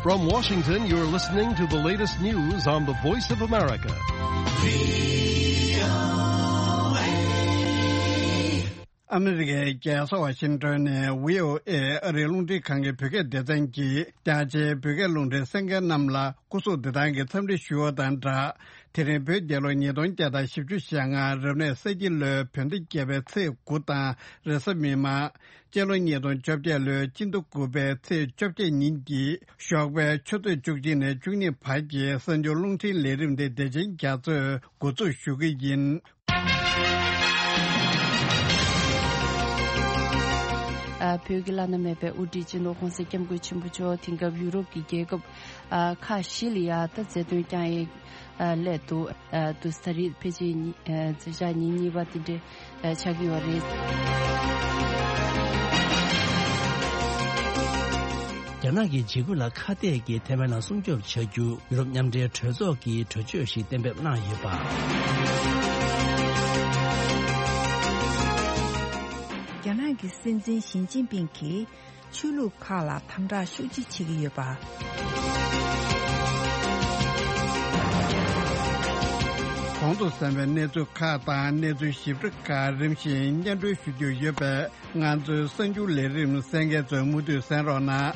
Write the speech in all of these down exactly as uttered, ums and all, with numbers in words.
From Washington, you're listening to the latest news on the Voice of America. ཨ་མི་རི་ཀའི་རྒྱལ་ས་ཝ་ཤིང་ཏོན་ནས་བྷི་ཨོ་ཨེ་ཨ་རིའི་རླུང་འཕྲིན་ཁང་གི་བོད་སྐད་སྡེ་ཚན་གྱིས་རྒྱ་ཆེའི་བོད་སྐད་རླུང་འཕྲིན་གསན་མཁན་རྣམས་ལ་སྐུ་གཟུགས་བདེ་ཐང་གི་འཚམས་འདྲི་ཞུ་བ་དང་སྦྲགས། དེ་རིང་བོད་རྒྱལ་ལོ་ཉིས་སྟོང་བརྒྱ་དང་བཞི་བཅུ་ཞེ་ལྔ་རབ་གནས་ས་ཁྱི་ལོའི་བོད་ཟླ་བརྒྱད་པའི་ཚེས་དགུ་དང་རེས་གཟའ་མིག་དམར། སྤྱི་ལོ་ཉིས་སྟོང་བཅོ་བརྒྱད་ལོའི་སྤྱི་ཟླ་དགུ་པའི་ཚེས་བཅོ་བརྒྱད་ཉིན་གྱི་ཞོགས་པའི་ཆུ་ཚོད་བཅུ་གཅིག་ནས་བཅུ་གཉིས་བར་གྱི་གསར་འགྱུར་རླུང་འཕྲིན་ལས་རིམ་དེ་བདེ་ཆེན་རྒྱ་མཚོས་འགོ་འཛུགས་ཞུ་གི་ཡིན། ཨ། བོད་ཀྱི་བླ་ན་མེད་པའི་དབུ་ཁྲིད་སྤྱི་ནོར་༸གོང་ས་༸སྐྱབས་མགོན་ཆེན་པོ་མཆོག་དེང་སྐབས་ཡུ་རོབ་ཀྱི་རྒྱལ་ཁབ་ཨ་ཁག་བཞི་ལ་ཡ་ད་མཛད་དོན་བསྐྱངས་ཡས་ཨ་སླེབས་འདུག་ཨ་དུས་ད་རེས་ཕལ་ཆེར་ཉི་ཨ་མཛད་བྱ་ཉིན་གཉིས་པ་དེ་འདྲ་ཨ་ཆགས་ཀྱི་ཡོད་རེད། རྒྱ་ནག་གི་འཇིགས་སྐུལ་ལ་ཁ་གཏད་ཀྱིས་ཐའེ་ཝན་ལ་སྲུང་སྐྱོབ་བྱ་རྒྱུ་ཡུ་རོབ་མཉམ་འབྲེལ་གྲོས་ཚོགས་ཀྱིས་གྲོས་ཆོད་ཞིག་གཏན་འབེབས་གནང་ཡོད་པ། རྒྱ་ནག་གི་སྲིད་འཛིན་ཞི་ཅིན་ཕིང་གིས་ཆོས་ལུགས་ཁག་ལ་དམ་དྲག་ཤུགས་ཆེ་བྱེད་ཀྱི་ཡོད་པ། གོང་དུ་གསན་པའི་གནས་ཚུལ་ཁག་དང་གནས་ཚུལ་ཞིབ་ཕྲ་ཁག་རིམ་བཞིན་སྙན་སྒྲོན་ཞུ་རྒྱུ་ཡོད་པས། ང་ཚོའི་གསར་འགྱུར་ལས་རིམ་གསན་མཁན་ཚོས་མུ་མཐུད་གསན་རོགས་གནང་།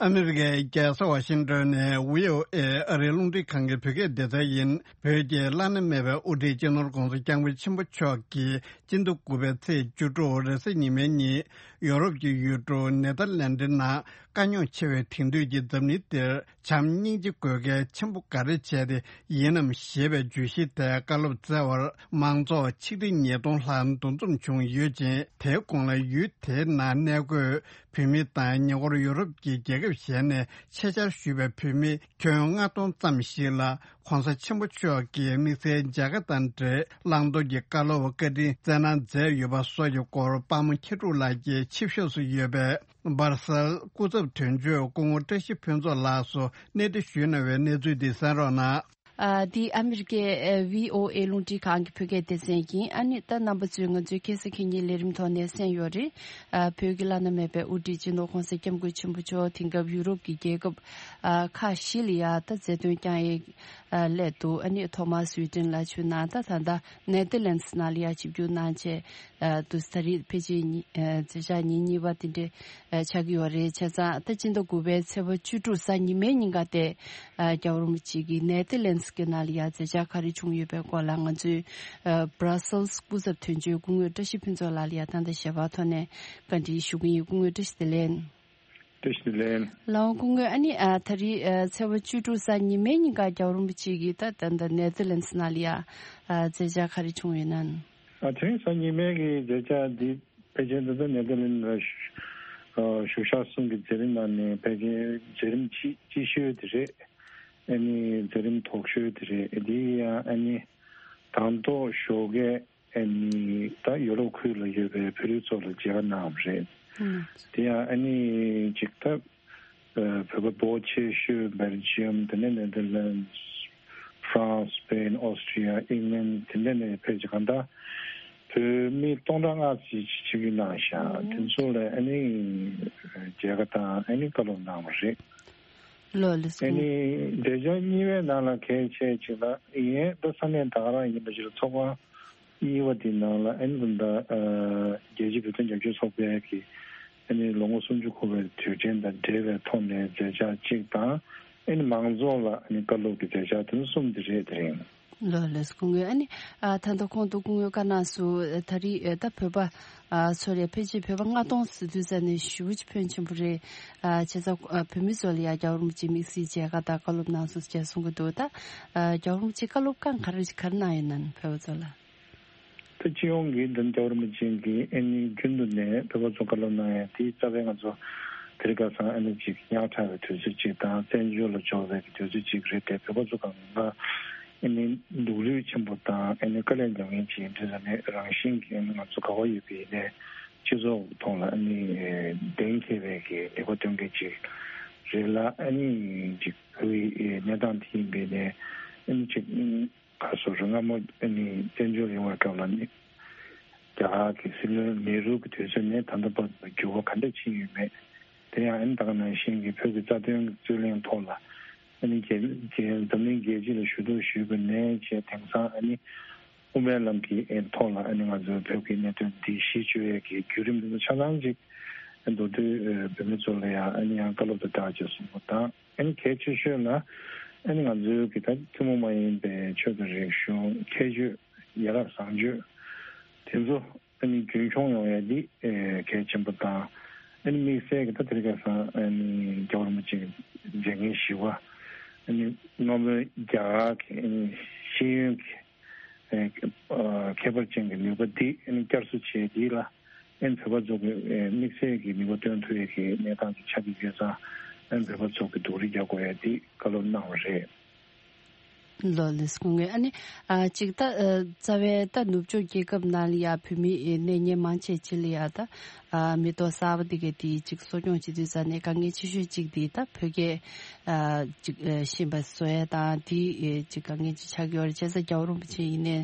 ཨ་མི་རི་ཀའི་རྒྱལ་ས་ཝ་ཤིང་ཏོན་ནས་བྷི་ཨོ་ཨེ་ཨ་རིའི་རླུང་འཕྲིན་ཁང་གི་བོད་སྐད་སྡེ་ཚན་ཡིན། བོད་ཀྱི་བླ་ན་མེད་པའི་དབུ་ཁྲིད་སྤྱི་ནོར་༸གོང་ས་༸སྐྱབས་མགོན་ཆེན་པོ་མཆོག་གིས་སྤྱི་ཟླ་དགུ་པའི་ཚེས་བཅུ་དྲུག་རེས་གཟའ་ཉི་མའི་ཉིན་ཡོ་རོབ་ཀྱི་ཡུལ་གྲུ་ནེ་ཐར་ལན་ཌི་ནང་དཀའ་རྙོག་ཆེ་བའི་དེང་དུས་ཀྱི་འཛམ་གླིང་འདིར། བྱམས་སྙིང་རྗེ་དགོས་གལ་ཆེན་པོ་ག་རེ་བྱས་ཏེ་ཡིན་ནམ་ཞེས་པའི་བརྗོད་གཞི་དེ་བཀའ་སློབ་སྩལ་བར་མང་ཚོགས་ཆིག་ཁྲི་ཉིས་སྟོང་ལྷག་འདུ་འཛོམས་བྱུང་ཡོད་ཅིང་། དེའི་གོང་ལ་ཡུལ་དེའི་ནང་གནས་འཁོད་བོད་མི་དང་ཉེ་འཁོར་ཡོ་རོབ་ཀྱི་རྒྱལ་ཁབ་གཞན་ནས་ཆེད་བཅར་ཞུས་པའི་བོད་མི་ཁྱོན་ལྔ་སྟོང་ཙམ་ཞིག་ལ་༸གོང་ས་ཆེན་པོ་མཆོག་གིས་དམིགས་བསལ་མཇལ་ཁ་དང་འབྲེལ་བླང་དོར་གྱི་བཀའ་སློབ་བཀའ་དྲིན་སྩལ་གནང་མཛད་ཡོད་པ་སོགས་ཀྱི་སྐོར་དཔལ་མོ་མཁས་གྲུབ་ལགས་ཀྱིས་ཆིབས་ཞབས་སུ་ཡོད་པའི། སྦར་སེལ་སྐུ་ཚབ་དོན་གཅོད་སྐུ་ངོ་བཀྲ་ཤིས་ཕུན་ཚོགས་ལགས་སུ་གནས་འདྲི་ཞུས་གནང་བའི་གནས་ཚུལ་འདི་གསན་རོགས་གནང་། ཨ། འདི་ཨ་མི་རི་ཀའི་ཨ་བྷི་ཨོ་ཨེ་རླུང་འཕྲིན་ཁང་གི་བོད་སྐད་སྡེ་ཚན་ཡིན། ཨ་ནི་ད་རྣམ་པ་ཚོས་ང་ཚོའི་ཁ་སང་ཁ་ཉིན་ལས་རིམ་ཐོག་ནས་གསན་ཡོད་རེད། ཨ། བོད་ཀྱི་བླ་ན་མེད་པའི་དབུ་ཁྲིད་སྤྱི་ནོར་༸གོང་ས་༸སྐྱབས་མགོན་ཆེན་པོ་མཆོག་དེང་སྐབས་ཡུ་རོབ་ཀྱི་རྒྱལ་ཁབ་ཨ་ཁག་བཞི་ལ་ཡ་ད་མཛད་དོན་བསྐྱངས་ཡས་ཨ་སླེབས་འདུག་ཨ་ནི་ཐོག་མར་སུའི་ཏན་ལ་བྱོན་གནང་། ད་ད་ལྟ་ནེ་ཐར་ལན་སི་ནང་ལ་ཡ་ཆིབས་བསྒྱུར་གནང་བྱས། ཨ་དུས་ད་རེས་ཕལ་ཆེར་ཉི་ཨ་མཛད་བྱ་ཉིན་གཉིས་པ་དེ་འདྲ་ཨ་ཆགས་ཀྱི་ཡོད་རེད། བྱས་ཙང་ད་སྤྱི་ཟླ་དགུ་པའི་ཚེས་པ་བཅུ་དྲུག་གཟའ་ཉི་མའི་ཉིན་ཀ་དེ་ཨ་རྒྱལ་བ་རིན་པོ་ཆེ་གིས་ནེ་ཐར་ལན་སི་གི་ནང་ལ་ཡ་མཛད་བྱ་ག་རེ་བྱུང་ཡོད་པའི་སྐོར་ལ་ང་ཚོའི་ཨ་སྦར་སེལ་སི་སྐུ་ཚབ་དོན་གཅོད་སྐུ་ངོ་བཀྲ་ཤིས་ཕུན་ཚོགས་ལགས་ལ་ཡ་ད་ལྟ་ཞལ་པར་ཐོག་ནས་བཀའ་འདྲི་ཞུ་གི་ཡིན། སྐུ་ངོ་བཀྲ་ཤིས་བདེ་ལེགས། བཀྲ་ཤིས་བདེ་ལེགས། ལགས་འོང་། སྐུ་ངོ་ཨ་ནི་ཨ་ད་རེས་ཨ་ཚེས་པ་བཅུ་དྲུག་གཟའ་ཉི་མའི་ཉིན་ཀ་རྒྱལ་བ་རིན་པོ་ཆེ་གིས་ད་ད་ད་ནེ་ཐར་ལན་སི་ནང་ལ་ཡ་ཨ་མཛད་བྱ་ག་རེ་བྱུང་ཡོད་ན། ཨ་དེ་རིང་གཟའ་ཉི་མའི་གི་མཛད་བྱ་འདི་ཕལ་ཆེར་ད་ལྟ་ནེ་ཐར་ལན་སི་ལ་བཞུགས་ཨ་བཞུགས་ཤག་གསུམ་གྱི་མཛད་རིམ་ནང་ནས་ཕལ་ཆེར་མཛད་རིམ་ཆེ་ཆེ་ཤོས་དེ་རེད། ཨ་ནི་མཛད་རིམ་དོག་ཤོས་དེ་རེད། དེ་ཡང་ཨ་ནི་དང་ཐོག་ཞོགས་ཀས་ཨ་ནི་ད་ཡོ་རོབ་ཁུལ་ལ་ཡོད་པའི་བོད་རིགས་ཚོ་ལ་མཇལ་ཁ་གནང་བ་རེད། ཨང་། དེ་ཡང་ཨ་ནི་ཅིག་ད་ཨ་བོད་པ་འབོར་ཆེ་ཤོས་སྦེལ་ཇི་ཡམ། དེ་ནས་ནེ་ཐར་ལན་སི། ཧྥ་རན་སི། སི་པེན། ཨོ་སི་ཀྲི་ཡ། ཨིང་ལན། དེ་འདྲ་ནས་ཕལ་ཆེར་གང་ལྟར་བོད་མི་སྟོང་ཕྲག་ལྔ་ཙམ་ཞིག་ཆིབས་བསྒྱུར་གནང་ཤག་དེ་ཚོ་ལ་ཨ་ནི་མཇལ་ཁ་དང་ཨ་ནི་བཀའ་སློབ་གནང་བ་རེད། ལགས་ལགས་སོ། ཨ་ནི་མཛད་བྱ་གཉིས་པའི་ནང་ལ་གལ་ཆེ་ཅིག་ལ་ཡིན་ད་ས་གནས་ད་ག་རང་ཡིན་པ་ཞིག་ལ་ཚོགས་པ་གཉིས་པ་དེའི་ནང་ལ་ཨ་ནི་ད་ལྟ་ཨ་རྒྱལ་སྤྱིའི་བོད་དོན་རྒྱབ་སྐྱོར་ཚོགས་པའི་གི་ཨ་ནི་ལོ་ངོ་སུམ་ཅུ་འཁོར་བའི་དུས་དྲན་དང་འབྲེལ་བའི་ཐོག་ནས་མཛད་བྱ་གཅིག་དང་ཨ་ནི་མང་ཚོགས་ལ་ཨ་ནི་བཀའ་སློབ་ཀྱི་མཛད་བྱ་དེ་ཚོ་གསུམ་དེ་རེད། དེ་རིང་། ལགས་ལགས་སོ། སྐུ་ངོ་ཨ་ནི་ཨ་ད་ལྟ་གོང་དུ་སྐུ་ངོའི་བཀའ་གནང་སོང་། ད་རེས་ཨ་ད་བོད་པ་ཨ་ཚོ་ལ་ཕལ་ཆེར་བོད་པ་ལྔ་སྟོང་ཟེར་དུས་ཙ་ནས་ཞེ་པོ་ཅིག་ཕོན་ཆེན་པོ་རེད། ཨ་བྱས་ཙང་ཨ་བོད་མི་ཚོ་ལ་ཡ་རྒྱལ་བ་རིན་པོ་ཆེས་དམིགས་བསལ་མཇལ་ཁ་དང་བཀའ་སློབ་གནང་སོང་ཞེས་གསུང་གི་འདུག་ད་ཨ་རྒྱལ་བ་རིན་པོ་ཆེས་བཀའ་སློབ་གང་ག་རེ་ག་རེ་གནང་ཡོད་ན་བོད་པ་ཚོ་ལ། ད་སྤྱི་ཡོངས་ཀྱི་འདི་རྒྱལ་བ་རིན་པོ་ཆེ་གིས་ཨ་ནི་རྒྱུན་དུ་ནས་བོད་པ་ཚོ་བཀའ་སློབ་གནང་ཡ་དེ་རྩ་བའི་ང་ཚོ་དེ་རིང་ཁ་སང་ཨ་ནི་ཅིག་ཉག་ཕྲ་བའི་དུས་ཚོད་ཅིག་དང་བཙན་བྱོལ་ལ་འབྱོར་བའི་གི་དུས་ཚོད་ཅིག་རེད་དེ། བོད་པ་ཚོ་གང་ག་ཨ་ནི་སྡུག་རུས་ཆེན་པོ་དང་ཨ་ནི་དཀའ་ལས་མྱོང་མཁན་ཅིག་ཡིན་དུས་ཙ་ནས་རང་བཞིན་གྱིས་ཨ་ནི་ང་ཚོ་ག་བ་ཡོད་པའི་ནས་སྤྱི་ཚོགས་ཐོག་ལ་ཨ་ནི་གདེང་འཁེལ་བའི་གི་ལས་ཀ་སྟོན་མཁན་ཅིག་རེད་ལ། ཨ་ནི་ཅིག་བོད་ཡི་གནས་སྟངས་དེ་ཡིན་པའི་ནས་ཨ་ནི་ཅིག་ག་སོ་རུ་སྔ་མོ་ཨ་ནི་བཙན་བྱོལ་ཡོང་བའི་སྐབས་ལ་ནི་ རྒྱ་གར་གྱི་སྲིད་བློན་ནེ་རུ་གྱི་དུས་ཚོད་ནས་ད་ལྟ་བར་དུ་འགྱུར་བ་ག་འདྲ་ཕྱིན་ཡོད་མེད། དེ་ཡང་ཨ་ནི་ད་ག་ནང་བཞིན་གྱི་བོད་ཀྱི་རྩ་དོན་རྩོད་གླེང་ཐོག་ལ་ཨ་ནི་རྒྱལ་རྒྱལ་འཛམ་གླིང་རྒྱལ་སྤྱི་ལ་ཞུ་གཏུག་ཞུས་པ་ནས་བྱས། དེང་སང་ཨ་ནི་དབུ་མའི་ལམ་གྱི་ཨེ་ཐོག་ལ་ཨ་ནི་ང་ཚོའི་བོད་ཀྱི་གནད་དོན་འདི་གཞི་བཅོལ་ཡས་ཀྱི་བརྒྱུད་རིམ་འདི་ཚོ་ཆ་ཚང་ཅིག་མདོར་བསྡུས་ཨེ་བོད་མི་ཚོ་ལ་ཡང་ཨ་ནི་ཡང་བཀའ་སློབ་དང་སྦྲགས་ཅིག་གསུང་པ་དང་། ཨ་ནི་གལ་ཆེ་ཤོས་ལ་ཨ་ནི་ང་ཚོའི་གི་ད་ཐུན་མོང་མ་ཡིན་པའི་ཆོས་དང་རིག་གཞུང་ཁྱད་ཆོས་ཡ་རབས་བཟང་སྤྱོད་དེ་ཚོ་ཨ་ནི་རྒྱུན་འཁྱོངས་ཡོང་ཡ་འདི་ཨེ་གལ་ཆེན་པོ་དང་། ཨ་ནི་དམིགས་བསལ་གྱི་ད་དེ་རིང་ཁ་སང་ཨ་ནི་རྒྱལ་བ་རིན་པོ་ཆེ་མཛད་འགན་བཞི་པ་ཨ་ནི་སྔ་མོའི་རྒྱ་གར་གྱི་ཨ་ནི་ཤེས་ཡོན་གྱི་ཨེ་ཨ་ཁྱད་པར་ཅན་གྱི་ནུས་པ་འདི་ཨ་ནི་བསྐྱར་གསོ་བྱས་འདི་ལ་ཨ་ནི་བོད་པ་ཚོ་གི་ཨེ་དམིགས་བསལ་གྱི་ནུས་པ་བཏོན་ཐུབ་ཡ་གི་གནས་སྟངས་ཅིག་ཆགས་ཀྱི་ཡོད་ཙང་། ཨ་ནི་བོད་པ་ཚོ་གི་སྡུག་རུས་རྒྱག་དགོས་ཡ་འདི་བཀའ་སློབ་གནང་བ་རེད། ལགས་ལགས་སོ། སྐུ་ངོ། ཨ་ནི་ཨ་ཅིག་ད་ཨ་རྩ་བའི་ད་ནུབ་ཕྱོགས་རྒྱལ་ཁབ་ནང་ལ་ཡ་བོད་མི་ཨེ་གནས་མཁན་མང་ཆེ་ཅིག་ལ་ཡ་ད་ཨ་མི་ཐོག་གསར་པ་འདི་གའི་དེ་ཅིག་གསོ་སྐྱོང་བྱེད་དུས་ཙ་ནས་དཀའ་ངལ་ཆེ་ཤོས་ཅིག་དེ་ད་བོད་སྐད་ཨ་ཅིག་ཨ་ཤེས་པ་བཟོ་ཡ་དང་། དེ་ཨེ་ཅིག་དཀའ་ངལ་ཅིག་ཆགས་ཀྱི་ཡོད་རེད། བྱས་ཙང་རྒྱལ་བ་རིན་པོ་ཆེ་ཡིན་ནའི་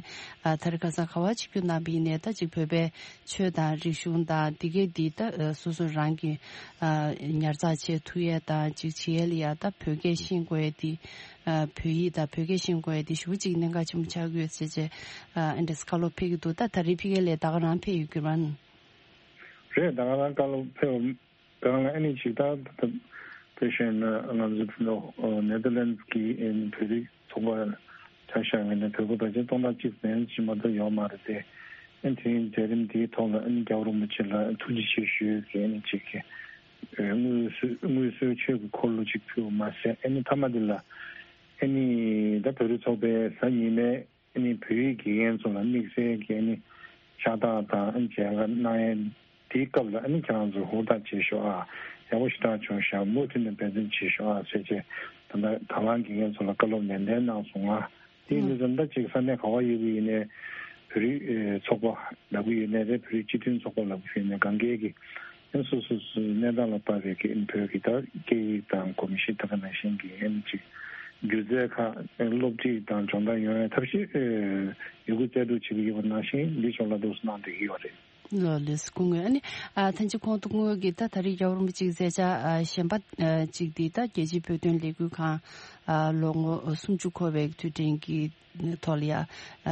ཨ་ད་རེས་ཁ་སང་ག་པར་ཆིབས་བསྒྱུར་གནང་བ་ཡིན་ནའི་ད་ཅིག་བོད་པའི་ཆོས་དང་རིག་གཞུང་དང་འདི་གའི་འདི་ད་ཨ་སོ་སོ་རང་གི་ཨ་ཉར་ཚགས་བྱེད་ཐུབ་ཡས་དང་ཅིག་བྱེད་ཡས་ལ་ཡ་ད་བོད་སྐད་ཤེས་དགོས་ཡས་དེ། ཨ་བོད་ཡིག་དང་བོད་སྐད་ཤེས་དགོས་ཡས་དེ་ཞེ་པོ་ཅིག་གནད་འགག་ཆེན་པོ་ཆགས་ཀྱི་ཡོད་ཟེར་བྱས་ཨ་ཨེ་འདྲས་བཀའ་སློབ་ཕེབས་ཀྱི་འདུག་ད་ད་རེས་ཕ་གི་ལ་ད་ག་རང་ཕེབས་ཡོད་ཀྱི་རེད་པ། རེད། ད་ག་རང་བཀའ་སློབ་ཕེབས་པ་གང་ལ་ཨ་ནི་ཅིག་ད་ད་དཔེ་བཤད་ན་ང་ཚོ་ནོ་ནེ་དར་ལེན་ཌི་གི་ཨ་ནི་བོད་རིགས་ཚོགས་པ་ཆ་བཞག་ཡིན་ན་བོད་པ་ཕལ་ཆེར་སྟོང་ཕྲག་གཅིག་ཙམ་ཅིག་མ་གཏོགས་ཡོད་མ་རེད་དེ། ཨ་ནི་དེ་རིང་མཛད་རིམ་དེའི་ཐོག་ལ་ཨ་ནི་རྒྱལ་བ་རིན་པོ་ཆེ་ལ་ཐུགས་རྗེ་ཆེ་ཞུ་ཡས་ཀྱི་ཨ་ནི་ཅིག་གི་དངོས་སུ་དངོས་སུ་ཆོས་ཀྱི་འཁོར་ལོ་ཅིག་ཕུལ་བ་མ་ཟད། ཨ་ནི་མཐའ་མ་དེ་ལ་ཨ་ནི་ད་བོད་རིགས་ཚོགས་པའི་གཟའ་ཉི་མའི་ཨ་ནི་བོད་ཡིག་དགེ་རྒན་ཚོ་ལ་དམིགས་བསལ་གྱི་ཨ་ནི་ཕྱག་རྟགས་དང་ཨ་ནི་མཇལ་ཁ་གནང་ཡས་དེའི་སྐབས་ལ་ཨ་ནི་ཁྱེད་རང་ཚོ་ཧུར་ཐག་བྱེད་ཤོག་ཨ། ཡག་པོ་ཞེ་དྲག་བྱུང་ཤག་མུ་མཐུད་ནས་འབད་བརྩོན་བྱེད་ཤོག་ཨ་ཟེར་བྱས། ད་ལྟ་དང་བླངས་དགེ་རྒན་ཚོ་ལ་བཀའ་སློབ་ནན་ཏན་གནང་སོང་ང་། དེ་ཡིན་དུས་ཙམ་ད་ཅིག་ས་གནས་ག་པར་ཡོད་ཀྱི་ཡིན་ནའི་བོད་རིགས་ཚོགས་པ་ལབ་ཀྱི་ཡོད་ནའི་རེད། བོད་རིགས་སྤྱི་མཐུན་ཚོགས་པ་ལབ་ཀྱི་ཡོད་ནའི་གང་གའི་གི་ཨ་ནི་སོ་སོ་སོའི་གནས་སྟངས་ལ་དཔག་པའི་གི་ཨ་ནི་བོད་ཀྱི་ད་སྐད་ཡིག་དང་གོམས་གཤིས་ད་ག་ནང་བཞིན་གྱི་ཨ་ནི་ཅིག་སྒྱུ་རྩལ་ཁག་ཨ་ནི་སློབ་ཁྲིད་དང་སྦྱོང་བརྡར་ཡོང་ཡའི་ཐབས་ཤེས་ཨ་ཡོད་རྒུ་རྩལ་སྤྲུགས་བྱེད་ཀྱི་ཡོད་པ་ནང་བཞིན་འདི་ཕྱོགས་ལ་འདུག་སེ་གནང་བསྡད་ཀྱི་ཡོད་རེད། ལགས་ལགས་སོ། སྐུ་ངོ། ཨ་ནི་ཨ་ཐེངས་གཅིག་ཁོང་ཐུག་ངོ་གི་ད་ད་རེས་རྒྱལ་བ་རིན་པོ་ཆེའི་མཛད་འཆར་ཨ་གཞན་པ་ཨ་ཅིག་འདི་ད་རྒྱལ་སྤྱིའི་བོད་དོན་ལས་འགུལ་ཁང་ཨ་ལོ་ངོ་སུམ་ཅུ་འཁོར་བའི་དུས་དྲན་གྱི་ཐོག་ལ་ཡ་ཨ་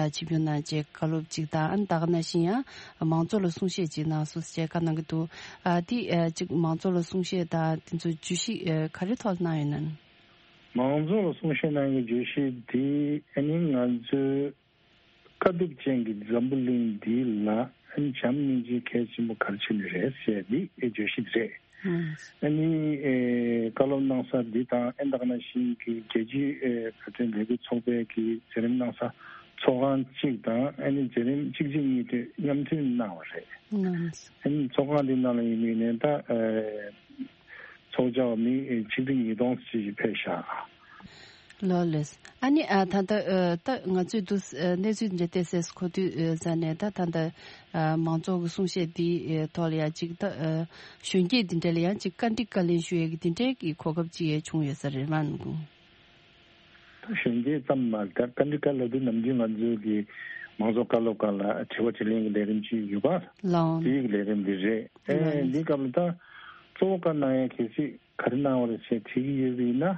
ཆིབས་བསྒྱུར་གནང་བྱས་བཀའ་སློབ་ཅིག་དང་། ཨ་ནི་ད་ག་ནང་བཞིན་ཡང་མང་ཚོགས་ལ་གསུང་བཤད་ཅིག་གནང་སོང་ཟེར་བཀའ་གནང་གི་འདུག་ཨ་དེ་ཨ་ཅིག་མང་ཚོགས་ལ་གསུང་བཤད་དང་དེ་ཚོ་བརྗོད་གཞི་ཨ་ག་རེ་ཐོག་ལ་གནང་ཡོད་ན། མང་ཚོགས་ལ་གསུང་བཤད་གནང་གི་བརྗོད་གཞི་དེ་ཨ་ནི་ང་ཚོའི་དཀའ་སྡུག་ཅན་གྱི་འཛམ་བུ་གླིང་འདི་ལ་བྱམས་སྙིང་རྗེ་གལ་ཆེན་པོ་ག་རེ་བྱས་ནས་རེད་ཟེར་འདི་ཨེ་བརྗོད་གཞི་རེད། ཨ་ནི་ཨེ་བཀའ་སློབ་གནང་ས་འདི་དང་ཨེ་ད་ག་ནང་བཞིན་གྱི་རྒྱལ་སྤྱིའི་ཨེ་བོད་དོན་ལས་འགུལ་ཚོགས་པའི་གི་མཛད་རིམ་གནང་ས་ཚོགས་ཁང་གཅིག་དང་ཨ་ནི་མཛད་རིམ་གཅིག་རྗེས་གཉིས་མཐུད་མཉམ་མཐུད་གནང་བ་རེད། ཨ་ནི་ཚོགས་ཁང་འདི་ནང་ལ་ཡིན་མིན་ནས་ད་ཨེ་ཚོགས་བཅར་བ་མི་ཆིག་ཁྲི་ཉིས་སྟོང་ཙམ་ཞིག་ཕེབས་ཤག་ལགས་ལགས། ཨ་ནི་ཨ་ད་ལྟ་ཨ་ད་ང་ཚོས་འདུག་ཨ་གནས་ཚུལ་འདི་འདྲ་ཏོག་ཙམ་གོ་དུས་ཨ་ཙ་ནས་ད་ད་ལྟ་ཨ་མང་ཚོགས་ཀྱི་གསུང་བཤད་འདི་ཨ་ཐོག་ལ་ཡང་ཅིག་ད་ཨ་གཞོན་སྐྱེས་འདི་འདྲ་ལ་ཡང་ཅིག་བཀའ་འདྲི་བཀའ་ལན་ཞུ་ཡས་ཀྱི་འདི་འདྲའི་གི་གོ་སྐབས་ཅིག་ཡང་བྱུང་ཡོད་ས་རེད་མ་གོ། ད་གཞོན་སྐྱེས་ཙམ་མ་རེད། ད་བཀའ་འདྲི་བཀའ་ལན་འདི་ནམ་རྒྱུན་ང་ཚོའི་གི་མང་ཚོགས་བཀའ་སློབ་སྒང་ལ་དྲི་བ་དྲིས་ལན་གྱི་ལས་རིམ་ཅིག་ཡོད་པ། ལགས། དེའི་གི་ལས་རིམ་འདི་རེད། ཨེ་ལགས། འདི་སྐབས་ལ་ད་གཙོ་བོ་བཀའ་གནང་ཡས་གལ་སྲིད་ག་རེ་གནང་བ་རེད་ཅེས་དྲིས་ཀྱི་ཡོད་པ་ཡིན་ན།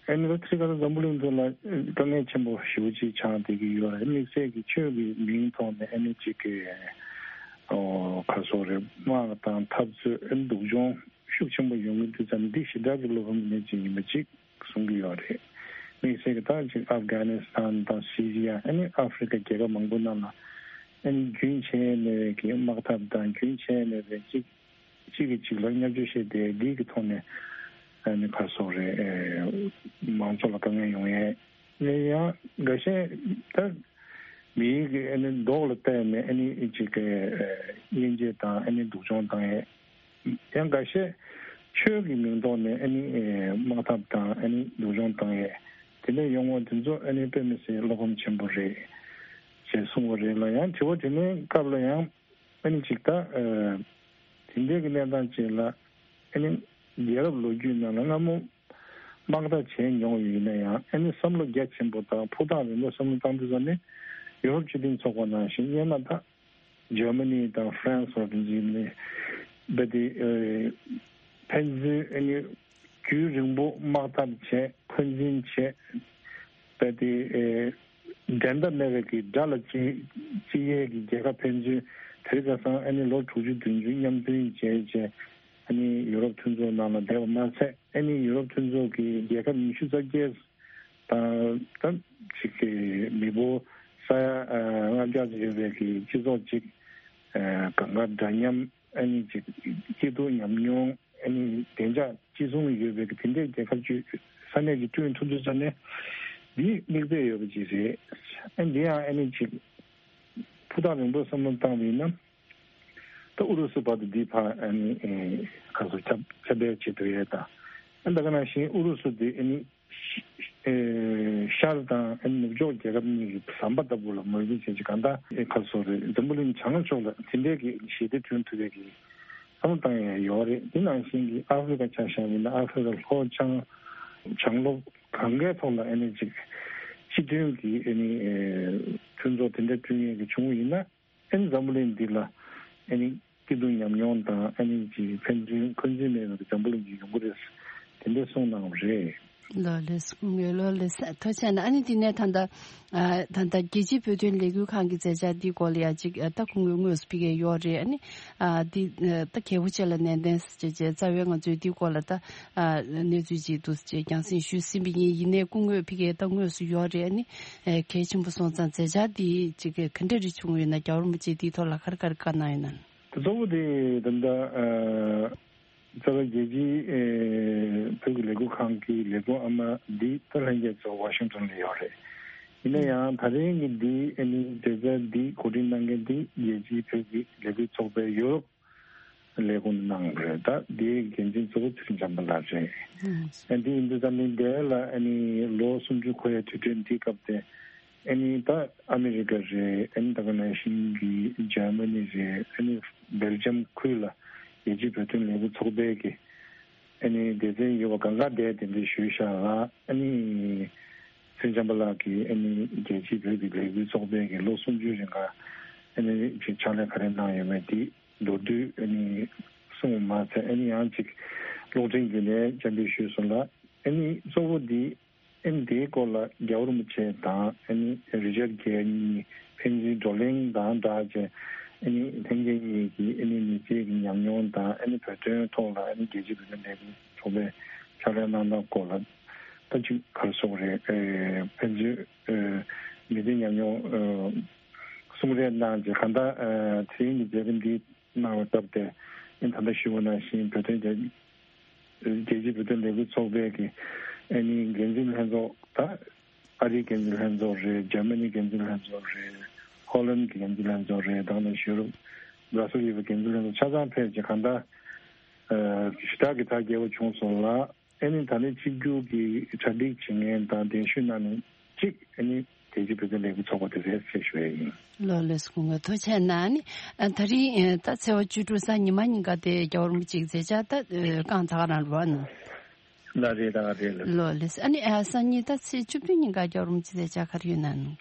ཨ་ནི་ད་ཁྲི་ཁ་ས་འཛམ་བུ་གླིང་ཐོག་ལ་དཀའ་ངལ་ཆེན་པོ་ཞེ་པོ་ཅིག་ཆགས་བསྡད་ཀྱི་ཡོད་རེད། དམིགས་བསལ་གྱི་ཆོས་ཀྱི་མིང་ཐོག་ནས་ཨ་ནི་ཅིག་གི་ཨོ་ག་སོགས་རེད། དམག་དང་འཐབ་རྩོད་ཨ་ནི་སྡུག་སྦྱོང་ཤུགས་ཆེན་པོ་ཡོང་གི་འདུག་ཙང་འདི་ཞེ་དྲག་གི་བློ་ཕམ་གནས་ཅིག་ཡིན་པ་ཅིག་གསུང་གི་ཡོད་རེད། དམིགས་བསལ་གྱི་ད་ཅིག་ཨབ་གྷ་ནི་སི་ཐན་དང་སི་རི་ཡ་ཨ་ནི་ཨ་ཧྥི་རི་ཀ་རྒྱལ་ཁབ་མང་པོ་ནང་ལ་ཨ་ནི་རྒྱུན་ཆད་མེད་པའི་གི་དམག་འཐབ་དང་རྒྱུན་ཆད་མེད་པའི་ཅིག་གཅིག་གིས་གཅིག་ལ་བརྙས་བཅོས་བྱས་ཏེ་འདི་གི་ཐོག་ནས་ཨ་ནི་ག་སོགས་རེད། ཨེ་མང་ཚོགས་ལ་དཀའ་ངལ་ཡོང་ཡས་ཡང་འགའ་ཤས་ད་མིའི་གི་ཨ་ནི་མདོག་ལ་བལྟས་ནས་ཨ་ནི་གཅིག་གི་ཨེ་དབྱེ་འབྱེད་དང་ཨ་ནི་སྡུག་སྦྱོང་བཏང་ཡས། ཡང་འགའ་ཤས་ཆོས་ཀྱི་མིང་ཐོག་ནས་ཨ་ནི་ཨེ་དམག་འཐབ་དང་ཨ་ནི་སྡུག་སྦྱོང་བཏང་ཡས། དེ་འདྲ་ཡོང་བ་དེ་ཚོ་ཨ་ནི་དཔེ་མི་སྲིད་བློ་ཕམ་ཆེན་པོ་རེད་ཅེས་གསུངས་པ་རེད་ལ། ཡང་དྲི་བ་དྲིས་ལན་སྐབས་ལ་ཡང་ཨ་ནི་ཅིག་ད་ཨ་དེ་འདྲའི་གི་གནས་སྟངས་ཅིག་ལ་ཨ་ནི་རྒྱལ་རབས་ལོ་རྒྱུས་ནང་ལ་སྔ་མོ་དམག་འཐབ་བྱས་མྱོང་ཡོད་ན་ཡང་ཨ་ནི་བསམ་བློ་རྒྱ་ཆེན་པོ་དང་ཕུ་ཐག་རིང་པོ་བསམ་བློ་བཏང་དུས་ཙམ་ནས་ཡུ་རོབ་སྤྱི་མཐུན་ཚོགས་པ་ནང་བཞིན་སྔོན་མ་ད་ ཇར་མ་ནི་དང་ཧྥ་རན་སི་བར་དུ་འཛིན་ནས་རྦད་དེ་ཕན་ཚུན་ཨ་ནི་རྒྱུན་རིང་པོ་དམག་འཐབ་བྱས། འཁོན་འཛིན་བྱས། རྦད་དེ་འགྲན་ཟླ་མེད་པའི་གི་དགྲ་ལ་ཅི་ཅི་ཡས་ཀྱི་རྒྱལ་ཁབ་ཕན་ཚུན་དེ་རིང་ཁ་སང་ཨ་ནི་ལོ་དྲུག་ཅུ་བདུན་ཅུ་མཉམ་མཐུན་བྱས་བྱས། ཨ་ནི་ཡུ་རོབ་མཐུན་ཚོགས་ནང་ལ་བསྡད་པ་མ་ཚད། ཨ་ནི་ཡུ་རོབ་མཐུན་ཚོགས་ཀྱི་རྒྱལ་ཁབ་ཉི་ཤུ་རྩ་བརྒྱད་དང་ད་ཅིག་གི་མི་འབོར་ས་ཡ་ལྔ་བརྒྱ་ཙམ་ཡོད་པའི་གི་སྤྱི་ཚོགས་ཅིག་གང་ག་འདྲ་མཉམ། ཨ་ནི་ཅིག་སྐྱིད་སྡུག་ཉམས་མྱོང་། ཨ་ནི་བདེ་འཇགས་གཅིག་མཚུངས་ཡོད་པའི་གི་དེ་འདྲའི་རྒྱལ་ཁབ་ཅིག་ས་གནས་ཀྱི་བསྐྲུན་ཐུབ་དུས་ཙ་ནས་འདི་མིག་དཔེ་ཡོད་པ་ཅིག་རེད། ཨ་འདི་ཡང་ཨ་ནི་ཅིག་ཕུ་ཐག་རིང་པོ་བསམ་བློ་བཏང་བ་ཡིན་ན། ད་ཨུ་རུ་སུ་བར་དུ་འདི་ཕར་ཨ་ནི་ཨེ་ག་ཚོད་ཁྱབ་ཁྱབ་སྤེལ་བྱེད་འགྲོ་ཡས་དང་། ཨ་ད་ག་ནང་བཞིན་ཨུ་རུ་སུ་དེ་ཨ་ནི་ཤར་དང་ཨ་ནི་ནུབ་ཕྱོགས་རྒྱལ་ཁབ་གཉིས་ཀྱི་ཟམ་པ་ལྟ་བུ་ལ་ངོས་འཛིན་བྱེད་ཀྱི། གང་ལྟར་ཨེ་ག་ཚོད་རེད། འཛམ་བུ་གླིང་བྱང་ཕྱོགས་ལ་དེ་འདྲའི་གི་ཞི་བདེ་བསྐྲུན་ཐུབ་པའི་གི་བསམ་བློ་བཏང་ཡས་ཡོད་རེད། དེ་ནང་བཞིན་གྱི་ཨ་ཧྥེ་རི་ཁ་ཆ་བཞག་པ་ཡིན་ན། ཨ་ཧྥེ་རི་ཁ་ལྷོ་བྱང་བྱང་ལྷོ་གང་གའི་ཐོག་ལ་ཨ་ནི་ཅིག་སྤྱི་མཐུན་གྱི་ཨ་ནི་ཨེ་མཐུན་ཚོགས་དེ་འདྲ་བསྐྲུན་ཡས་ཀྱི་བྱུང་བ་ཡིན་ན། ཨ་ནི་འཛམ་བུ་གླིང་འདི་ལ་ཨ་ནི་སྐྱིད་སྡུག་ཉམས་མྱོང་དང་། ཨ་ནི་ཅིག་ཕན་ཚུན་འཁོན་འཛིན་མེད་པའི་འཛམ་བུ་གླིང་ཅིག་ཡོང་གི་རེད། དེ་འདྲ་གསུངས་གནང་བ་རེད། ལགས་ལགས་སོ། སྐུ་ངོ་ལགས་ལགས་སོ། ཐུགས་རྗེ་ཆེ་གནང་། ཨ་ནི་དེ་ནས་ད་ལྟ་ཨ་ད་ལྟ་རྒྱལ་སྤྱིའི་བོད་དོན་ལས་འགུལ་ཁང་གི་མཛད་འཆར་འདིའི་སྐོར་ལ་ཡང་ཅིག་ཨ་ད་སྐུ་ངོ་དངོས་སུ་ཕ་གིར་ཡོད་རེད། ཨ་ནི་ཨ་འདི་ཨ་ད་གལ་པོ་ཆེ་ལ་ནན་ཏན་ཟེར་བྱས་རྩ་བའི་ང་ཚོས་འདིའི་སྐོར་ལ་ད་ཨ་གནས་ཚུལ་ཅིག་འདུག་ཟེར་བྱས་རྒྱང་སྲིང་ཞུས་ཟིན་པ་ཡིན། ཡིན་ནའི་སྐུ་ངོ་ཕ་གིར་ད་དངོས་སུ་ཡོད་རེད། ཨ་ནི་ཨ་གལ་ཆེན་པོ་སོང་ཙང་མཛད་འཆར་འདི་ཅིག་ག་འདྲ་རེ་བྱུང་ཡོད་ན། རྒྱལ་བ་རིན་པོ་ཆེས་འདིའི་ཐོག་ལ་ག་རེ་ག་རེ་བཀའ་གནང་ཡོད་ན། དེ་གཙོ་བོ་དེ་ད་ལྟ་ཨ་རྩ་བའི་རྒྱལ་སྤྱིའི་ཨེ་བོད་ཀྱི་ལས་འགུལ་ཁང་གི་ལས་འགུལ་ཨ་མ་འདི་ད་ལྷན་རྒྱས་ཚོ་ཝ་ཤིང་ཏོན་ལ་ཡོད་རེད། ཡིན་ན་ཡང་ད་རིང་གི་འདི་ཨ་ནི་མཛད་འཆར་འདི་གོ་སྒྲིག་གནང་མཁན་འདི་རྒྱལ་སྤྱིའི་བོད་ཀྱི་ལས་འགུལ་ཚོགས་པའི་ཡུ་རོབ་ལས་ཁུངས་གནང་རེད། ད་འདིའི་འགན་འཛིན་གཙོ་བོ་ཚུལ་ཁྲིམས་བྱམས་པ་ལགས་རེད། ཨ་འདི་ཡིན་དུས་ད་ནི་འདི་ལ་ཨ་ནི་ལོ་སུམ་ཅུ་འཁོར་བའི་དུས་དྲན་འདིའི་སྐབས་དེ། ཨ་ནི་ད་ཨ་མི་རི་ཀ་རེད། ཨ་ནི་ད་ག་ནང་བཞིན་གྱི་འཇར་མ་ནི་རེད། ཨ་ནི་སྦེལ་ཇམ་ཁུལ་ལ་རྒྱལ་སྤྱིའི་བོད་དོན་ལས་འགུལ་ཚོགས་པའི་གི་ཨ་ནི་སྡེ་ཚན་ཡོད་པ་གང་ག་དེ་དེ་འདྲ་ཞུས་བཞག་ལ། ཨ་ནི་ཚུལ་ཁྲིམས་བྱམས་པ་ལགས་ཀྱིས་ཨ་ནི་རྒྱལ་སྤྱིའི་བོད་ཀྱི་ལས་འགུལ་ཚོགས་པའི་གི་ལོ་སུམ་ཅུའི་རིང་ག་ཨ་ནི་ཅིག་ཕྱག་ལས་ག་རེ་གནང་ཡོད་མེད་དེ་མདོར་བསྡུས་ཨ་ནི་གསུངས་པ་མ་ཚད། ཨ་ནི་ཡང་ཅིག་གློག་འཕྲིན་བརྒྱུད་ནས་བཅར་འདྲི་ཞུས་སོང་ལ། ཨ་ནི་གཙོ་བོ་འདི་ཨ་ནི་དེའི་སྐོར་ལ་རྒྱལ་བ་རིན་པོ་ཆེ་དང་ཨ་ནི་རི་ཅར་གཉིས་ཕན་ཚུན་བགྲོ་གླེང་དང་སྦྲགས་བྱས། ཨ་ནི་ལྷན་རྒྱས་གཉིས་ཀྱིས་ཨ་ནི་མི་ཚེ་གི་ཉམས་མྱོང་དང་། ཨ་ནི་བོད་དོན་ཐོག་ལ་ཨ་ནི་རྒྱལ་སྤྱིའི་བོད་དོན་ལས་འགུལ་ཚོགས་པའི་ཕྱག་ལས་གནང་སྟངས་སྐོར་ལ་ད་ཅིག་ག་རེ་ཟེར་དགོས་རེད། ཨེ་ཕན་ཚུན་ཨེ་མི་ཚེ་ཉམས་མྱོང་ཨེ་གསུང་རེས་གནང་རྗེས། གང་ལྟར་ཨེ་དེ་རིང་གི་མཛད་རིམ་འདི་གནང་བའི་སྐབས་དེ། ཨ་ནི་ད་ལྟ་ཞུས་པ་ནང་བཞིན་བོད་དོན་རྒྱ་རྒྱལ་སྤྱིའི་བོད་དོན་ལས་འགུལ་ཚོགས་པའི་གི་ཨ་ནི་འགན་འཛིན་ལྷན་ཚོགས་དང་། ཨ་རིའི་འགན་འཛིན་ལྷན་ཚོགས་རེད། འཇར་མ་ནིའི་འགན་འཛིན་ལྷན་ཚོགས་རེད། ཧོ་ལན་གྱི་འགན་འཛིན་ལྷན་ཚོགས་རེད། དེ་ནས་ཡུ་རོབ་བྷ་ར་སེལ་ཡོད་པའི་འགན་འཛིན་ལྷན་ཚོགས་ཆ་ཚང་ཕེབས་རྗེས། གང་ལྟར་ཨ་ཞུ་དག་གི་ཐག་བརྒྱབ་པ་བྱུང་སོང་ལ། ཨ་ནི་ད་ནི་གཅིག་གྱུར་གྱི་གྲ་སྒྲིག་བྱེད་མཁན་དང་གདན་ཞུ་གནང་མཁན་གཅིག་ཨ་ནི་རྒྱལ་སྤྱིའི་བོད་དོན་ལས་འགུལ་ཚོགས་པ་དེ་རེད་ཅེས་ཞུ་ཡས་ཡིན། ལགས་ལགས་སོ། སྐུ་ངོ་ཐུགས་རྗེ་ཆེ་གནང་། ཨ་ནི་ཨ་ད་རིང་ཨ་ད་ཚེས་པ་བཅུ་དྲུག་གཟའ་ཉི་མ་ཉིན་ཀ་དེ་རྒྱལ་བ་རིན་པོ་ཆེའི་མཛད་འཆར་ད་ཨ་བསྐངས་ཚར་ག་རང་རེད་པ། ལགས་རེད། ད་རེད་ལགས། ལགས་ལགས་སོ། ཨ་ནི་ཨ་སང་ཉིན་ད་ཚེས་བཅུ་བདུན་ཉིན་ཀ་རྒྱལ་བ་རིན་པོ་ཆེའི་མཛད་འཆར་ག་རེ་ཡོད་ན་ནི།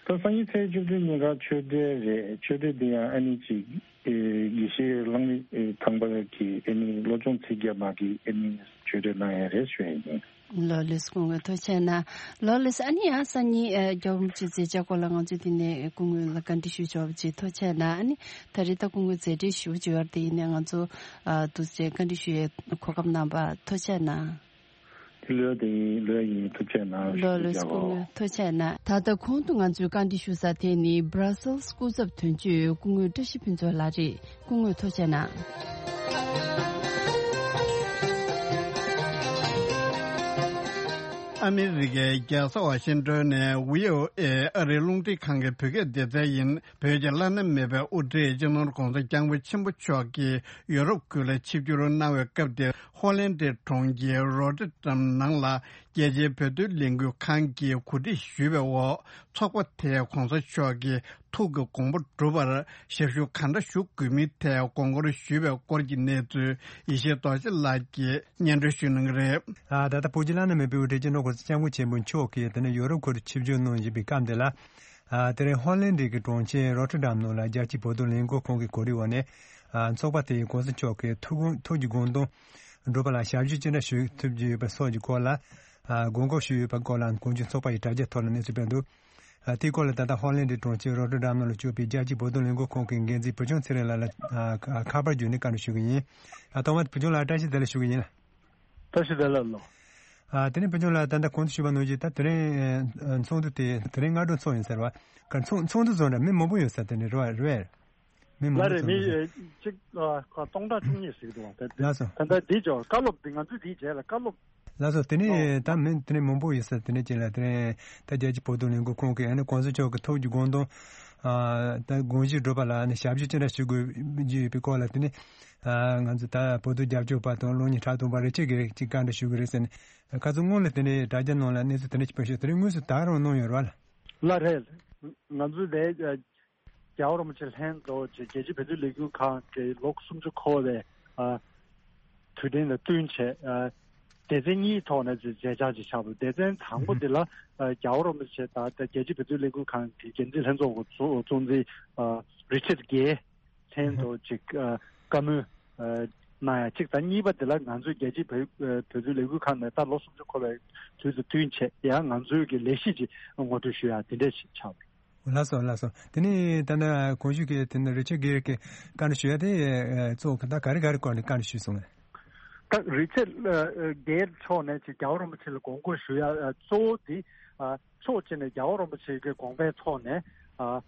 ད་སང་ཉིན་ཚེས་བཅུ་བདུན་ཉིན་ཀ་ཆོས་འབྲེལ་རེད། ཆོས་འབྲེལ་འདི་ཡང་ཨ་ནི་ཅིག་ཨེ་དགེ་བཤེས་གླང་མི་ཨེ་ཐང་པ་གི་ཨ་ནི་བློ་སྦྱོང་ཚིག་བརྒྱ་མ་གི་ཨ་ནི་ཆོས་འབྲེལ་གནང་ཡ་རེད་ཞུ་ཡ་ཡིན། ལགས་ལགས་སོ། སྐུ་ངོ་ཐུགས་རྗེ་ཆེ་གནང་། ལགས་ལགས་སོ། ཨ་ནི་ཡང་སང་ཉིན་ཨེ་རྒྱལ་བ་རིན་པོ་ཆེའི་མཛད་འཆར་སྐོར་ལ་ང་ཚོས་དེ་ནས་སྐུ་ངོ་ལ་བཀའ་འདྲི་ཞུ་ཆོག་པ་ཅིག་ཐུགས་རྗེ་ཆེ་གནང་། ཨ་ནི་ད་རེས་ད་སྐུ་ངོ་མཛད་བྲེལ་ཞེ་པོ་ཅིག་ཡོད་རེད། དེ་ཡིན་ནའི་ང་ཚོ་ཨ་འདུག་སེ་བཀའ་འདྲི་ཞུ་ཡའི་གོ་སྐབས་གནང་བ་ཐུགས་རྗེ་ཆེ་གནང་། དེ་ལོས་དེ་ཡིན། ལོས་ཡིན། ཐུགས་རྗེ་གནང་ལགས་ལགས་སྐུ་ངོ་། ཐུགས་རྗེ་གནང་། ད་ལྟ་གོང་དུ་ང་ཚོས་བཀའ་འདྲི་ཞུ་ས་དེ་ནི་Brussels་སྐུ་ཚབ་དོན་གཅོད་སྐུ་ངོ་བཀྲ་ཤིས་ཕུན་ཚོགས་ལགས་རེད། སྐུ་ངོ་ཐུགས་རྗེ་གནང་། ཨ་མི་རི་ཀའི་རྒྱལ་ས་ཝ་ཤིང་ཏོན་ནས་བྷི་ཨོ་ཨེ་ཨ་རིའི་རླུང་འཕྲིན་ཁང་གི་བོད་སྐད་སྡེ་ཚན་ཡིན། བོད་ཀྱི་བླ་ན་མེད་པའི་དབུ་ཁྲིད་སྤྱི་ནོར་༧གོང་ས་༧སྐྱབས་མགོན་ཆེན་པོ་མཆོག་གིས་ཡོ་རོབ་ཁུལ་ལ་ཆིབས་བསྒྱུར་གནང་བའི་སྐབས་དེར། ཧོ་ལན་ཌའི་གྲོང་ཁྱེར་རོ་ཊར་ཌམ་ནང་ལ་རྒྱལ་སྤྱིའི་བོད་དོན་ལས་འགུལ་ཁང་གིས་གོ་སྒྲིག་ཞུས་པའི་འོག་ཚོགས་པ་དེས་༧གོང་ས་མཆོག་གི་ཐུགས་ཀྱི་དགོངས་པ་འགྲུབ་པར་ཞབས་ཞུ་གང་འདྲ་ཞུ་དགོས་མིན་ཐད་དགོངས་སྐོར་ཞུས་པའི་སྐོར་གྱི་གནས་ཚུལ་ཡེ་ཤེས་རྡོ་རྗེ་ལགས་ཀྱིས་སྙན་སྒྲོན་ཞུ་གནང་གི་རེད། ཨ་ད་ལྟ་བོད་ཀྱི་བླ་ན་མེད་པའི་དབུ་ཁྲིད་སྤྱི་ནོར་༧གོང་ས་༧སྐྱབས་མགོན་ཆེན་པོ་མཆོག་གིས་དེ་ནས་ཡོ་རོབ་ཁུལ་དུ་ཆིབས་བསྒྱུར་གནང་བཞིན་པའི་སྐབས་འདི་ལ། ཨ། དེ་རིང་ཧོ་ལན་ཌི་གི་གྲོང་ཁྱེར་རོ་ཊར་ཌམ་ནང་ལ་རྒྱལ་སྤྱིའི་བོད་དོན་ལས་འགུལ་ཁང་གི་གོ་སྒྲིག་འོག་ནས། ཨ། ཚོགས་པ་དེ་ཡི་གོང་ས་མཆོག་གི་ཐུགས་དགོངས་ཐུགས་ཀྱི་དགོངས་དོན་སྒྲུབ་པ་ལ་ཞབས་ཞུ་ཅི་འདྲ་ཞུ་ཐུབ་ཀྱི་ཡོད་པ་སོགས་ཀྱི་སྐོར་ལ། ཨ། དགོངས་སྐོར་ཞུས་ཡོད་པའི་སྐོར་ལ་གོང་ཞུས་ཚོགས་པ་ཡི་དྲ་རྒྱའི་ཐོག་ལ་གནས་ཚུལ་སྤེལ་འདུག་ཨ། དེའི་སྐོར་ལ་ད་ལྟ་ཧོ་ལན་ཌི་གྲོང་ཁྱེར་རོ་ཊར་ཌམ་ནང་ལ་བཞུགས་པའི་རྒྱལ་སྤྱིའི་བོད་དོན་ལས་འགུལ་ཁང་གི་འགན་འཛིན་བུ་ཆུང་ཚེ་རིང་ལགས་ལ། ཨ། ཁ་ཁ་པར་བརྒྱུད་ནས་བཀའ་འདྲི་ཞུ་གི་ཡིན། ཨ། ཐོག་མར་བུ་ཆུང་ལགས་བཀྲ་ཤིས་བདེ་ལེགས་ཞུ་གི་ཡིན། བཀྲ་ཤིས་བདེ་ལེགས་ལགས། ཨ། དེ་ནས་བུ་ཆུང་ལགས་ད་ལྟ་གོང་དུ་ཞུས་པ་ནང་བཞིན་ད་དེ་རིང་ཨ་ཚོགས་འདུ་དེ་དེ་རིང་སྔ་དྲོ་ཚོགས་ཡིན་ཟེར་བ། ག་ཚོགས་ཚོགས་འདུ་ཚོགས་འདྲ་མི་མང་པོ་ཡོད་ས་དེ་ནས་རེད་བ་རེད། མི་མང་ལ་པོ་རེད་ཚོགས་མི་འདུ་ཚོགས། ཨ། གཅིག་ཨ་སྟོང་ཕྲག་བཅུ་གཉིས་ཟིག་འདུག་བ། ད་ལགས་སོ། ད་ལྟ་འདི་ཅོ་བཀའ་སློབ་འདི་ང་ཚོས་འདི་བྱས་ལ་བཀའ་སློབ། ལགས་སོ། དེ་ནས་ཨོ་ད་མི་དེ་ནས་མང་པོ་ཡོད་ས་དེ་ནས་ཅིག་ལ་དེ་ནས་ད་རྒྱལ་སྤྱིའི་བོད་དོན་ལས་འགུལ་ཁང་གི་ཨ་ནི་གོང་ས་མཆོག་གི་ཐུགས་ཀྱི་དགོངས་དོན། ཨ། ད་དགོངས་གཞི་སྒྲུབ་པ་ལ་ཨ་ནི་ཞབས་ཞུ་ཅི་འདྲ་ཞུ་དགོས་ཀྱི་ཡོད་པའི་སྐོར་ལ་དེ་ནས། ཨ། ང་ཚོ་ད་བོད་དོན་རྒྱབ་སྐྱོར་པ་དང་གློག་བརྙན་ཁྲ་ཐུང་པ་རེ་ཆེ་གི་ཅིག་བཀའ་འདྲི་ཞུ་གི་རེད་ཟེར་ནས། ཁ་ཚོ་སྔོན་ལ་དེ་ནས་དྲ་རྒྱ་ནང་ལ་གནས་ཚུལ་དེ་འདྲ་ཞིག་ཕེབས་ཤག་དེ་རིང་དངོས་སུ་ད་རུང་གནང་ཡོད་རེད་བ། ལགས་རེད། ང་ཚོ་དེ་རྒྱལ་བ་རིན་པོ་ཆེ་ལྷན་དུ་རྒྱལ་སྤྱིའི་བོད་དོན་ལས་འགུལ་ཁང་གི་ལོ་སུམ་ཅུ་འཁོར་བའི་ཨ་དུས་དྲན་ལ་བསྟུན་བྱས། ཨ། སྡེ་ཚན་གཉིས་ཐོག་ནས་མཇལ་བཅར་ཅིག་བྱས་པ། སྡེ་ཚན་དང་པོ་འདི་ལ་ཨ་རྒྱལ་བ་རིན་པོ་ཆེ་དང་རྒྱལ་སྤྱིའི་བོད་དོན་ལས་འགུལ་ཁང་གི་འགན་འཛིན་ལྷན་ཚོགས་ཀྱི་གཙོ་གཙོ་འཛིན་ཨ་རི་ཆར་གྷེ་ལྷན་དུ་ཅིག་ཨ་བཀའ་མོལ་ཨ་གནང་ཡ་གཅིག་དང་། གཉིས་པ་འདི་ལ་ང་ཚོའི་རྒྱལ་སྤྱིའི་བོད་ཨ་བོད་དོན་ལས་འགུལ་ཁང་ནས་ད་ལོ་སུམ་ཅུ་འཁོར་བའི་དུས་སུ་བསྟུན་བྱས་ཡང་ང་ཚོའི་གི་ལས་གཞི་ཅིག་ངོ་སྤྲོད་ཞུ་ཡ་དེ་འདྲ་ཞིག་ཆགས་པ་རེད། ལགས་སོ་ལགས་སོ། དེ་ནས་ད་ལྟ་གོང་ཞུས་ཀྱི་དེ་ནས་རི་ཆར་གྷེ་གི་བཀའ་འདྲི་ཞུ་ཡ་དེ་ཨ་གཙོ་བོ་ད་ག་རེ་ག་རེ་སྐོར་ནས་བཀའ་འདྲི་ཞུས་སོང་ངས། ད་རི་ཆར་ཨ་གྷེ་མཆོག་ནས་ཅིག་རྒྱལ་བ་རིན་པོ་ཆེ་ལ་དགོངས་སྐོར་ཞུ་ཡ་ཨ་གཙོ་བོ་དེ་ཨ་ཕྱོགས་གཅིག་ནས་རྒྱལ་བ་རིན་པོ་ཆེ་གི་དགོངས་པའི་ཐོག་ནས་ཨ་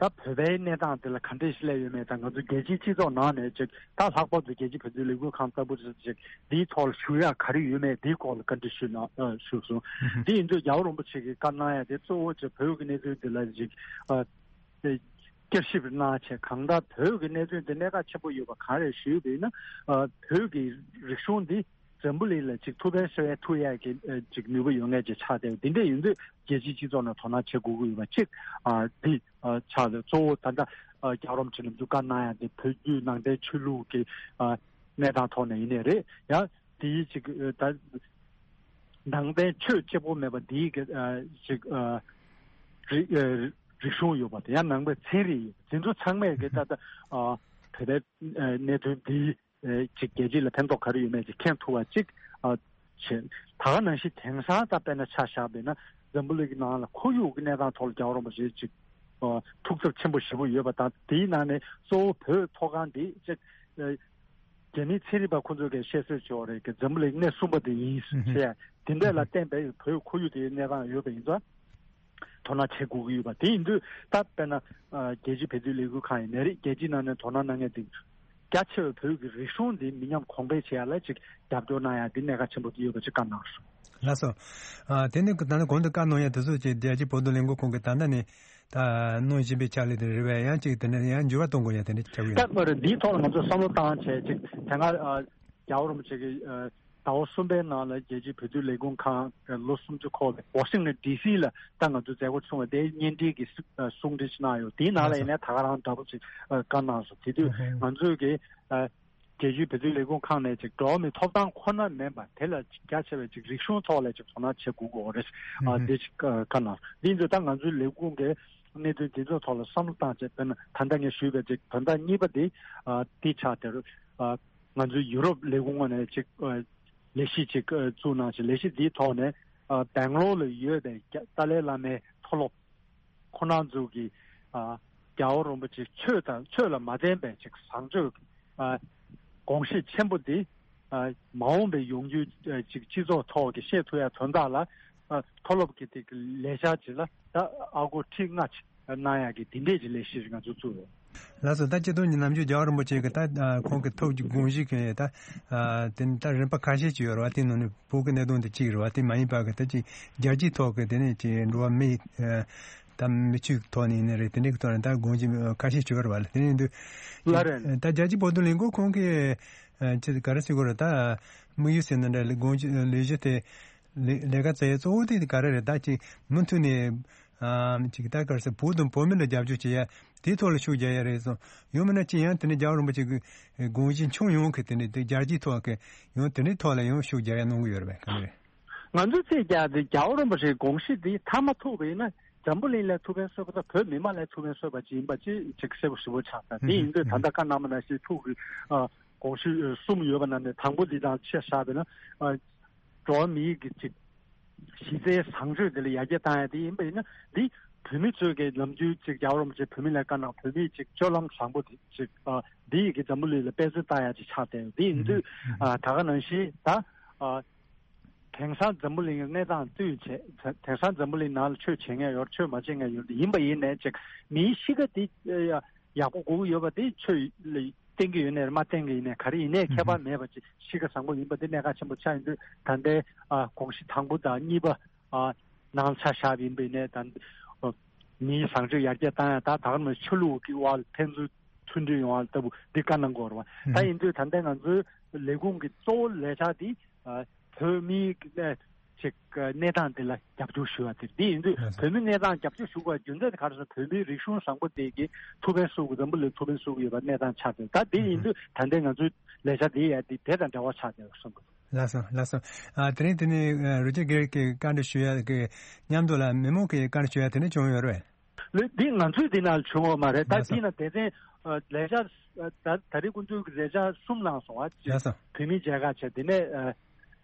ད་བོད་པའི་གནས་སྟངས་དེ་ལ་ག་འདྲས་ཤིག་སླེབས་ཡོད་མེད་དང་། ང་ཚོ་རྒྱལ་སྤྱིའི་སྤྱི་ཚོགས་ནང་ནས་ཅིག་ད་ལྷག་པར་དུ་རྒྱལ་སྤྱིའི་བོད་དོན་ལས་འགུལ་ཁང་ལྟ་བུ་ཅིག་འདིའི་ཐོག་ལ་ཞུ་ཡག་ག་རེ་ཡོད་མེད་འདིའི་སྐོར་ལ་བཀའ་འདྲི་ཞུས་གནང་ཨ་ཞུས་སོང་། ཨུ་ཧུ། དེ་ཡིན་དུས་རྒྱལ་བ་རིན་པོ་ཆེ་གིས་བཀའ་གནང་ཡ་དེ་གཙོ་བོ་ཅིག་བོད་ཀྱི་གནད་དོན་འདི་ལ་ཅིག་ཨ། བསྐྱར་ཞིབ་གནང་བྱས་གང་ལྟར་བོད་ཀྱི་གནད་དོན་འདི་གནད་འགག་ཆེན་པོ་ཡོད་པ་གང་རེད་ཞུས་པ་ཡིན་ན། ཨ། བོད་ཀྱི་རིག་གཞུང་འདི་འཛམ་བུ་གླིང་ལ་ཅིག་ཐུགས་ཕན་གསོ་ཡ་ཐུབ་ཡ་གི་ཨ་ཅིག་ནུས་པ་ཡོད་མཁན་ཅིག་ཆགས་བསྡད་ཡོད། འདི་འདྲ་ཡིན་དུས་རྒྱལ་སྤྱིའི་སྤྱི་ཚོགས་ནང་དོ་སྣང་བྱེད་དགོས་ཀྱི་ཡོད་པ་གཅིག་ཨ། འདི་ཨ་ཆགས་བསྡད། གཙོ་བོ་ད་ལྟ་ཨ་རྒྱལ་བ་རིན་པོ་ཆེ་ལ་ང་ཚོ་བཀའ་གནང་ཡ་འདི་བོད་བརྒྱུད་ནང་བསྟན་ཆོས་ལུགས་ཀྱི་ཨ་གནས་སྟངས་ཐོག་ནས་ཡིན་ནའི་རེད། ཡང་དེའི་ཅིག་ཨ་ད་ནང་བསྟན་ཆོས་གཅིག་པོ་མེད་པ་འདིའི་གི་ཨ་ཅིག་ཨ་རིག་ཨ་རིག་གཞུང་ཡོད་པ་དང་ཡང་ནང་པའི་ཚན་རིག་ཡོད་པ་འདི་ཚོ་ཚང་མས་གི་ད་ལྟ་ཨ་བོད་པའི་ཨ་གནད་དོན་འདི་ཨ་ཅིག་རྒྱལ་སྤྱི་ལ་ཕན་ཐོགས་ག་རེ་ཡོད་མེད་ཅིག་མཁྱེན་ཐུབ་པ་ཅིག་ཨ་བྱེད། ད་ག་ནང་བཞིན་དེང་སང་ད་དཔེར་ན་ཆ་བཞག་པ་ཡིན་ན་འཛམ་བུ་གླིང་གི་ནང་ལ་ཁོར་ཡུག་གི་གནས་སྟངས་ཐོག་ལ་རྒྱལ་བ་རིན་པོ་ཆེ་ཅིག་ཨ་ཐུགས་འཚབ་ཆེན་པོ་ཞེ་པོ་ཡོད་པ་དང་། དེའི་ནང་ནས་གཙོ་བོ་བོད་མཐོ་སྒང་འདི་ཅིག་ཨ་རྒྱ་མིའི་ཚན་རིག་པ་ཁོ་ཚོས་ཀྱི་བཤད་སྲོལ་ཅིག་ཡོད་རེད། ཀྱི་འཛམ་བུ་གླིང་གནས་གསུམ་པ་དེ་ཡིན་ཟེར་ཡ་དེ་འདྲ་ལ་བརྟེན་པའི་བོད་ཁོར་ཡུག་དེའི་གནས་སྟངས་ཡོད་པ་ཡིན་ཙང་དོ་སྣང་བྱེད་དགོས་ཀྱི་ཡོད་པ་དེ་ཡིན་དུས། ད་དཔེར་ན་ཨ་རྒྱལ་སྤྱིའི་བོད་དོན་ལས་འགུལ་ཁང་ཡིན་ནའི་རེད། རྒྱལ་སྤྱིའི་ནང་ནས་དོ་སྣང་གནང་མཁན་དེ་རྒྱ་ཆེ་བའི་བོད་ཀྱི་རིག་གཞུང་འདི་མི་ཉམས་གོང་འཕེལ་བྱེད་ཡ་ལ་ཅིག་རྒྱབ་སྐྱོར་གནང་ཡ་འདི་གནད་འགག་ཆེན་པོ་དེ་ཡོད་པ་ཅིག་བཀའ་གནང་སོང་། ལགས་སོ། ཨ་དེ་ནི་ད་ནི་གོང་དུ་བཀའ་གནང་ཡ་དེ་ཚོ་ཅིག་རྒྱལ་སྤྱིའི་བོད་དོན་ལས་འགུལ་ཁང་གི་ད་ལྟ་ནས་ད་གནང་བཞིན་པའི་ཕྱག་ལས་དེ་རེད་པས། ཡང་ཅིག་དེ་ནས་ཡང་འགྱུར་བ་གཏོང་དགོས་ཡ་དེ་འདྲ་ཆགས་ཀྱི་ཡོད། ད་མ་རེད། འདིའི་ཐོག་ལ་ང་ཚོ་བསམ་བློ་བཏང་བྱས་ཅིག་དེ་སྔ་ཨ་རྒྱལ་བ་རིན་པོ་ཆེ་གི་ཨ་ཟླ་བ་གསུམ་པའི་ནང་ལ་རྒྱལ་སྤྱིའི་བོད་དོན་ལས་འགུལ་ཁང་ལོ་སུམ་ཅུ་འཁོར་བའི་ཝ་ཤིང་ཊོན་ཌི་སི་ལ་ད་ང་ཚོ་མཛད་སྒོ་ཚོགས་པ་དེའི་བརྙན་འཕྲིན་གྱི་གསུང་འཕྲིན་ཞིག་གནང་ཡོད། དེའི་ནང་ལ་ཡིན་ནའི་ད་ག་རང་འདྲ་པོ་ཅིག་བཀའ་གནང་སོང་། དེ་དུས་ང་ཚོས་ཀྱི་རྒྱལ་སྤྱིའི་བོད་དོན་ལས་འགུལ་ཁང་ནས་ཅིག་འགྲོ་བ་མིའི་ཐོབ་ཐང་ཁོ་ན་མིན་པ་དེ་ལ་རྒྱ་ཆེ་བའི་ཅིག་རིག་གཞུང་ཐོག་ལ་ཅིག་དོ་སྣང་བྱེད་དགོས་ཀྱི་ཡོད་རེད། ཨ་འདི་ཅིག་བཀའ་གནང་། འདི་ཚོ་ད་ང་ཚོའི་ལས་ཁུངས་ཀྱི་གནད་དོན་འདི་ཚོ་ཐོག་ལ་བསམ་བློ་བཏང་བྱས། དཔེར་ན་ད་ལྟ་ངས་ཞུས་པའི་ཅིག་དོན་དག་གཉིས་པ་འདི་ཨ་འདི་ཆགས་དེར་ཨ། ང་ཚོའི་ཡུ་རོབ་ལས་ཁུངས་ངོས་ནས་ཅིག་ཨ་ལས་གཞི་ཅིག་ཨ་བཙུགས་གནང་ཞིང་། ལས་གཞི་འདིའི་ཐོག་ནས་ཨ་སྦེང་ལོར་ལ་ཡོད་པའི་རྒྱ་ཏཱ་ལའི་བླ་མའི་མཐོ་སློབ་ཁོང་རྣམ་ཚོ་གིས་ཨ་རྒྱལ་བ་རིན་པོ་ཆེ་ཆོས་དང་ཆོས་ལ་མ་བརྟེན་པའི་ཅིག་བཟང་སྤྱོད་ཨ་དགོངས་གཞི་ཆེན་པོ་འདི་ཨ་མ་འོངས་པའི་ཡོང་རྒྱུའི་ཨ་ཅིག་སྤྱི་ཚོགས་ཐོག་གི་བཤད་ཐུབ་ཡ་དོན་དག་ལ་ཨ་མཐོ་སློབ་ཀྱི་དེ་གི་ལས་འཆར་ཅིག་ལ་ད་ཨ་སྒོར་ཁྲི་ལྔ་ཅིག་གནང་ཡག་གི་དེ་འདྲས་ཀྱི་ལས་གཞི་ཞིག་ང་ཚོ་བཙུགས་ཡོད། ལགས་སོ། ད་སྤྱི་ཟླ་ཉི་ཤུ་རྣམ་དཔྱོད་རྒྱལ་བ་རིན་པོ་ཆེ་གི་ད་ཨ་ཁོང་གི་ཐུགས་ཀྱི་དགོངས་གཞི་གི་ད་ཨ་དེ་ནི་ད་རིམ་པ་ཁ་ཤས་ཅིག་ཡོད་རེད་བ། དེ་ནང་ནས་བོད་ཀྱི་གནད་དོན་དེ་གཅིག་རེད་བ། དེ་མ་ཡིན་པ་གི་ད་ཅིག་རྒྱལ་སྤྱིའི་ཐོག་གི་དེ་ནས་ཅིག་འགྲོ་བ་མི་ཨ་ད་མི་ཆོས་ཐོག་ནས་ཡིན་ནའི་རེད། དེ་འདྲའི་ཐོག་ནས་ད་དགོངས་གཞི་ཁ་ཤས་ཅིག་ཡོད་རེད་བ། དེ་ནས་འདུག་ལ་རེད། ད་རྒྱལ་སྤྱིའི་བོད་དོན་ལས་འགུལ་ཁང་གི་ཨ་ཅིག་ག་རེ་ཟེར་དགོས་རེད། ད་དམིགས་ཡུལ་ཟེར་ན་འདྲ་ལས་དགོངས་གཞི་ལས་གཞི་དེ། ལས་ལས་ཀ་བྱེད་ཡ་གཙོ་བོ་དེ་ག་རེ་རེད། ད་ཅིག་མུ་མཐུད་ནས་ཨ་ཅིག་ད་ག་རེ་ཟེར། བོད་དང་བོད་མི་ལ་རྒྱབ་སྐྱོར་བྱེད་ཡ་དེའི་ཐོག་ལ་ཤུགས་རྒྱག་ཡ་རེད་སོང་། ཡང་མིན་ན་ཅིག་ཡང་དེ་ནས་རྒྱལ་བ་རིན་པོ་ཆེ་གི་དགོངས་གཞི་ཁྱོན་ཡོངས་ཀྱི་དེ་ནས་དེ་རྒྱལ་སྤྱིའི་ཐོག་གི་ཡང་དེ་འདྲའི་ཐོག་ལ་ཡང་ཤུགས་རྒྱག་ཡ་གནང་གི་ཡོད་རེད་པས། ག་འདྲ་རེད། ང་ཚོས་ཚིག་རྒྱག་དེ་རྒྱལ་བ་རིན་པོ་ཆེའི་དགོངས་གཞི་དེ་མཐའ་མ་ཐུག་པ་ཡིན་ན། འཛམ་བུ་གླིང་ལ་ཐུགས་ཕན་གསོས་པ་དང་བོད་མི་མང་ལ་ཐུགས་ཕན་གསོས་པ་ཅིག་ཡིན་པ་ཅིག་ཅིག་གསལ་པོ་ཞེ་པོ་ཆགས་ད། དེ་ཡིན་དུས་ད་ལྟ་བཀའ་གནང་བ་ནང་བཞིན་ཐུགས་ཀྱི་ཨ་དགོངས་གཞི་གསུམ་ཡོད་པ་ནང་ནས་དང་པོ་འདི་དང་ཆ་བཞག་པ་ཡིན་ན་ཨ་འགྲོ་བ་མིའི་གི་ཅིག་གཞི་རྩའི་བཟང་སྤྱོད་དེ་ལ་ཡར་རྒྱས་བཏང་ཡ་དེ་ཡིན་པ་ཡིན་ན། འདི་བོད་མི་ཚོས་ཀྱི་ནམ་རྒྱུན་ཅིག་རྒྱལ་བ་རིན་པོ་ཆེ་བོད་མི་ལ་བཀའ་གནང་བོད་མིའི་ཅིག་སྤྱོད་ལམ་བཟང་པོ་དེ་ཅིག་ཨ་འདི་ཡི་གི་འཛམ་བུ་གླིང་ལ་དཔེ་མཚོན་བཏང་ཡ་ཅིག་ཆགས་བསྡད་ཡོད། དེ་ཡིན་དུས་ཨ་ད་ག་ནང་བཞིན་ད་ཨ་དེང་སང་འཛམ་བུ་གླིང་གི་གནས་སྟངས་བསྟུན་བྱས། དེང་སང་འཛམ་བུ་གླིང་ནང་ལ་ཆོས་བྱེད་མཁན་ཡོད་ཆོས་མ་བྱེད་མཁན་ཡོད། དེ་ཡིན་པ་ཡིན་ནའི་ཅིག་མིའི་གཤིས་ཀ་དེ་ཡག་པོ་དགོས་ཀྱི་ཡོད་པ་དེ་ཆོས་ལ་བརྟེན་གྱི་ཡོད་ནའི་མ་བརྟེན་གྱི་ཡིན་ནའི་ག་རེ་ཡིན་ནའི་ཁྱད་པར་མེད་པ་ཅིག་གཤིས་ཀ་བཟང་པོ་ཡིན་པ་དེ་གནད་འགག་ཆེན་པོ་ཆགས་ཡིན་དུས་ད་ལྟའི་ཨ་དགོངས་གཞི་དང་པོ་དང་གཉིས་པ་ཨ་ནང་ཆ་བཞག་པ་ཡིན་པ་ཡིན་ནའི་ད་མིའི་བཟང་སྤྱོད་ཡར་རྒྱས་བཏང་ཡ་ད་ད་ག་ནང་ཆོས་ལུགས་ཀྱི་དབར་ལ་ཕན་ཚུན་མཐུན་སྒྲིལ་ཡོང་བ་ལྟ་བུ་འདི་བཀའ་གནང་དགོས་རེད་བ། ད་ཡིན་དུས་ད་ལྟའི་ང་ཚོའི་ལས་ཁུངས་ཀྱི་གཙོ་བོ་ལས་འཆར་འདི་ཨ་བོད་མིའི་གནས་ཅིག་གནས་སྟངས་འདི་ལ་རྒྱབ་སྐྱོར་ཞུ་བ་དེ་རེད། འདི་ཡིན་དུས་བོད་མི་གནས་སྟངས་རྒྱབ་སྐྱོར་ཞུ་དགོས་རྒྱུ་མཚན་དེ་ག་རེ་ཟེར་ན་བོད་མིའི་རིག་གཞུང་བཟང་པོ་དེ་གི་ཐུགས་ཕན་གསོ་དགོས། འཛམ་བུ་གླིང་ཐུགས་ཕན་གསོ་གི་ཡོད་པ་གནས་སྟངས་ཆགས་ཏེ་ད་འདི་ཡིན་དུས་ད་ལྟའི་ང་ཚོའི་ལས་འཆར་འདི་ཡ་འདི་དེ་དང་འབྲེལ་བ་ཆགས་ཏེ་གསུངས་དགོས། ལགས་སོ་ལགས་སོ། ཨ་དེ་རིང་དེ་ནས་ཨ་རུ་ཅི་སྒེར་གྱི་བཀའ་འདྲི་ཞུ་ཡ་གི་མཉམ་དུ་ལ་མི་མང་གི་བཀའ་འདྲི་ཞུ་ཡ་དེ་འདྲ་བྱུང་ཡོད་རེད། ལགས་འདི་ང་ཚོའི་འདི་ནང་བྱུང་བ་མ་རེད། ད་ལགས་སོ། འདི་ན་སྡེ་ཚན་ཨ་ལས་འཆར་ཨ་ད་ད་རེས་ཁོང་ཚོའི་ལས་འཆར་གསུམ་གནང་སོང་བ། ལགས་སོ། བོད་མིའི་མཇལ་ཁ་བྱས། དེ་ནས་ཨ་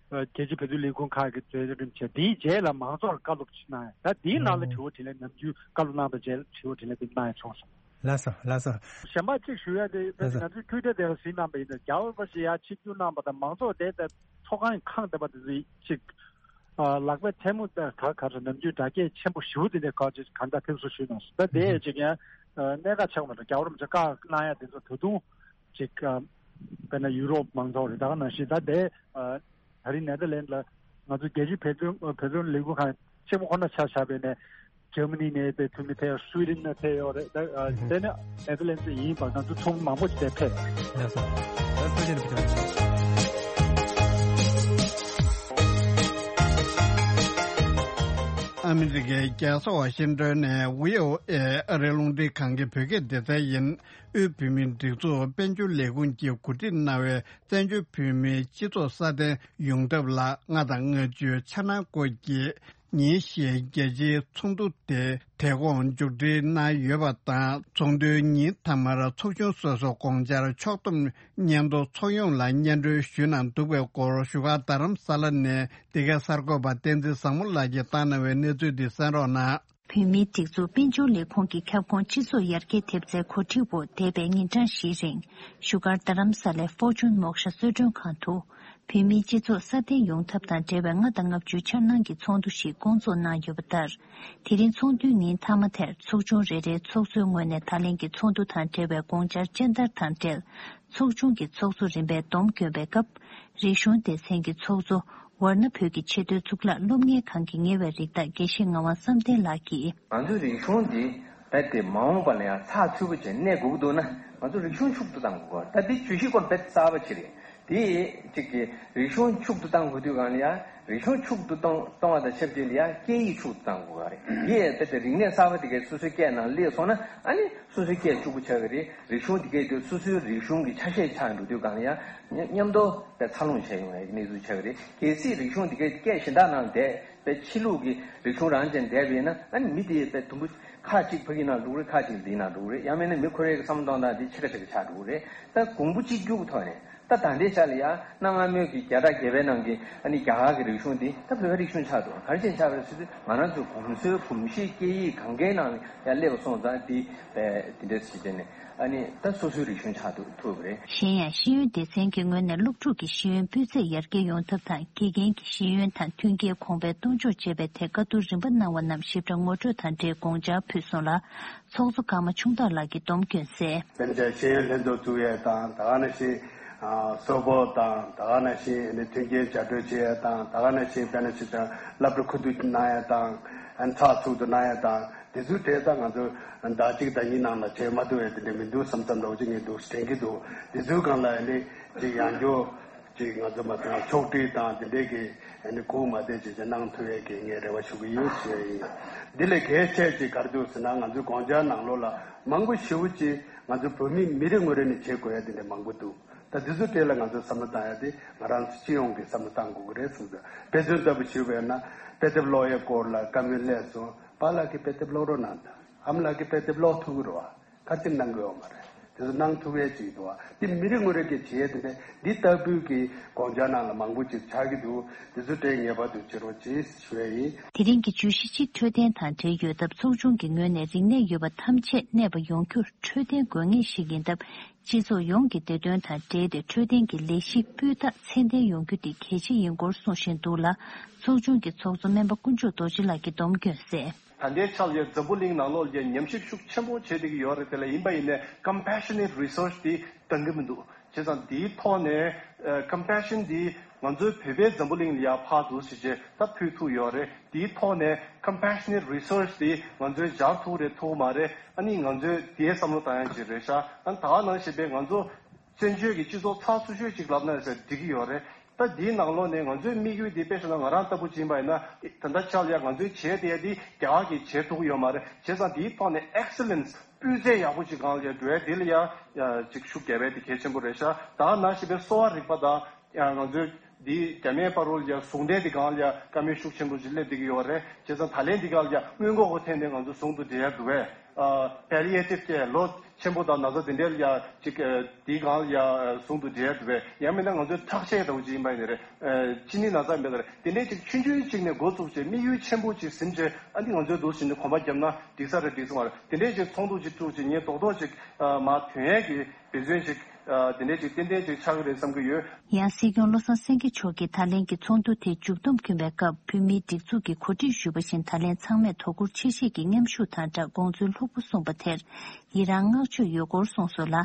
ཨ་རྒྱལ་སྤྱིའི་བོད་དོན་ལས་ཁུངས་ཁག་གི་མཛད་རིམ་བྱས། དེའི་རྗེས་ལ་མང་ཚོགས་ལ་བཀའ་སློབ་ཅིག་གནང་ཡ། ད་འདིའི་ནང་ལ་དྲི་བ་དྲིས་ལན་ནམ་རྒྱུན་བཀའ་སློབ་གནང་དང་རྗེས་ལ་དྲི་བ་དྲིས་ལན་འདི་གནང་ཡ་བྱུང་སོང་། ལགས་སོ་ལགས་སོ། གཞན་པ་གཅིག་ཞུ་ཡ་དེ་ལགས་སོ། ང་ཚོའི་ཊུའི་ཊར་དེ་ལ་གཟིགས་གནང་པ་ཡིན་ན་རྒྱལ་བ་རིན་པོ་ཆེ་ཡར་ཆིབས་བསྒྱུར་གནང་པ་དང་མང་ཚོགས་དེ་ད་ཚོགས་ཁང་གི་ཁང་བདེ་པ་དེ་ཚོ་ཅིག་ཨ་ལག་པའི་ཐལ་མོ་ད་ག་ག་ཚོད་ནམ་རྒྱུན་སྒྲ་སྐད་ཆེན་པོ་ཞེ་པོ་དེ་འདྲའི་སྐོར་ཅིག་གང་ལྟར་ཕེབས་བསུ་ཞུས་གནང་སོང་། ད་དེ་ཡས་ཅིག་ཡང་གནད་འགག་ཆགས་མ་འགྲོ། རྒྱལ་བ་རིན་པོ་ཆེ་བཀའ་གནང་ཡ་དེ་ཚོ་ད་དུང་ཅིག་ཨ་དཔེར་ན་ཡུ་རོབ་མང་ཚོགས་རེད། ད་ག་ནང་བཞིན་ད་དེ་ཨ་ད་རིང་ནེ་ཐར་ལན་ལ་ང་ཚོ་རྒྱལ་སྤྱིའི་བོད་དོན་བོད་དོན་ལས་འགུལ་ཁང་ཆེན་པོ་ཁོ་ན་ཆ་བཞག་པ་ཡིན་ནའི་འཇར་མ་ནི་ནས་དེ་འཐུས་མི་ཕེབས། སུའི་ཌེན་ནས་ཕེབས་ཡོད་རེད། ད་ཨ་དེ་ནས་ནེ་ཐར་ལན་ཡིན་པ་ང་ཚོ་ཚོགས་མི་མང་པོ་ཞིག་དེ་ཕེབས། ལགས་སོ། ད་ཐུགས་རྗེ་ཆེ། ཨ་མི་རི་ཀའི་རྒྱལ་ས་ཝ་ཤིང་ཏོན་ནས་བྷི་ཨོ་ཨེ་ཨ་རིའི་རླུང་འཕྲིན་ཁང་གི་བོད་སྐད་སྡེ་ཚན་ཡིན། དབུས་བོད་མིའི་སྒྲིག་འཛུགས་དཔལ་འབྱོར་ལས་ཁུངས་ཀྱིས་གོ་སྒྲིག་གནང་བའི་བཙན་བྱོལ་བོད་མིའི་སྤྱི་ཚོགས་སྲ་བརྟན་ཡོང་ཐབས་ལ་ལྔ་དང་ལྔ་བཅུའི་འཆར་སྣང་སྐོར་གྱི་ཉིན་ཤས་རྒྱལ་སྤྱིའི་ཚོགས་འདུ་དེ་དེ་གོང་མཇུག་སྒྲིལ་གནང་ཡོད་པ་དང་། ཚོགས་འདུའི་ཉིན་མཐའ་མར་ཚོགས་ཆུང་སོ་སོ་དགོངས་འཆར་ཕྱོགས་བསྡོམས་སྙན་ཐོ་ཚོགས་ཡོངས་ལ་སྙན་སྒྲོན་ཞུས་གནང་འདུག་པའི་སྐོར་བཞུགས་སྒར་རྡ་རམ་ས་ལ་ནས་འདི་གའི་གསར་འགོད་པ་བསྟན་འཛིན་བཟང་མོ་ལགས་ཀྱིས་བཏང་གནང་བའི་གནས་ཚུལ་འདི་གསན་རོགས་གནང་། བོད་མིའི་སྒྲིག་འཛུགས་དཔལ་འབྱོར་ལས་ཁུངས་ཀྱི་ཁྱབ་ཁོངས་སྤྱི་ཚོགས་ཡར་རྒྱས་ཐེབས་རྩའི་གོ་སྒྲིག་འོག་འདས་པའི་ཉིན་གྲངས་བཞིའི་རིང་བཞུགས་སྒར་རྡ་རམ་ས་ལའི་ཧྥོར་ཅུན་མོག་ཤ་གསོལ་མགྲོན་ཁང་དུ་བོད་མིའི་སྤྱི་ཚོགས་སྲ་བརྟན་ཡོང་ཐབས་དང་འབྲེལ་བའི་ལྔ་དང་ལྔ་བཅུའི་འཆར་སྣང་གི་ཚོགས་འདུ་ཞིག་བསྐོང་ཚོགས་གནང་ཡོད་པ་ལྟར། དེ་རིང་ཚོགས་འདུའི་ཉིན་མཐའ་མ་དེར་ཚོགས་ཆུང་རེ་རེའི་ཚོགས་གཙོའི་ངོས་ནས་ད་ལན་གྱི་ཚོགས་འདུ་དང་འབྲེལ་བའི་དགོངས་འཆར་སྤྱན་བསྟར་དང་འབྲེལ། ཚོགས་ཆུང་གི་ཚོགས་གཙོ་རིམ་པས་སྡོམ་བསྐྱོན་པའི་སྐབས། རིག་གཞུང་སྡེ་ཚན་གྱི་ཚོགས་གཙོ་ཝར་ན་བོད་ཀྱི་ཆེས་མཐོའི་གཙུག་ལག་སློབ་གཉེར་ཁང་གི་ཉེ་བའི་རིགས་བདག་དགེ་བཤེས་ངག་དབང་བསམ་གཏན་ལགས་ཀྱིས། ང་ཚོའི་རིག་གཞུང་འདི་རྦད་དེ་མ་འོངས་པ་ལ་ཡང་ཚགས་ཚུད་པོ་བྱས་གནས་དགོས་ཀྱི་འདུག་ན། ང་ཚོ་རིག་གཞུང་ཕྱུག་ཏུ་གཏང་དགོས་ཀྱི་འདུག་ད་འདི་བརྗོད་གཞི་སྐོར་རྦད་གསར་པ་ཅིག་རེད། དེ་གཅིག་གི་རིག་གཞུང་ཕྱུག་ཏུ་གཏང་དགོས་དུས་སྒང་ལ་ཡང་རིག་གཞུང་ཕྱུག་ཏུ་གཏོང་གཏོང་བ་དང་ཆབས་ཅིག་ལ་ཡང་སྐད་ཡིག་ཕྱུག་ཏུ་གཏང་དགོས་ཀྱི་རེད། དེ་ཡང་རྦད་དེ་རིག་གནས་གསར་པ་དེ་གའི་སོ་སོའི་སྐད་ནང་སླེབས་སོང་ན་ཨ་ནི། སོ་སོའི་སྐད་གཅིག་པུ་ཆགས་ཀྱི་རེད། རིག་གཞུང་དེ་གས་དེ་སོ་སོའི་རིག་གཞུང་གི་ཆ་ཤས་ཆགས་འགྲོ་དུས་སྒང་ལ་ཡང་མཉམ་མཉམ་དུ་དཔེ་འཚར་ལོངས་བྱས་ཡོང་ཡག་གི་གནས་ཚུལ་ཆགས་ཀྱི་རེད། གལ་སྲིད་རིག་གཞུང་དེ་གས་སྐད་གཞན་དག་ནང་བསྡད་དཔེ་ཕྱི་ལུགས་ཀྱི་རིག་གཞུང་རང་ཅན་བསྡད་པ་ཡིན་ན་ཨ་ནི་མི་དེ་དཔེ་དུམ་བུ་ཁག་གཅིག་ཕ་གི་ནང་འགྲོ་གི་རེད། ཁག་གཅིག་འདིའི་ནང་འགྲོ་གི་རེད། ཡང་མིན་ན་མི་ཁོ་རའི་གི་བསམ་བློ་གཏོང་སྟངས་དེ་ཕྱེད་ཀ་ཕྱེད་ཀ་ཆགས་འགྲོ་གི་རེད། ད་གོང་བུ་གཅིག་གྱུར་གྱི་ཐོག་ནས། ད་ད་ལྟའི་ཆ་ལ་ཡང་གནའ་སྔ་མོའི་གི་བརྒྱ་ཕྲག་བརྒྱད་པའི་ནང་གི་ཨ་ནི་རྒྱ་གར་གྱི་རིག་གཞུང་འདི་ད་བོད་པའི་རིག་གཞུང་ཆགས་འདུག་ག་རེ་བྱས་ཆགས་པ་རེད་ཟེར་དུས་ང་རང་ཚོའི་གོམས་སྲོལ་གོམས་གཤིས་སྐད་ཡིག་གང་གའི་ནང་ཡང་སླེབས་སོང་ཙང་འདི་དེ་འདྲ་ཞིག་བྱས་ནས་ཨ་ནི་ད་སོ་སོའི་རིག་གཞུང་ཆགས་འདུག་ཐུབ་པ་རེད། གཞན་ཡང་ཤེས་ཡོན་སྡེ་ཚན་གྱི་ངོས་ནས་སློབ་ཕྲུག་གི་ཤེས་ཡོན་སྤུས་ཚད་ཡར་རྒྱས་ཡོང་ཐབས་དང་དགེ་རྒན་གྱི་ཤེས་ཡོན་དང་མཐུན་རྐྱེན་གོང་འཕེལ་གཏོང་ཕྱོགས་བཅས་པའི་ཐད་བཀའ་བསྡུར་རིམ་པ་གནང་བ་རྣམས་ཞིབ་ཕྲ་ངོ་སྤྲོད་དང་འབྲེལ་དགོངས་འཆར་ཕུལ་སོང་ལ། ཚོགས་གཙོ་ཀརྨ་ཆུང་བདག་ལགས་ཀྱིས་སྡོམ་བསྐྱོན་གསལ། དཔེར་ན་ཤེས་ཡོན་ལྷན་ཚོགས་བཙུགས་ཡས་དང་ད་ག་ནང་བཞིན་གསོལ་ཕོགས་དང་ད་ག་ནང་བཞིན་ནི་མཐུན་རྐྱེན་བྱ་སྤྲོད་བྱེད་ཡས་དང་ད་ག་ནང་བཞིན་དཔེར་ན་ཅིག་དང་སློབ་གྲྭ་ཁུ་བསྡུ་གནང་ཡས་དང་ཚགས་ཚུད་དུ་གནང་ཡས་དང་དེ་ཚོའི་གྲས་ད་ང་ཚོ་ཟླ་གཅིག་ཟླ་གཉིས་ནང་ལ་བྱེད་མ་ཐུབ་ཡས་དེ་འདྲ་མི་འདུག་བསམ་བསམ་འདྲ་བོ་ཅིག་ངས་འདུག་དྲན་གྱི་འདུག་དེ་ཚོའི་སྒང་ལ་ནི་ཅིག་ཡང་སྐྱོ། ཅིག་ང་ཚོ་མ་ཚང་ཕྱོགས་སྒྲིག་དང་དེ་འདྲའི་གི་ཨ་ནི་སྒུག་མ་བསྡད་ཅིག་ཅིག་གནང་ཐུབ་ཡས་ཀྱི་ངས་རེ་བ་ཞུ་གི་ཡོད་ཞུ་ཡས་ཡིན། འདི་ལས་གལ་ཆེ་ཅིག་ག་རེ་འདུག་ཟེར་ན་ང་ཚོའི་དགོངས་འཆར་ནང་ལོགས་ལ་མང་པོ་ཞེ་པོ་ཅིག་ང་ཚོ་བོད་མི་མི་རེ་ངོ་རེ་ནས་བྱེད་དགོས་ཡས་དེ་འདྲ་མང་པོ་འདུག་ད་འདི་ཚོ་གྲས་ལ་ང་ཚོ་བསམ་བློ་བཏང་ཡས་དེ་ང་རང་ཚོ་སྤྱི་ཡོངས་ཀྱི་བསམ་བློ་བཏང་དགོས་ཀྱི་རེད་བསམ་འདུག་དཔེ་མཚོན་ལྟ་བུ་ཞུས་པ་ཡིན་ན་དཔེ་དེབ་ཀློག་ཡས་སྐོར་ལ་བཀའ་མོལ་སླེབས་སོང་། པཱ་ལགས་ཀྱིས་དཔེ་དེབ་ཀློག་རོགས་གནང་དང་། ཨ་མ་ལགས་ཀྱིས་དཔེ་དེབ་ཀློག་ཐུབ་ཀྱི་རེད་བ། ཁ་ཅིག་གནང་གི་ཡོད་མ་རེད། དེ་ཚོ་གནང་ཐུབ་ཡས་ཅིག་འདུག་བ། དེ་མི་རེ་ངོ་རེ་གིས་བྱེད་ཡས་དེ་འདྲ་འདི་ལྟ་བུའི་གི་དགོངས་འཆར་ནང་ལ་མང་པོ་ཅིག་ཆགས་ཀྱི་འདུག་དེ་ཚོ་དེ་ངེས་པར་དུ་བྱེད་རོགས་གྱིས་ཞུ་ཡས་ཡིན། དེ་རིང་གི་བརྗོད་གཞི་གཅིག་འཕྲོད་བསྟེན་དང་འབྲེལ་ཡོད་སྟབས། ཚོགས་ཆུང་གི་ངོས་ནས་རིག་གནས་ཡོད་པ་ཐམས་ཅད་གནས་པ་ཡོང་རྒྱུར་འཕྲོད་བསྟེན་དགོས་ངེས་ཤིག་ཡིན་སྟབས། སྤྱི་ཚོགས་ཡོངས་ཀྱི་བདེ་དོན་དང་འབྲེལ་ཏེ་འཕྲོད་བསྟེན་གྱི་ལས་གཞི་སྤུས་དག་ཚད་ལྡན་ཡོང་རྒྱུ་དེ་གལ་ཆེ་ཡིན་སྐོར་གསུངས་བཞིན་འདུག་ལ། ཚོགས་ཆུང་གི་ཚོགས་གཙོ་སྨན་པ་དཀོན་མཆོག་རྡོ་རྗེ་ལགས་ཀྱིས་སྡོམ་སྐྱོན་བསྩལ། ད་ལྟའི་ཆར་ཡང་འཛམ་བུ་གླིང་ནང་ལོགས་ལ་ཉམས་ཞིབ་ཤུགས་ཆེན་པོ་བྱེད་བསྡད་ཀྱི་ཡོད་རེད། དེ་ལ་ཡིན་པ་ཡིན་ནའི་compassionate research དེ་འདང་གི་མི་འདུག་བྱས་ཙང་དེའི་ཐོག་ནས་ཨ་compassion དེ་ང་ཚོའི་བོད་པའི་འཛམ་བུ་གླིང་ལ་ཡང་ཕར་ཚུར་ཞིག་བྱས་ད་ཕུལ་ཐུབ་ཡོད་རེད། དེའི་ཐོག་ནས་compassionate research དེ་ང་ཚོས་སྦྱར་ཐུབ་རེད་ཐུབ་མ་རེད། ཨ་ནི་ང་ཚོས་དེའི་བསམ་བློ་བཏང་ཡ་ཅིག་རེད་ཤག་ཨ་ནི་ད་ག་ནང་བཞིན་པའི་ང་ཚོ་བཙན་བྱོལ་གྱི་སྤྱི་ཚོགས་ཚགས་ཚུད་ཤོས་ཅིག་ལབ་ན་ཟེར་འགྲིག་གི་ཡོད་རེད། ད་འདིའི་ནང་ལོགས་ནས་ང་ཚོའི་དམིགས་ཡུལ་འདི་དཔེ་བཞག་ན་ང་རང་ལྟ་བུ་ཅིག་ཡིན་པ་ཡིན་ན་ད་ལྟ་ཆར་ཡ་ང་ཚོའི་བྱེད་བསྡད་འདི་རྒྱ་གར་གྱིས་བྱེད་ཐུབ་ཀྱི་ཡོད་མ་རེད། བྱས་ཙང་འདིའི་ཐོག་ནས་excellence སྤུས་ཚད་ཡག་པོ་ཅིག་སྒང་ལ་ཡ་འགྲོ་ཡ་འདི་ལ་ཡ་ཡ་ཅིག་ཤུགས་རྒྱབ་ཡ་འདི་གལ་ཆེན་པོ་རེད་ཤག་ད་ནང་བཞིན་པའི་གསོ་བ་རིག་པ་དང་ཡ་ང་ཚོའི་འདི་རྒྱ་སྨན་བར་དུ་ལ་ཡ་ཟུང་འབྲེལ་འདི་སྒང་ལ་ཡ་བཀའ་མོལ་ཤུགས་ཆེན་པོ་ཅིག་སླེབས་བསྡད་ཀྱི་ཡོད་རེད། བྱས་ཙང་ད་ལན་འདི་སྒང་ལ་ཡ་སྔོན་འགོག་གི་ཐད་ནས་ང་ཚོ་ཟུང་དུ་འབྲེལ་ཡ་འདུག་བས། ཨ་palliative care ལོ་ཆེན་པོ་དང་ན་ཚ་དེ་འདྲའི་ལ་ཡ་ཅིག་ཨ་དེའི་སྒང་ལ་ཡ་ཟུང་དུ་འབྲེལ་ཡ་འདུག་བས། ཡང་མིན་ན་ང་ཚོའི་ཁྲག་ཤེད་འདྲ་བོ་ཅིག་ཡིན་པ་ཡིན་ནའི་རེད། ཨ་གཅིན་སྙི་ན་ཚ་མེད་ན་རེད། དེ་འདྲའི་ཅིག་ཆུང་ཆུང་ཅིག་ནས་འགོ་བཙུགས་བྱས་དམིགས་ཡུལ་ཆེན་པོ་ཅིག་ཟིན་བྱས་ཨ་ནི་ང་ཚོའི་འདུག་བཞིན་དུ་གོམ་པ་བརྒྱབ་ན་འགྲིག་ས་རེད་འགྲིག་ས་མ་རེད། དེ་འདྲའི་ཅིག་ཚོགས་འདུ་ཅིག་བཙུགས་བྱས་ངས་རྡོག་རྡོག་ཅིག་ཨ་མར་ཐོན་ཡས་ཀྱི་འབད་བརྩོན་ཅིག་ཨ་དེ་འདྲའི་ཅིག་ཏན་ཏན་ཅིག་ཆགས་ཀྱི་རེད་བསམ་གྱི་ཡོད། ཡང་སྲིད་སྐྱོང་བློ་བཟང་སེང་གེ་མཆོག་གིས་ད་ལན་གྱི་ཚོགས་འདུ་དེ་མཇུག་བསྡོམས་བསྐྱོན་པའི་སྐབས། བོད་མིའི་སྒྲིག་འཛུགས་ཀྱིས་གོ་སྒྲིག་ཞུས་པ་བཞིན་ད་ལན་ཚང་མས་དོ་ཁུར་ཆེ་བཞེས་ཀྱིས་མཉམ་ཞུགས་དང་སྦྲགས་དགོངས་ཚུལ་ལྷུག་པོ་གསུངས་པ་དེར་ཡི་རང་བསྔགས་བརྗོད་ཡོད་སྐོར་གསུངས་སོང་ལ།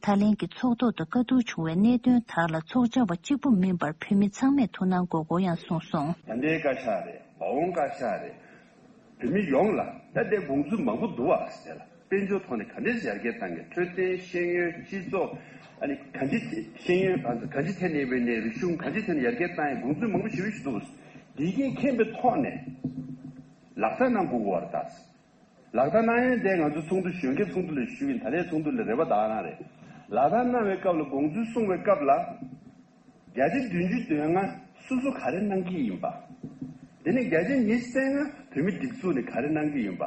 ད་ལན་གྱི་ཚོགས་ཐོག་ཏུ་བཀའ་བསྡུར་བྱུང་བའི་གནད་དོན་དག་ལ་ཚོགས་བཅར་བ་གཅིག་པུ་མིན་པར་བོད་མི་ཚང་མས་ཐུགས་སྣང་དགོས་སྐོར་ཡང་གསུངས་སོང་། ད་ལྟའི་བཀའ་ཤག་རེད། མ་འོངས་བཀའ་ཤག་རེད། བོད་མི་ཡོངས་ལ་ད་ལྟའི་དགོངས་ཚུལ་མང་པོ་འདུག་བ་ཟེར་ལ། དཔལ་འབྱོར་ཐོག་ནས་ག་འདྲས་ཡར་རྒྱས་བཏང་གི། འཕྲོད་བསྟེན་ཤེས་ཡོན་སྤྱི་ཚོགས་ཨ་ནི་ག་འདྲས་ཤེས་ཡོན་ག་འདྲས་ཐད་ནས་ཡིན་པའི་ནས་རིག་གཞུང་ག་འདྲས་ཐད་ནས་ཡར་རྒྱས་བཏང་ཡ་དགོངས་ཚུལ་མང་པོ་ཞེ་པོ་ཞིག་འདུག་འདི་གས་མཁྱེན་པའི་ཐོག་ནས་ལག་བསྟར་གནང་དགོས་ཀྱི་ཡོད་རེད་ད། ལག་བསྟར་གནང་ཡ་དེ་ང་ཚོ་ཚོགས་འདུ་གཞོན་སྐྱེས་ཚོགས་འདུ་ལ་ཞུས་ཡིན། ད་ལྟའི་ཚོགས་འདུ་ལ་རེ་བ་ད་ག་རང་རེད། ལག་བསྟར་གནང་བའི་སྐབས་ལ་དགོངས་ཚུལ་གསུང་བའི་སྐབས་ལ། བརྒྱ་ཆ་བདུན་ཅུ་དོན་ལྔ་སོ་སོ་ག་རེ་གནང་གི་ཡིན་པ། དེ་ནས་བརྒྱ་ཆ་ཉི་ཤུ་རྩ་ལྔ་བོད་མི་སྒྲིག་འཛུགས་ནས་ག་རེ་གནང་གི་ཡིན་པ་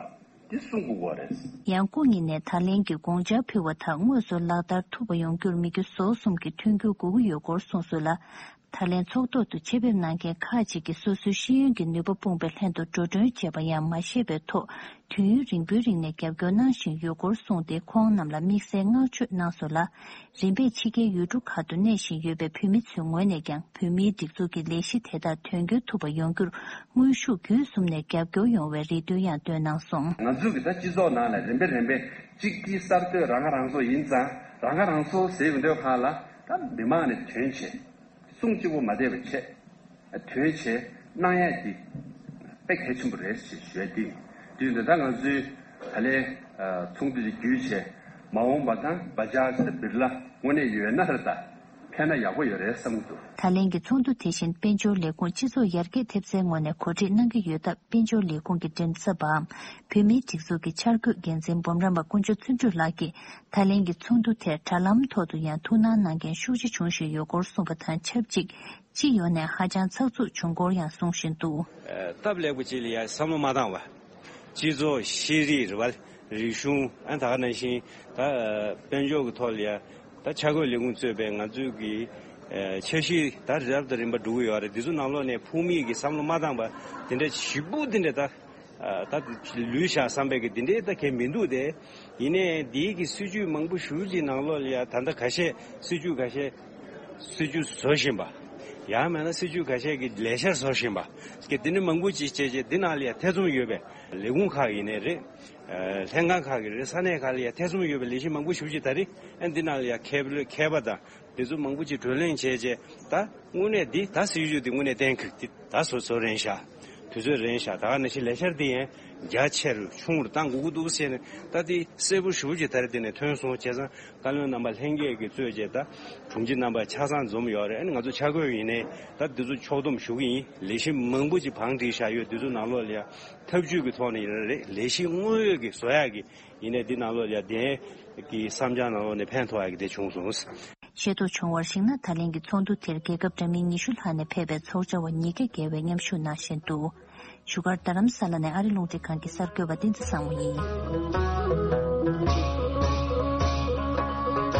འདི་གསུང་དགོས་ཀྱི་ཡོད་རེད། ཡང་སྐུ་ཉིད་ནས་ད་ལན་གྱི་དགོངས་འཆར་ཕུལ་བ་དག་དངོས་སུ་ལག་བསྟར་ཐུབ་པ་ཡོང་རྒྱུར་མི་རྒྱུ་ཟོག་གསུམ་གྱི་མཐུན་འགྱུར་དགོས་ཀྱི་ཡོད་སྐོར་གསུངས་སོང་ལ། ད་ལན་ཚོགས་ཐོག་ཏུ་ཆེད་ཕེབས་གནང་མཁན་ཁག་ཅིག་གིས་སོ་སོའི་ཤེས་ཡོན་གྱི་ནུས་པ་སྤུངས་པའི་ལྷན་དུ་འགྲོ་གྲོན་བྱས་པ་ཡང་མ་ཤེས་པའི་ཐོག་དུས་ཡུན་རིང་པོའི་རིང་ནས་རྒྱབ་སྐྱོར་གནང་བཞིན་ཡོད་སྐོར་གསུངས་ཏེ། ཁོང་རྣམས་ལ་དམིགས་བསལ་བསྔགས་བརྗོད་གནང་སོང་ལ། རིམ་པས་ཕྱི་རྒྱལ་ཡུལ་གྲུ་ཁག་ཏུ་གནས་བཞིན་ཡོད་པའི་བོད་མི་ཚོའི་ངོས་ནས་ཀྱང་བོད་མིའི་སྒྲིག་འཛུགས་ཀྱི་ལས་གཞི་དེ་དག་དོན་འཁྱོལ་ཐུབ་པ་ཡོང་རྒྱུར་དངོས་ཤུགས་བརྒྱུད་གསུམ་ནས་རྒྱབ་སྐྱོར་ཡོང་བའི་རེ་འདུན་ཡང་འདོན་གནང་སོང་། ང་ཚོས་ཀྱི་ད་སྤྱི་ཚོགས་ནང་ལ་རིམ་པས་རིམ་པས་གཅིག་གི་གསར་གཏོད་རང་ཁ་རང་གསོ་ཡིན་ཙང་། རང་ཁ་རང་གསོ་ཟེར་ཡོང་དུས་སྒང་ལ་ད་མི་མང་ནས་དོན་བྱེད། གསུང་གཅིག་པོ་མ་བསྡད་པ་བྱས། དོན་བྱས་གནང་ཡས་འདི་དཔེ་གལ་ཆེན་པོ་རེད་ཞེས་ཞུ་ཡ་འདི། དུས་འདི་ད་ང་ཚོའི་ད་ལན་ཚོགས་འདུ་འདི་བརྒྱུད་བྱས་མ་འོངས་པ་དང་བ་ཇག་ཅིག་དང་བིར་ལ་དངོས་གནས་ཡོད་ན་རེད། ད་ཕན་ན་ཡག་པོ་ཡོད་རེད་བསམ་གྱི་འདུག་ད་ལན་གྱི་ཚོགས་འདུ་དེ་བཞིན་དཔལ་འབྱོར་ལས་ཁུངས་སྤྱི་ཚོགས་ཡར་རྒྱས་ཐེབས་རྩའི་ངོས་ནས་གོ་སྒྲིག་གནང་གི་ཡོད་སྟབས། དཔལ་འབྱོར་ལས་ཁུངས་ཀྱི་མགྲིན་ཚབ་པའམ་བོད་མིའི་སྒྲིག་འཛུགས་ཀྱི་འཆར་འགོད་འགན་འཛིན་འབུམ་རམས་པ་དཀོན་མཆོག་བརྩོན་འགྲུས་ལགས་ཀྱིས། ད་ལན་གྱི་ཚོགས་འདུ་དེར་དྲ་ལམ་ཐོག་ཏུ་ཡང་ཐུགས་སྣང་གནང་མཁན་ཤུགས་ཆེ་བྱུང་བཞིན་ཡོད་སྐོར་གསུངས་པ་དང་ཆབས་ཅིག་སྤྱི་ཡོངས་ནས་ཧ་ཅང་ཚགས་ཚུད་བྱུང་སྐོར་ཡང་གསུང་བཞིན་འདུག་ཨ་སྟབས་ལེགས་པོ་ཅིག་ལ་ཡང་བསམ་བློ་མ་བཏང་བ། སྤྱི་ཚོགས་ཤེས་རིག་རེད་བ། རིག་གཞུང་ཨ་ད་ག་ནང་བཞིན་ད་དཔལ་འབྱོར་གྱི་ཐོག་ལ་ཡང་ད་འཆར་འགོད་ལས་ཁུངས་གཙོས་པའི་ང་ཚོའི་གི་འཆར་གཞི་ད་རབ་དང་རིམ་པ་འགྲོ་གི་ཡོད་རེད། འདི་ཚོ་ནང་ལོགས་ནས་ཕུགས་དམིགས་ཀྱི་བསམ་བློ་མ་བཏང་བ་དེ་འདྲ་ཞིབ་པོ་དེ་འདྲ་ད། ཨ་ད་ལུས་བཞག་བསམ་པའི་གི་འདི་འདྲའི་ད་གལ་མི་འདུག་སྟེ། ཡིན་ནའི་འདིའི་གི་སྲིད་ཇུས་མང་པོ་ཞེ་པོ་ཅིག་ནང་ལོགས་ལ་ཡ་ད་ལྟ་ཁ་ཤས་སྲིད་ཇུས་ཁ་ཤས་སྲིད་ཇུས་བཟོ་བཞིན་པ། ཡང་མིན་ན་སྲིད་ཇུས་ཁ་ཤས་ཀྱི་ལས་འཆར་བཟོ་བཞིན་པ། གི་འདི་འདྲ་མང་པོ་ཅིག་བྱས་རྗེས་འདི་ནང་ལ་ཡ་ཐེ་ཚོམ་ཡོད་པའི་ལས་ཁུངས་ཁག་ཡིན་ནའི་རེད། ཨ་ལྷན་ཁང་ཁག་གི་རེད། ས་གནས་ཁག་ལ་ཡ་ཐེ་ཚོམ་ཡོད་པའི་ལས་གཞི་མང་པོ་ཞེ་པོ་ཅིག་ད་རེས་ཨ་འདི་ནང་ལ་ཡ་མཁས་པ་མཁས་པ་དང་། དེ་ཚོ་མང་པོ་ཅིག་བགྲོ་གླེང་བྱས་རྗེས་ད་དངོས་གནས་འདི་ད་སྲིད་ཇུས་འདི་དངོས་གནས་གཏན་འཁེལ་འདི་ད་བཟོ་བཟོ་རན་ཤག་དུས་ཚོད་རན་ཤག་ད་ག་ནང་བཞིན་ལས་འཆར་འདི་ཡང་རྒྱ་ཆེ་རུ་ཆུང་རུ་བཏང་དགོས་ཀྱི་འདུག་ཟེར་ནས་ད་འདི་གསལ་པོ་ཞེ་པོ་ཅིག་ད་རེས་འདི་ནས་ཐོན་སོང་། བྱས་ཙང་བཀའ་བློན་རྣམ་པ་ལྷན་རྒྱས་ཀྱིས་གཙོས་བྱས་ད་དྲུང་ཆེ་རྣམ་པ་ཆ་ཚང་འཛོམས་ཡོད་རེད། ཨ་ནི་ང་ཚོ་ཆ་བགོས་ཡིན་ནའི་ད་འདི་ཚོ་ཕྱོགས་བསྡོམས་ཞུ་གི་ཡིན། ལས་གཞི་མང་པོ་ཅིག་བང་བསྒྲིགས་བཞག་ཡོད། འདི་ཚོ་ནང་ལོགས་ལ་ཡང་ཐབས་ཇུས་ཀྱི་ཐོག་ནས་ཡིན་ན་རེད། ལས་གཞི་དངོས་ཡོད་ཀྱི་བཟོ་ཡག་གི་ཡིན་ནའི་འདི་ནང་ལོགས་ལ་ཡ་དེ་གི་བསམ་འཆར་ནང་ལོགས་ནས་ཕན་ཐོགས་ཡག་གི་དེ་བྱུང་སོང་། ཤེས་རྟོགས་བྱུང་བར་གཞིགས་ན། ད་ལན་གྱི་ཚོགས་འདུ་དེར་རྒྱལ་ཁབ་འདྲ་མིན་ཉི་ཤུ་ལྷག་ནས་ཕེབས་པའི་ཚོགས་བཅར་བ་ཉིས་བརྒྱ་བརྒལ་བས་མཉམ་ཞུགས་གནང་བཞིན་འདུག་བཞུགས་སྒར་རྡ་རམ་ས་ལ་ནས་ཨ་རི་རླུང་འཕྲིན་ཁང་གི་གསར་འགོད་པ་བསྟན་འཛིན་བཟང་མོ་ཡིན།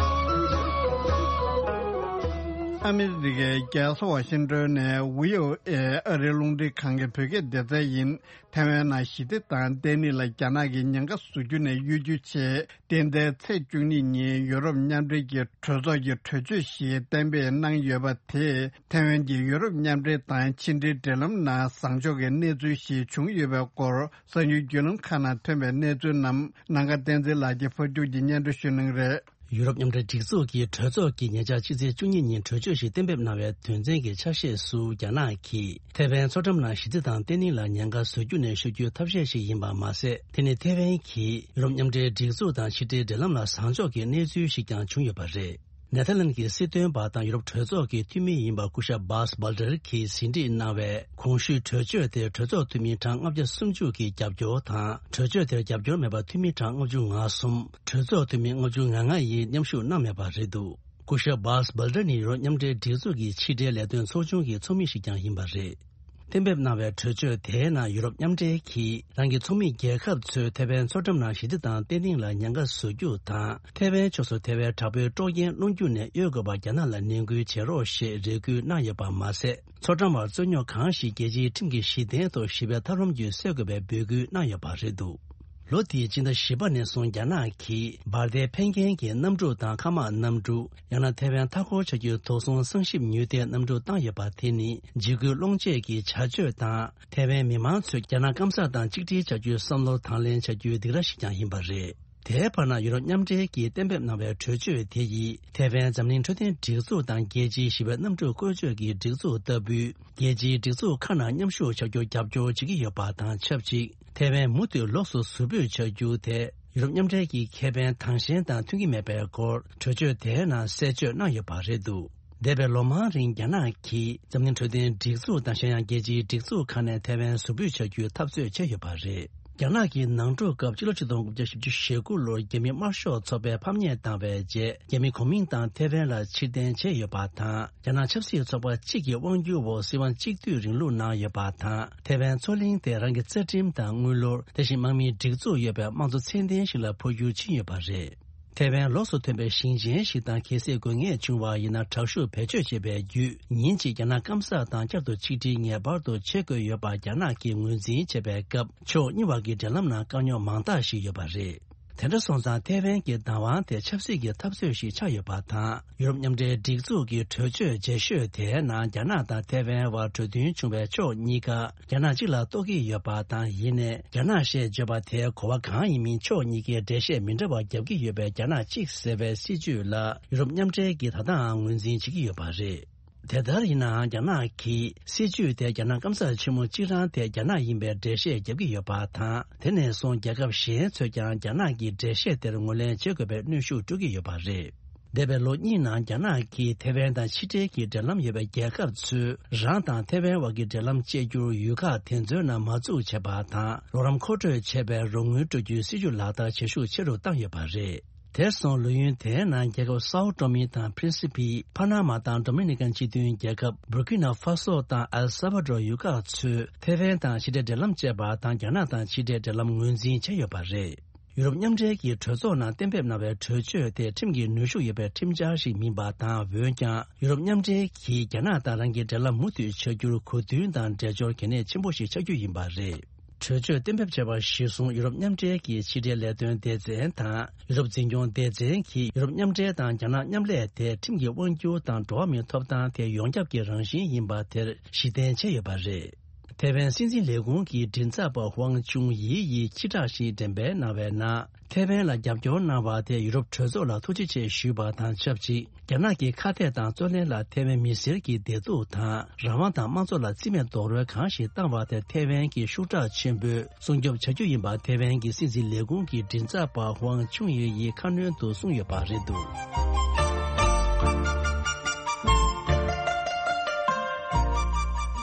ཨ་མི་རི་ཀའི་རྒྱལ་ས་ཝ་ཤིང་ཏོན་ནས་བྷི་ཨོ་ཨེ་ཨ་རིའི་རླུང་འཕྲིན་ཁང་གི་བོད་སྐད་སྡེ་ཚན་ཡིན། ཐའེ་ཝན་ནང་ཞི་བདེ་དང་བརྟན་ལྷིང་ལ་རྒྱ་ནག་གིས་ཉེན་ཁ་བཟོ་རྒྱུ་ནས་གཡོལ་རྒྱུའི་ཆེད། རྟེན་འབྲེལ་ཚེས་བཅུ་གཉིས་ཉིན་ཡུ་རོབ་མཉམ་འབྲེལ་གྱི་གྲོས་ཚོགས་ཀྱི་གྲོས་ཆོད་ཞིག་གཏན་འབེབས་གནང་ཡོད་པ་དེས། ཐའེ་ཝན་གྱིས་ཡུ་རོབ་མཉམ་འབྲེལ་དང་ཕྱི་འབྲེལ་འབྲེལ་ལམ་ནང་བཟང་ཕྱོགས་ཀྱི་གནས་ཚུལ་ཞིག་བྱུང་ཡོད་པའི་སྐོར། གསར་འགྱུར་བརྒྱུད་ལམ་ཁག་ནང་ཐོན་པའི་གནས་ཚུལ་རྣམས་ནམ་མཁའ་བསྟན་འཛིན་ལགས་ཀྱིས་ཕབ་སྒྱུར་གྱིས་སྙན་སྒྲོན་ཞུ་གནང་གི་རེད། ཡུ་རོབ་མཉམ་འབྲེལ་སྒྲིག་འཛུགས་ཀྱི་གྲོས་ཚོགས་ཀྱིས་ཉེ་ཆར་ཕྱི་ཚེས་བཅུ་གཉིས་ཉིན་གྲོས་ཆོད་ཞིག་གཏན་འབེབས་གནང་བའི་དོན་ཚན་གྱི་ཆ་ཤས་སུ། རྒྱ་ནག་གིས་ཐའེ་ཝན་མཚོ་འགྲམ་ནང་ཞི་བདེ་དང་བརྟན་ལྷིང་ལ་ཉེན་ཁ་བཟོ་རྒྱུ་ནས་གཡོལ་རྒྱུའི་ཐབས་ཤེས་ཤིག་ཡིན་པ་མ་ཟད། དེ་ནི་ཐའེ་ཝན་གྱིས་ཡུ་རོབ་མཉམ་འབྲེལ་སྒྲིག་འཛུགས་དང་ཕྱི་འབྲེལ་འབྲེལ་ལམ་ལ་བཟང་ཕྱོགས་ཀྱི་གནས་ཚུལ་ཞིག་ཀྱང་བྱུང་ཡོད་པ་རེད། ནེ་ཐར་ལན་གྱི་སྲིད་དོན་པ་དང་ཡུ་རོབ་གྲོས་ཚོགས་ཀྱི་འཐུས་མི་ཡིན་པ་སྐུ་ཞབས་Bas Belder གྱིས་ཟིན་བྲིས་གནང་བའི་གོང་ཞུས་གྲོས་ཆོད་དེ་གྲོས་ཚོགས་འཐུས་མི་གྲངས་ལྔ་བརྒྱ་སུམ་ཅུ་གིས་རྒྱབ་སྐྱོར་དང་། གྲོས་ཆོད་དེར་རྒྱབ་སྐྱོར་མེད་པ་འཐུས་མི་གྲངས་ལྔ་བཅུ་ང་གསུམ། གྲོས་ཚོགས་འཐུས་མི་ལྔ་བཅུ་ང་ལྔ་ཡིས་མཉམ་ཞུགས་གནང་མེད་པ་རེད་འདུག་སྐུ་ཞབས་Bas Belder ནི་ཡུ་རོབ་མཉམ་འབྲེལ་སྒྲིག་འཛུགས་ཀྱི་ཕྱི་འབྲེལ་ལས་དོན་ཚོགས་ཆུང་གི་ཚོགས་མི་ཞིག་ཀྱང་ཡིན་པ་རེད། གཏན་འབེབས་གནང་བའི་གྲོས་ཆོད་དེའི་ནང་ཡུ་རོབ་མཉམ་འབྲེལ་གྱིས་རང་གི་ཚོགས་མི་རྒྱལ་ཁབ་ཚོས་ཐའེ་ཝན་མཚོ་འགྲམ་ནང་ཞི་བདེ་དང་བརྟན་ལྷིང་ལ་ཉེན་ཁ་བཟོ་རྒྱུ་དང་། ཐའེ་ཝན་ཕྱོགས་སུ་ཐའེ་ཝན་དྲག་པོའི་དཀྲོག་རྐྱེན་སློང་རྒྱུ་ནས་གཡོལ་དགོས་པར་རྒྱ་ནག་ལ་ནན་སྐུལ་བྱེད་རོགས་ཞེས་རེ་སྐུལ་གནང་ཡོད་པ་མ་ཟད། མཚོ་འགྲམ་བར་རྩོད་རྙོག་གང་ཞིག་རྒྱལ་སྤྱིའི་ཁྲིམས་ཀྱི་གཞི་རྟེན་ཐོག་ཞི་བའི་ཐབས་ལམ་བརྒྱུད་སེལ་དགོས་པའི་འབོད་སྐུལ་གནང་ཡོད་པ་རེད་འདུག་ལོ་འདིའི་སྤྱི་ཟླ་བཞི་པ་ནས་བཟུང་རྒྱ་ནག་གིས་འབར་མདེལ་འཕེན་མཁན་གྱི་གནམ་གྲུ་དང་མཁའ་དམག་གནམ་གྲུ། ཡང་ན་ཐའེ་ཝན་མཐའ་འཁོར་བྱ་རྒྱུའི་དོགས་ཟོན་གསང་ཞིབ་མྱུལ་ལྡན་གནམ་གྲུ་བཏང་ཡོད་པ་དེ་ནི་འཇིགས་སྐུལ་སློང་བྱེད་ཀྱི་བྱ་སྤྱོད་དང་། ཐའེ་ཝན་མི་མང་ཚོས་རྒྱ་ནག་སྐམ་ས་དང་གཅིག་སྒྲིལ་བྱ་རྒྱུའི་བསམ་བློ་དང་ལེན་བྱ་རྒྱུའི་སྡིགས་ར་ཞིག་ཀྱང་ཡིན་པ་རེད། དེའི་བར་ན་ཡུ་རོབ་མཉམ་འབྲེལ་གྱིས་གཏན་འབེབས་གནང་བའི་གྲོས་ཆོད་དེ་ཡིས་ཐའེ་ཝན་འཛམ་གླིང་འཕྲོད་བསྟེན་སྒྲིག་འཛུགས་དང་རྒྱལ་སྤྱིའི་ཞི་བའི་གནམ་གྲུ་བཀོལ་སྤྱོད་ཀྱི་སྒྲིག་འཛུགས་ལྟ་བུའི་རྒྱལ་སྤྱིའི་སྒྲིག་འཛུགས་ཁག་ནང་མཉམ་ཞུགས་བྱ་རྒྱུར་རྒྱབ་སྐྱོར་བྱེད་ཀྱི་ཡོད་པ་དང་ཆབས་ཅིག་ཐའེ་ཝན་མུ་མཐུད་ལོགས་སུ་ཟུར་ཕུད་བྱ་རྒྱུ་དེ་ཡུ་རོབ་མཉམ་འབྲེལ་གྱི་ཁེ་ཕན་དང་ཞེན་དང་མཐུན་གྱི་མེད་པའི་སྐོར་གྲོས་ཆོད་དེའི་ནང་གསལ་བརྗོད་གནང་ཡོད་པ་རེད་འདུག་འདས་པའི་ལོ་མང་རིང་རྒྱ་ནག་གིས་འཛམ་གླིང་འཕྲོད་བསྟེན་སྒྲིག་འཛུགས་དང་གཞན་ཡང་རྒྱལ་སྤྱིའི་སྒྲིག་འཛུགས་ཁག་ནས་ཐའེ་ཝན་ཟུར་ཕུད་བྱ་རྒྱུའི་འཐབ་རྩོད་བྱས་ཡོད་པ་རེད། རྒྱ་ནག་གི་ནང་འཁྲུག་སྐབས་ཕྱི་ལོ་ཆིག་སྟོང་དགུ་བརྒྱ་བཞི་བཅུ་ཞེ་དགུ་ལོར་རྒྱ་མི་དམར་ཤོག་ཚོགས་པས་ཕམ་ཉེས་བཏང་བའི་རྗེས། རྒྱ་མི་གོ་མིན་ཏང་ཐའེ་ཝན་ལ་ཕྱིར་འཐེན་བྱས་ཡོད་པ་དང་། རྒྱ་ནག་ཆབ་སྲིད་ཚོགས་པ་གཅིག་གི་དབང་སྒྱུར་འོག་སྲིད་དབང་གཅིག་སྡུད་རིང་ལུགས་གནང་ཡོད་པ་དང་། ཐའེ་ཝན་མཚོ་གླིང་དེ་རང་གི་རྩ་ཁྲིམས་དང་དངུལ་ལོར། དེ་བཞིན་དམག་མིའི་སྒྲིག་འཛུགས་ཡོད་པའི་དམངས་གཙོ་ཚད་ལྡན་ཞིག་ལ་འཕོ་འགྱུར་ཕྱིན་ཡོད་པ་རེད། ཐའེ་ཝན་ལོགས་སུ་ཐོན་པའི་ཞིང་ཆེན་ཞིག་དང་། གལ་སྲིད་དགོས་ངེས་བྱུང་བ་ཡིན་ན། དྲག་ཤུགས་བེད་སྤྱོད་བྱེད་པའི་བརྒྱུད། ཉིན་གཅིག་རྒྱ་ནག་སྐམ་ས་དང་བསྐྱར་དུ་ཆིག་སྒྲིལ་ངེས་པར་དུ་བྱེད་དགོས་ཡོད་པ་རྒྱ་ནག་གིས་ངོས་འཛིན་བྱས་པའི་སྐབས། ཕྱོགས་གཉིས་བར་གྱི་འབྲེལ་ལམ་ནང་དཀའ་རྙོག་མང་དག་ཞིག་ཡོད་པ་རེད། དེ་འདྲ་སོང་ཙང་ཐའེ་ཝན་གྱི་བདག་དབང་དེ་ཆབ་སྲིད་ཀྱི་འཐབ་རྩོད་ཞིག་ཆགས་ཡོད་པ་དང་། ཡུ་རོབ་མཉམ་འབྲེལ་སྒྲིག་འཛུགས་ཀྱི་གྲོས་ཆོད་རྗེས་ཤོས་དེའི་ནང་རྒྱ་ནག་དང་ཐའེ་ཝན་བར་གྲོས་མཐུན་བྱུང་བའི་ཕྱོགས་གཉིས་ཀ་རྒྱ་ནག་གཅིག་ལ་གཏོགས་ཀྱི་ཡོད་པ་དང་། ཡིན་ནའི་རྒྱ་ནག་ཞེས་བརྗོད་པ་དེའི་གོ་བ་གང་ཡིན་མིན་ཕྱོགས་གཉིས་ཀའི་འགྲེལ་བཤད་མི་འདྲ་བ་རྒྱབ་ཀྱི་ཡོད་པའི་རྒྱ་ནག་གཅིག་ཟེར་བའི་སྲིད་བྱུས་ལ་ཡུ་རོབ་མཉམ་འབྲེལ་གྱིས་ད་ལྟའང་ངོས་འཛིན་བྱེད་ཀྱི་ཡོད་པ་རེད། དེ་ལྟར་ཡིན་ནའང་རྒྱ་ནག་གིས་སྲིད་བྱུས་དེ་རྒྱ་ནག་སྐམ་ས་ཆེན་མོ་གཅིག་རང་དེ་རྒྱ་ནག་ཡིན་པའི་འགྲེལ་བཤད་རྒྱབ་ཀྱི་ཡོད་པ་དང་། དེ་ནས་བཟུང་རྒྱལ་ཁབ་གཞན་ཚོས་ཀྱང་རྒྱ་ནག་གི་འགྲེལ་བཤད་དེར་ངོས་ལེན་བྱེད་དགོས་པའི་གནོན་ཤུགས་སྤྲོད་ཀྱི་ཡོད་པ་རེད། འདས་པའི་ལོ་གཉིས་ནང་རྒྱ་ནག་གིས་ཐའེ་ཝན་དང་ཕྱི་འབྲེལ་གྱི་འབྲེལ་ལམ་ཡོད་པའི་རྒྱལ་ཁབ་ཚོས་རང་དང་ཐའེ་ཝན་བར་གྱི་འབྲེལ་ལམ་བཅད་རྒྱུར་ཡུལ་ཁག་དེ་ཚོའི་ནང་མ་བཙུགས་བྱས་པ་དང་། རོགས་རམ་མཁོ་སྤྲོད་བྱས་པའི་རོགས་དངུལ་སྤྲོད་རྒྱུའི་སྲིད་ཇུས་ལག་བསྟར་བྱེད་ཤུགས་ཆེ་རུ་བཏང་ཡོད་པ་རེད། དེར་སོང་ལོ་ཡུན་དེའི་ནང་རྒྱལ་ཁབ་སའོ་ཏོ་མི་དང་པྲིན་སི་ཕི། ཕ་ན་མ་དང་ཌོ་མི་ནི་ཀན་སྤྱི་མཐུན་རྒྱལ་ཁབ། བུར་ཀི་ན་ཧྥ་སོ་དང་ཨེལ་སཱ་བྷ་ཌོར་ཡུལ་ཁག་ཚོས་ཐའེ་ཝན་དང་ཕྱི་འབྲེལ་འབྲེལ་ལམ་བཅད་པ་དང་། རྒྱ་ནག་དང་ཕྱི་འབྲེལ་འབྲེལ་ལམ་ངོས་འཛིན་བྱས་ཡོད་པ་རེད། ཡུ་རོབ་མཉམ་འབྲེལ་གྱི་གྲོས་ཚོགས་ནང་གཏན་འབེབས་གནང་བའི་གྲོས་ཆོད་དེ་ཁྲིམས་ཀྱི་ནུས་ཤུགས་ཡོད་པའི་ཁྲིམས་འཆར་ཞིག་མིན་པ་དང་། འོན་ཀྱང་ཡུ་རོབ་མཉམ་འབྲེལ་གྱིས་རྒྱ་ནག་དང་རང་གི་འབྲེལ་ལམ་མུ་མཐུད་བྱ་རྒྱུར་གོ་མཐུན་དང་འགྲེལ་སྦྱོར་གལ་གནད་ཆེན་པོ་ཞིག་ཆགས་རྒྱུ་ཡིན་པ་རེད། གྲོས་ཆོད་གཏན་འབེབས་བྱས་པ་གཞིར་བཟུང་ཡུ་རོབ་མཉམ་འབྲེལ་གྱི་ཕྱི་འབྲེལ་ལས་དོན་སྡེ་ཚན་དང་ཡུ་རོབ་འཛིན་སྐྱོང་སྡེ་ཚན་གྱིས་ཡུ་རོབ་མཉམ་འབྲེལ་དང་རྒྱ་ནག་མཉམ་ལས་དེ་ཁྲིམས་ཀྱི་དབང་སྒྱུར་དང་འགྲོ་བ་མིའི་ཐོབ་ཐང་དེ་ཡོངས་ཁྱབ་ཀྱི་རང་བཞིན་ཡིན་པ་དེར་གཞི་རྟེན་བྱས་ཡོད་པ་རེད། ཐའེ་ཝན་སྲིད་འཛིན་ལས་ཁུངས་ཀྱི་མགྲིན་ཚབ་པ་ཧུའང་ཅུང་ཡི་ཡིས་སྤྱི་བསྒྲགས་ཤིག་འགྲེམས་སྤེལ་གནང་བའི་ནང་། ཐའེ་ཝན་ལ་རྒྱབ་སྐྱོར་གནང་བ་དེ་ཡུ་རོབ་གྲོས་ཚོགས་ལ་ཐུགས་རྗེ་ཆེ་ཞུས་པ་དང་ཆབས་ཅིག་རྒྱ་ནག་གི་ཁ་གཏད་དང་རྩོད་ལེན་ལ་ཐའེ་ཝན་མི་སེར་གྱི་བདེ་སྡུག་དང་རང་དབང་དང་དམངས་གཙོ་ལ་རྩིས་མེད་རྡོག་རོལ་གང་ཞིག་བཏང་བ་དེར་ཐའེ་ཝན་གྱིས་ཤུགས་དྲག་ཆེན་པོས་སྲུང་སྐྱོབ་བྱ་རྒྱུ་ཡིན་པ་ཐའེ་ཝན་གྱི་སྲིད་འཛིན་ལས་ཁུངས་ཀྱི་མགྲིན་ཚབ་པ་ཧུའང་ཆུང་ཡོས་ཡིས་ཁ་སྣོན་དུ་གསུངས་ཡོད་པ་རེད་འདུག་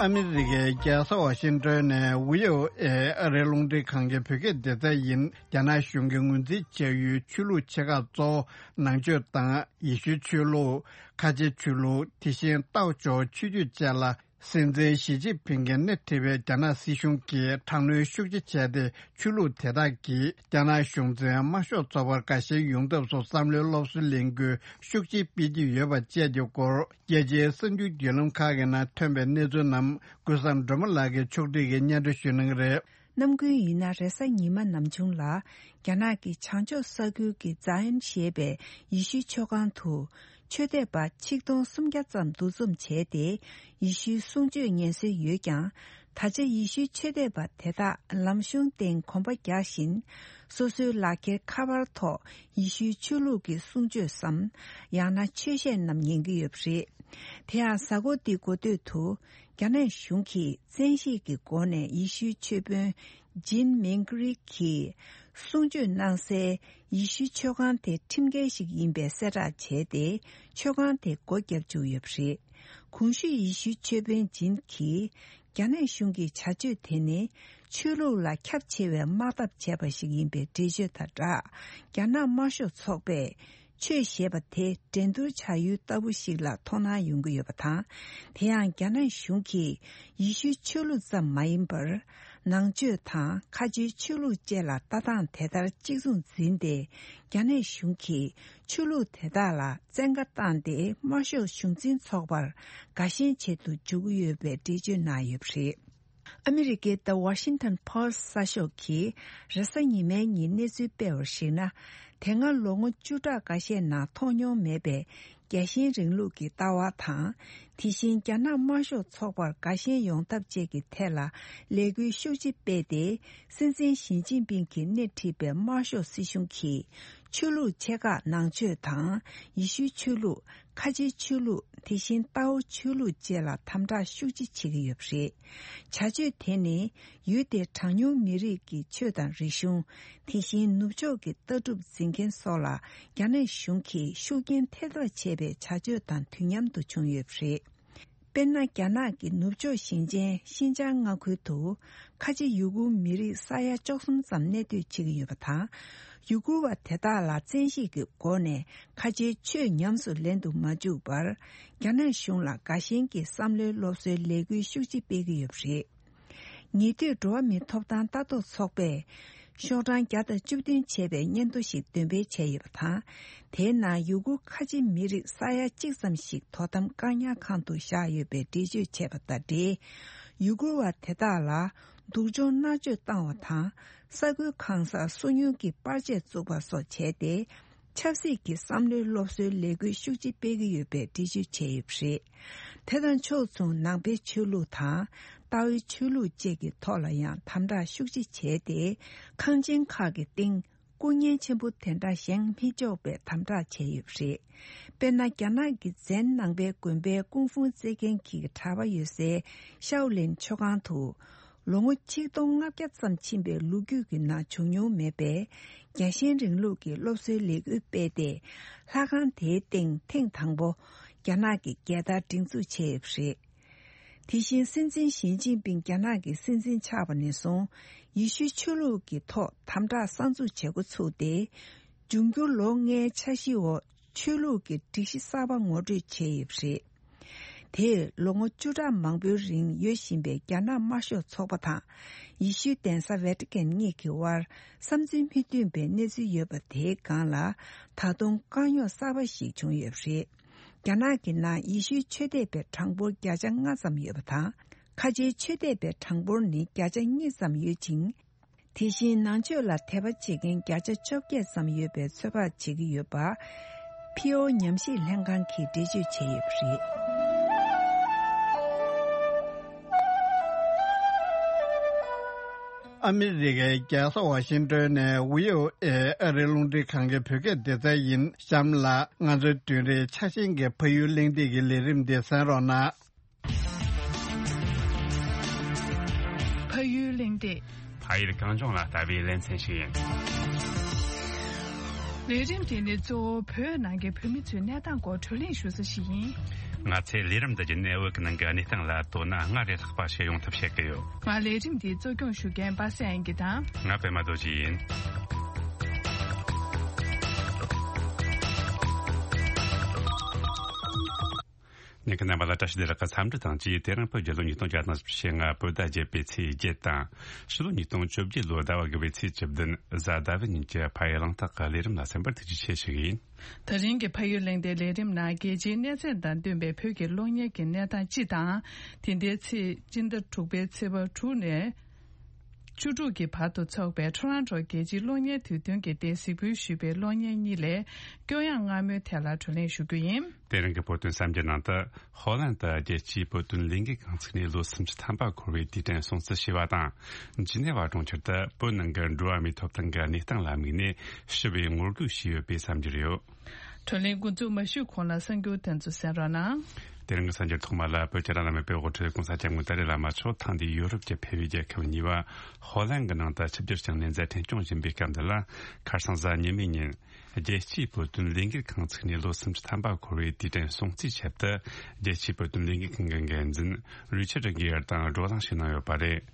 ཨ་མི་རི་ཀའི་རྒྱལ་ས་ཝ་ཤིང་ཏོན་ནས་བྷི་ཨོ་ཨེ་ཨ་རིའི་རླུང་འཕྲིན་ཁང་གི་བོད་སྐད་སྡེ་ཚན་ཡིན། རྒྱ་ནག་གཞུང་གིས་ངོས་འཛིན་བྱ་ཡུལ་ཆོས་ལུགས་ཆེ་ཁག་གཙོ་བོ་ནང་ཆོས་དང་ཡེ་ཤུའི་ཆོས་ལུགས། ཁ་ཆེའི་ཆོས་ལུགས། དེ་བཞིན་ཏའོ་ཇོ་ཆོས་བརྒྱུད་བཅས་ལ་ སྲིད་འཛིན་ཞི་ཅིན་ཕིང་གིས་སྣེ་ཁྲིད་པའི་རྒྱ་ནག་སྲིད་གཞུང་གིས་དྲག་གནོན་ཤུགས་ཆེ་བྱས་ཏེ། ཆོས་ལུགས་དེ་དག་གིས་རྒྱ་ནག་གཞུང་འཛིན་དམར་ཤོག་ཚོགས་པར་དགའ་ཞེན་ཡོང་ཐབས་སུ་བསམ་བློའི་སློབ་གསོའི་ལས་འགུལ་ཤུགས་ཆེ་སྤེལ་གྱི་ཡོད་པ་བཅས་ཀྱི་སྐོར། རྒྱལ་སྤྱིའི་གསར་འགྱུར་བརྒྱུད་ལམ་ཁག་གི་ནང་ཐོན་པའི་གནས་ཚུལ་རྣམས་ཀུན་བཟང་སྒྲོལ་མ་ལགས་ཀྱིས་ཕྱོགས་སྒྲིག་གིས་སྙན་སྒྲོན་ཞུ་གནང་གི་རེད། ནམ་རྒྱུན་ཡིན་ན་རེས་གཟའ་ཉི་མ་ནམ་བྱུང་ལ། རྒྱ་ནག་གི་བྱང་ཕྱོགས་ས་ཁུལ་གྱི་ཛཱ་ཡོན་ཞེས་པའི་ཡེ་ཤུའི་ཆོས་ཁང་དུ། ཆོས་དད་པ་ཆིག་སྟོང་སུམ་བརྒྱ་ཙམ་འདུ་འཛོམས་བྱས་ཏེ། ཡེ་ཤུའི་གསུང་ཆོས་ཉན་སྲོལ་ཡོད་ཀྱང་། ད་ཆ་ཡེ་ཤུའི་ཆོས་དད་པ་དེ་དག་ལམ་གཞུང་སྟེང་གོམ་པ་རྒྱག་བཞིན། སོ་སོའི་ལག་འཁྱེར་ཁ་པར་ཐོག་ཡེ་ཤུའི་ཆོས་ལུགས་ཀྱི་གསུང་ཆོས་སམ། ཡང་ན་ཆོས་བཤད་རྣམས་ཉན་གྱི་ཡོད་པ་རེད། དེ་ཡང་གཟའ་འཁོར་འདིའི་འགོ་སྟོད་དུ། རྒྱ་ནག་གཞུང་གིས་བཙན་ཤེད་ཀྱི་སྒོ་ནས་ཡེ་ཤུའི་ཆོས་དཔོན་ཇིན་མིང་ཀི་རི་གིས་གསུང་ཆོས་གནང་སའི་ཡེ་ཤུའི་ཆོས་ཁང་དེ་ཁྲིམས་འགལ་ཞིག་ཡིན་པའི་གསལ་བསྒྲགས་བྱས་ཏེ། ཆོས་ཁང་དེ་སྒོ་བརྒྱབ་བཅུག་ཡོད་པ་རེད། གོང་ཞུས་ཡེ་ཤུའི་ཆོས་དཔོན་ཇིན་གྱིས། རྒྱ་ནག་གཞུང་གི་བྱ་སྤྱོད་དེ་ནི། ཆོས་ལུགས་ལ་ཁྱབ་ཆེ་བའི་དམག་འཐབ་བྱས་པ་ཞིག་ཡིན་པའི་འགྲེལ་བརྗོད་དང་སྦྲགས། རྒྱ་ནག་དམར་ཤོག་ཚོགས་པས། ཆོས་ཞེས་པ་དེ་འགྲན་བསྡུར་བྱ་ཡུལ་ལྟ་བུ་ཞིག་ལ་མཐོང་སྣང་ཡོང་གི་ཡོད་པ་དང་། དེ་ཡང་རྒྱ་ནག་གཞུང་གིས་ཡེ་ཤུའི་ཆོས་ལུགས་ཙམ་མ་ཡིན་པར། ནང་ཆོས་དང་ཁ་ཆེའི་ཆོས་ལུགས་བཅས་ལ་ལྟ་སྟངས་དེ་ལྟར་གཅིག་མཚུངས་འཛིན་ཏེ། རྒྱ་ནག་གཞུང་གིས་ཆོས་ལུགས་དེ་དག་ལ་བཙན་བཀའ་བཏང་སྟེ། དམར་ཤོག་གཞུང་འཛིན་ཚོགས་པར་དགའ་ཞེན་བྱེད་དུ་འཇུག་གི་ཡོད་པའི་འགྲེལ་བརྗོད་གནང་ཡོད་པ་རེད། ཨ་མི་རི་ཀའི་The Washington Post གསར་ཤོག་གིས་རེས་གཟའ་ཉི་མའི་ཉིན་གནས་ཚུལ་སྤེལ་བར་གཞིགས་ན། དེ་སྔ་ལོ་ངོ་བཅུ་ཕྲག་འགའ་ཤས་ནང་མཐོང་མྱོང་མེད་པའི་རྒྱལ་ཞེན་རིང་ལུགས་ཀྱི་ལྟ་བ་དང་། དེ་བཞིན་རྒྱ་ནག་དམར་ཤོག་ཚོགས་པར་དགའ་ཞེན་ཡོང་ཐབས་བཅས་ཀྱི་ཐད་ལ་ལས་འགུལ་ཤུགས་ཆེ་སྤེལ་ཏེ། སྲིད་འཛིན་ཞི་ཅིན་ཕིང་གིས་སྣེ་ཁྲིད་པའི་དམར་ཤོག་སྲིད་གཞུང་གིས། ཆོས་ལུགས་ཆེ་ཁག་ནང་ཆོས་དང་། ཡེ་ཤུའི་ཆོས་ལུགས། ཁ་ཆེའི་ཆོས་ལུགས། དེ་བཞིན་ཏའོ་ཆོས་ལུགས་བཅས་ལ་དམ་དྲག་ཤུགས་ཆེ་བྱེད་ཀྱི་ཡོད་པ་རེད། བྱ་སྤྱོད་དེ་ནི། ཡུལ་དེའི་གྲངས་ཉུང་མི་རིགས་ཀྱི་ཆོས་དང་རིག་གཞུང་། དེ་བཞིན་ནུབ་ཕྱོགས་ཀྱི་ལྟ་གྲུབ་འཛིན་མཁན་སོགས་ལ། རྒྱ་ནག་གཞུང་གིས་ཤུགས་རྐྱེན་ཐེབས་ཐབས་བྱས་པའི་བྱ་སྤྱོད་དང་དུས་མཉམ་དུ་བྱུང་ཡོད་པ་རེད། དཔེར་ན། རྒྱ་ནག་གི་ནུབ་ཕྱོགས་ཞིང་ཆེན་ཤིན་ཅང་མངའ་ཁུལ་དུ། ཁ་ཆེ་ཡུ་གུར་མི་རིགས་ས་ཡ་བཅུ་གསུམ་ཙམ་གནས་སྡོད་བྱེད་ཀྱི་ཡོད་པ་དང་། ཡུ་གུར་བ་དེ་དག་ལ་བཙན་ཤེད་ཀྱི་སྒོ་ནས་ཁ་ཆེའི་ཆོས་ཉམས་སུ་ལེན་དུ་མ་བཅུག་པར། རྒྱ་ནག་གཞུང་ལ་དགའ་ཞེན་གྱི་བསམ་བློའི་སློབ་གསོའི་ལས་འགུལ་ཤུགས་ཆེ་སྤེལ་གྱི་ཡོད་པ་རེད། ཉེ་དུས་འགྲོ་བ་མིའི་ཐོབ་ཐང་ལྟ་རྟོག་ཚོགས་པས། ཤོག་གྲངས་བརྒྱ་དང་བཅུ་བདུན་བྱས་པའི་སྙན་ཐོ་ཞིག་འདོན་སྤེལ་བྱས་ཡོད་པ་དང་། དེའི་ནང་ཡུ་གུར་ཁ་ཆེ་མི་རིགས་ས་ཡ་གཅིག་ཙམ་ཞིག་དོ་དམ་བཀག་ཉར་ཁང་དུ་བཞག་ཡོད་པའི་འགྲེལ་བརྗོད་བྱས་པ་དང་འབྲེལ། ཡུ་གུར་བ་དེ་དག་ལ་སྡུག་སྦྱོང་མནར་གཅོད་བཏང་བ་དང་། ས་ཁུལ་གང་སར་སོ་ཉུལ་གྱི་པར་ཆས་བཙུགས་པ་སོགས་བྱས་ཏེ། ཆབ་སྲིད་ཀྱི་བསམ་བློའི་སློབ་གསོའི་ལས་འགུལ་ཤུགས་ཆེ་སྤེལ་གྱི་ཡོད་པའི་འགྲེལ་བརྗོད་བྱས་ཡོད་པ་རེད། དེ་དང་ཕྱོགས་མཚུངས། ནང་པའི་ཆོས་ལུགས་དང་། ཏཱའོའི་ཆོས་ལུགས་བཅས་ཀྱི་ཐོག་ལ་ཡང་དམ་དྲག་ཤུགས་ཆེ་བྱས་ཏེ། ཁང་ཆེན་ཁག་གི་སྟེང་སྐུ་བརྙན་ཆེན་པོ་དེ་འདྲ་བཞེངས་མི་ཆོག་པའི་དམ་དྲག་བྱས་ཡོད་པ་རེད། དཔེར་ན། རྒྱ་ནག་གི་ཛན་ནང་པའི་དགོན་པའི་ཀུང་ཧྥུང་རྩེད་མཁན་གྱི་གྲྭ་པ་ཡོད་སའི་ཤའོ་ལིན་ཆོས་ཁང་དུ། ལོ་ངོ་ཆིག་སྟོང་ལྔ་བརྒྱ་ཙམ་ཕྱིན་པའི་ལོ་རྒྱུས་ཀྱི་ནང་བྱུང་མྱོང་མེད་པའི་རྒྱལ་ཞེན་རིང་ལུགས་ཀྱི་སློབ་གསོའི་ལས་འགུལ་སྤེལ་ཏེ། ལྷ་ཁང་དེའི་སྟེང་ཐེངས་དང་པོ་རྒྱ་ནག་གི་རྒྱལ་དར་སྒྲེང་འཛུགས་བྱས་ཡོད་པ་རེད། དེ་བཞིན་སྲིད་འཛིན་ཞི་ཅིན་ཕིང་རྒྱ་ནག་གི་སྲིད་འཛིན་ཆགས་པ་ནས་བཟུང་། ཡེ་ཤུའི་ཆོས་ལུགས་ཀྱི་ཐོག་དམ་དྲག་གསར་འཛུགས་བྱེད་འགོ་ཚུགས་ཏེ། འབྱུང་འགྱུར་ལོ་ལྔའི་འཆར་གཞིའི་འོག་ཆོས་ལུགས་ཀྱི་སྒྲིག་གཞི་གསར་པ་ངོ་སྤྲོད་བྱས་ཡོད་པ་རེད། དེས་ལོ་ངོ་བཅུ་ཕྲག་མང་པོའི་རིང་ཡོད་བཞིན་པའི་རྒྱ་ནག་དམར་ཤོག་ཚོགས་པ་དང་། ཡེ་ཤུའི་གདན་ས་ཝེ་ཏི་ཀན་གཉིས་ཀྱི་དབར་བསམ་ཚུལ་མི་མཐུན་པའི་གནས་ཚུལ་ཡོད་པ་དེའི་སྒང་ལ། ད་དུང་དཀའ་རྙོག་གསར་པ་ཞིག་བྱུང་ཡོད་པ་རེད། རྒྱ་ནག་གི་ནང་ཡེ་ཤུའི་ཆོས་དད་པའི་གྲངས་འབོར་བརྒྱ་ཆ་ལྔ་ཙམ་ཡོད་པ་དང་། ཁ་ཆེའི་ཆོས་དད་པའི་གྲངས་འབོར་ནི་བརྒྱ་ཆ་གཉིས་ཙམ་ཡོད་ཅིང་། དེ་བཞིན་ནང་ཆོས་ལ་དད་པ་བྱེད་མཁན་བརྒྱ་ཆ་བཅོ་བརྒྱད་ཙམ་ཡོད་པའི་ཚོད་དཔག་བྱེད་ཀྱི་ཡོད་པ། ཕིའོ་ཉམས་ཞིབ་ལྷན་ཁང་གིས་འགྲེལ་བརྗོད་བྱས་ཡོད་པ་རེད། ཨ་མི་རི་ཀའི་རྒྱལ་ས་ཝ་ཤིང་ཏོན་ནས་བྷི་ཨོ་ཨེ་ཨ་རིའི་རླུང་འཕྲིན་ཁང་གི་བོད་སྐད་སྡེ་ཚན་ཡིན། གཤམ་ལ་ང་ཚོའི་བདུན་རེའི་ཆ་ཤས་ཀྱི་ཕ་ཡུལ་གླེང་སྟེགས་ཀྱི་ལས་རིམ་འདི་གསན་རོགས་གནང་། ཕ་ཡུལ་གླེང་སྟེགས། ཕ་ཡུལ་གངས་ལྗོངས་ལ་ལྟ་བའི་ལེ་ཚན་ཞིག་ཡིན། ལས་རིམ་འདི་ནི་གཙོ་བོ་བོད་ནང་གི་བོད་མི་ཚོའི་གནས་སྟངས་སྐོར་བགྲོ་གླེང་ཞུ་ས་ཞིག་ཡིན། ང་ཚོས་ལས་རིམ་འདི་བརྒྱུད་ནས་བོད་ཀྱི་ནང་གི་གནས་སྟངས་ལ་དོ་སྣང་སྔར་ལས་ལྷག་པ་ཞིག་ཡོང་ཐབས་བྱེད་ཀྱི་ཡོད། ང་ལས་རིམ་འདི་གཙོ་སྐྱོང་ཞུ་མཁན་པ་སངས་དབྱངས་སྐྱིད་དང་། ང་པད་མ་རྡོ་རྗེ་ཡིན། ཉན་མཁན་རྣམ་པ་ལ་བཀྲ་ཤིས་བདེ་ལེགས་ཀྱི་འཚམས་འདྲི་དང་བཅས། དེ་རིང་བོད་རྒྱལ་ལོ་ཉིས་སྟོང་བརྒྱ་དང་བཞི་བཅུ་ཞེ་ལྔ་བོད་ཟླ་བརྒྱད་པའི་ཚེས་བརྒྱད་དང་། ཕྱི་ལོ་ཉིས་སྟོང་བཅོ་བརྒྱད་ལོའི་ཟླ་བ་དགུ་པའི་ཚེས་བཅུ་བདུན་གཟའ་ཟླ་བའི་ཉིན་གྱི་ཕ་ཡུལ་གླེང་སྟེགས་ཀྱི་ལས་རིམ་ལ་གསན་པར་ཐུགས་རྗེ་ཆེ་ཞུ་གི་ཡིན། ད་རིང་གི་ཕ་ཡུལ་གླེང་སྟེགས་ལས་རིམ་ནང་རྒྱལ་སྤྱིའི་གནས་ཚད་དང་བསྟུན་པའི་བོད་ཀྱི་གློག་བརྙན་གྱི་གནས་སྟངས་སྤྱི་དང་། དེ་ཟླའི་ཚེས་སྤྱི་ཟླ་དྲུག་པའི་ཚེས་པ་དྲུག་ནས་བཅུ་དྲུག་གི་བར་དུ་འཚོགས་པའི་ཊོ་རོན་ཊོ་རྒྱལ་སྤྱིའི་གློག་བརྙན་དུས་སྟོན་གྱི་སྟེང་གཟིགས་འབུལ་ཞུས་པའི་གློག་བརྙན་གཉིས་ལས་སྐྱོ་ཡངས་སྔ་མོའི་ཐད་ལ་བགྲོ་གླེང་ཞུ་རྒྱུ་ཡིན། དེ་རིང་གི་བོད་དོན་གསར་འགྱུར་ནང་དུ། ཧོ་ལན་དུ་རྒྱལ་སྤྱིའི་བོད་དོན་ལས་འགུལ་ཁང་ཚུགས་ནས་ལོ་སུམ་ཅུ་ཐམ་པ་འཁོར་བའི་དུས་དྲན་སྲུང་བརྩི་ཞུས་པ་དང་། ཇི་ནེ་ཝ་གྲོང་ཁྱེར་དུ་བོད་ནང་གི་འགྲོ་བ་མིའི་ཐོབ་ཐང་གི་གནས་སྟངས་ལ་དམིགས་ནས་ཞི་བའི་ངོ་རྒོལ་བྱས་ཡོད་པའི་གསར་འགྱུར་ཡོད། བགྲོ་གླེང་འགོ་འཛུགས་མ་ཞུས་གོང་ལ་གསར་འགྱུར་དེ་ཚོ་གསན་རོགས་གནང་། དེ་རིང་གི་གསར་འགྱུར་ཐོག་མ་ལ། བོད་རྒྱལ་ལ་དམིགས་པའི་དབུ་ཁྲིད་༸གོང་ས་༸སྐྱབས་མགོན་ཏཱ་ལའི་བླ་མ་མཆོག་ཐེངས་འདིའི་ཡོ་རོབ་ཀྱི་ཕེབས་པའི་རྒྱལ་ཁབ་གཉིས་པ་ཧོ་ལན་གྱི་ནང་དུ་ཆིབས་བསྒྱུར་བསྐྱངས་ནས་མཛད་འཕྲིན་སྐྱོང་བཞིན་པའི་སྐབས་འདི་ལ། ཁ་སང་གཟའ་ཉི་མའི་ཉིན། རྒྱལ་སྤྱིའི་བོད་དོན་ལས་འགུལ་ཁང་ཚུགས་ནས་ལོ་སུམ་ཅུ་ཐམ་པ་འཁོར་བའི་དུས་དྲན་སྲུང་བརྩིའི་ཆེད་དུ། རྒྱལ་སྤྱིའི་བོད་དོན་ལས་འགུལ་ཁང་གི་འགན་འཛིན་རི་ཆར་གྷི་ཡར་དང་བགྲོ་གླེང་ཞུས་གནང་ཡོད་པ་རེད།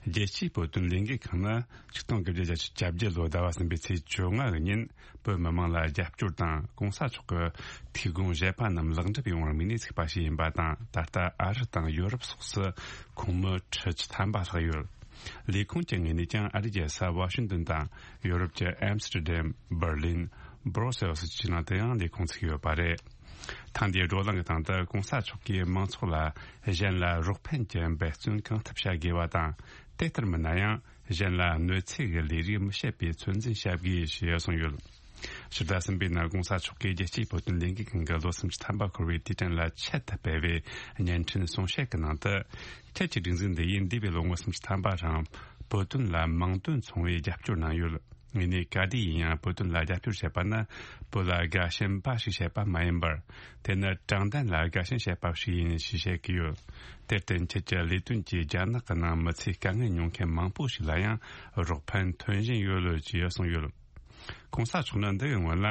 རྒྱལ་སྤྱིའི་བོད་དོན་ལས་འགུལ་ཁང་ནི་ཆིག་སྟོང་དགུ་བརྒྱ་བརྒྱད་ཅུ་གྱ་བརྒྱད་ལོའི་ཟླ་བ་གསུམ་པའི་ཚེས་བཅོ་ལྔ་གི་ཉིན་བོད་མི་མང་ལ་རྒྱབ་སྐྱོར་དང་༸གོང་ས་མཆོག་གི་ཐུགས་དགོངས་བཞེད་པ་རྣམས་ལེགས་འགྲུབ་ཡོང་བར་དམིགས་ནས་ཚུགས་པ་ཞིག་ཡིན་པ་དང་། ད་ལྟ་ཨ་རི་དང་ཡོ་རོབ་སོགས་སུ་ཁོངས་མི་ཁྲི་བཅུ་ཐམ་པ་ལྷག་ཡོད། ལས་ཁུངས་ཀྱི་ངོས་ནས་ཀྱང་ཨ་རི་རྒྱལ་ས་ཝ་ཤིང་ཏོན་དང་ཡོ་རོབ་ཀྱི་ཨེམ་སི་ཏྲ་དམ། འབར་ལིན། སྦྲོ་སེལ་སི་བཅས་ནང་དུ་ཡང་ལས་ཁུངས་ཚུགས་ཡོད་པ་རེད། ཐེངས་འདིའི་བགྲོ་གླེང་གི་སྟེང་དུ་༸གོང་ས་མཆོག་གིས་མང་ཚོགས་ལ་གཞན་ལ་རོགས་ཕན་གྱི་འབད་བརྩོན་གང་ཐུབ་བྱ་དགོས་པ་དང་། དེ་ལྟར་མིན་ན་ཡང་གཞན་ལ་གནོད་འཚེ་གི་ལས་རིགས་མི་བྱེད་པའི་ཚོད་འཛིན་བྱ་དགོས་ཞེས་གསུངས་ཡོད། ཕྱི་ཟླ་གསུམ་པའི་ནང་༸གོང་ས་མཆོག་གིས་རྒྱལ་སྤྱིའི་བོད་དོན་ལས་འགུལ་ཁང་གི་ལོ་སུམ་ཅུ་ཐམ་པ་འཁོར་བའི་དུས་དྲན་ལ་ཆེད་དུ་སྤེལ་བའི་བརྙན་འཕྲིན་གསུང་བཤད་ཀྱི་ནང་དུ། ཁྱེད་ཀྱི་སྒྲིག་འཛུགས་འདི་ཡིས་འདས་པའི་ལོ་ངོ་སུམ་ཅུ་ཐམ་པ་རིང་བོད་དོན་ལ་མིང་དོན་མཚུངས་པའི་རྒྱབ་སྐྱོར་གནང་ཡོད། ངས་ནི་ག་དུས་ཡིན་ཡང་བོད་དོན་ལ་རྒྱབ་སྐྱོར་བྱེད་པ་ནི་བོད་ལ་དགའ་ཞེན་འབའ་ཞིག་བྱེད་པ་མ་ཡིན་པར། དེ་ནི་དྲང་བདེན་ལ་དགའ་ཞེན་བྱེད་པ་ཞིག་ཡིན་ཞེས་བཤད་ཀྱི་ཡོད། དེར་བརྟེན་ཁྱེད་ཀྱི་ལས་དོན་གྱིས་རྒྱ་ནག་གི་ནང་མི་ཚེ་དཀའ་ངལ་མྱོང་མཁན་མང་པོ་ཞིག་ལ་ཡང་རོགས་ཕན་ཐོན་བཞིན་ཡོད་ལོས་ཅེས་གསུངས་ཡོད། ༸གོང་ས་མཆོག་ནི་འདི་གི་སྔོན་ལ་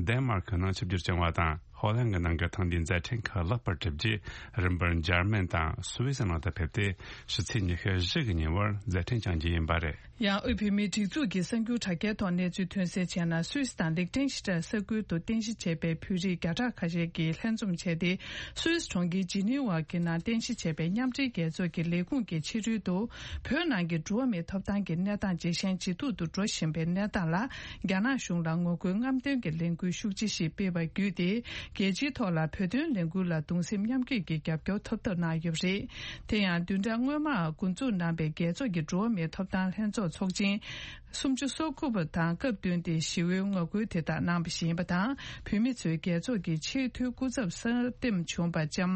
ཌེན་མར་ཀི་ནང་ཆིབས་བསྒྱུར་བསྐྱངས་པ་དང་། ཧོ་ལན་གྱི་ནང་གི་ཐེངས་འདིའི་མཛད་འཕྲིན་ཁག་ལེགས་པར་གྲུབ་རྗེས། རིམ་པར་འཇར་མན་དང་སུད་སི་ནང་དུ་ཕེབས་ཏེ། ཕྱི་ཚེས་ཉི་ཤུ་བཞི་གི་ཉིན་བར་མཛད་འཕྲིན་བསྐྱང་རྒྱུ་ཡིན་པ་རེད། ཡང་དབུས་བོད་མིའི་སྒྲིག་འཛུགས་ཀྱི་གསར་འགྱུར་དྲ་རྒྱའི་ཐོག་གནས་ཚུལ་ཐོན་གསལ་བྱས་ན། སུད་སི་དང་ལིག་ཏེན་ཤི་ཏན་ས་ཁུལ་དུ་རྟེན་གཞི་བྱས་པའི་བོད་རིགས་བརྒྱ་ཕྲག་ཁ་ཤས་ཀྱིས་ལྷན་འཛོམས་བྱས་ཏེ། སུད་སི་གྲོང་ཁྱེར་ཇི་ནི་ཝ་གི་ནང་རྟེན་གཞི་བྱས་པའི་མཉམ་འབྲེལ་རྒྱལ་ཚོགས་ཀྱི་ལས་ཁུངས་ཀྱི་ཕྱི་རོལ་དུ། བོད་ནང་གི་འགྲོ་བ་མིའི་ཐོབ་ཐང་གི་གནས་སྟངས་ཇེ་ཞན་ཇེ་སྡུག་ཏུ་འགྲོ་བཞིན་པའི་གནས་སྟངས་ལ། རྒྱ་ནག་གཞུང་ལ་ངོ་རྒོལ་རྔམ་སྟོན་གྱི་ལས་འགུལ་ཤུགས་ཆེ་ཞིག་སྤེལ་བ་བརྒྱུད་དེ། རྒྱལ་སྤྱིའི་ཐོག་ལ་བོད་དོན་ལས་འགུལ་ལ་གདུང་སེམས་མཉམ་སྐྱེད་ཀྱི་རྒྱབ་སྐྱོར་ཐོབ་ཐབས་གནང་ཡོད་པ་རེད། དེ་ཡང་བདུན་ཕྲག་སྔོན་མར་འགོ་འཛུགས་གནང་པའི་རྒྱལ་ཚོགས་ཀྱི་འགྲོ་བ་མིའི་ཐོབ་ཐང་ལྷན་ཚོགས་ཚོགས་ཆེན་སུམ་ཅུ་སོ་དགུ་པ་དང་སྐབས་བསྟུན་ཏེ་ཞི་བའི་ངོ་རྒོལ་དེ་དག་གནང་བ་ཞིག་ཡིན་པ་དང་། བོད་མི་ཚོས་རྒྱལ་ཚོགས་ཀྱི་ཆེས་མཐོའི་སྐུ་ཚབ་གསར་འདེམས་བྱུང་པ་ལྕམ་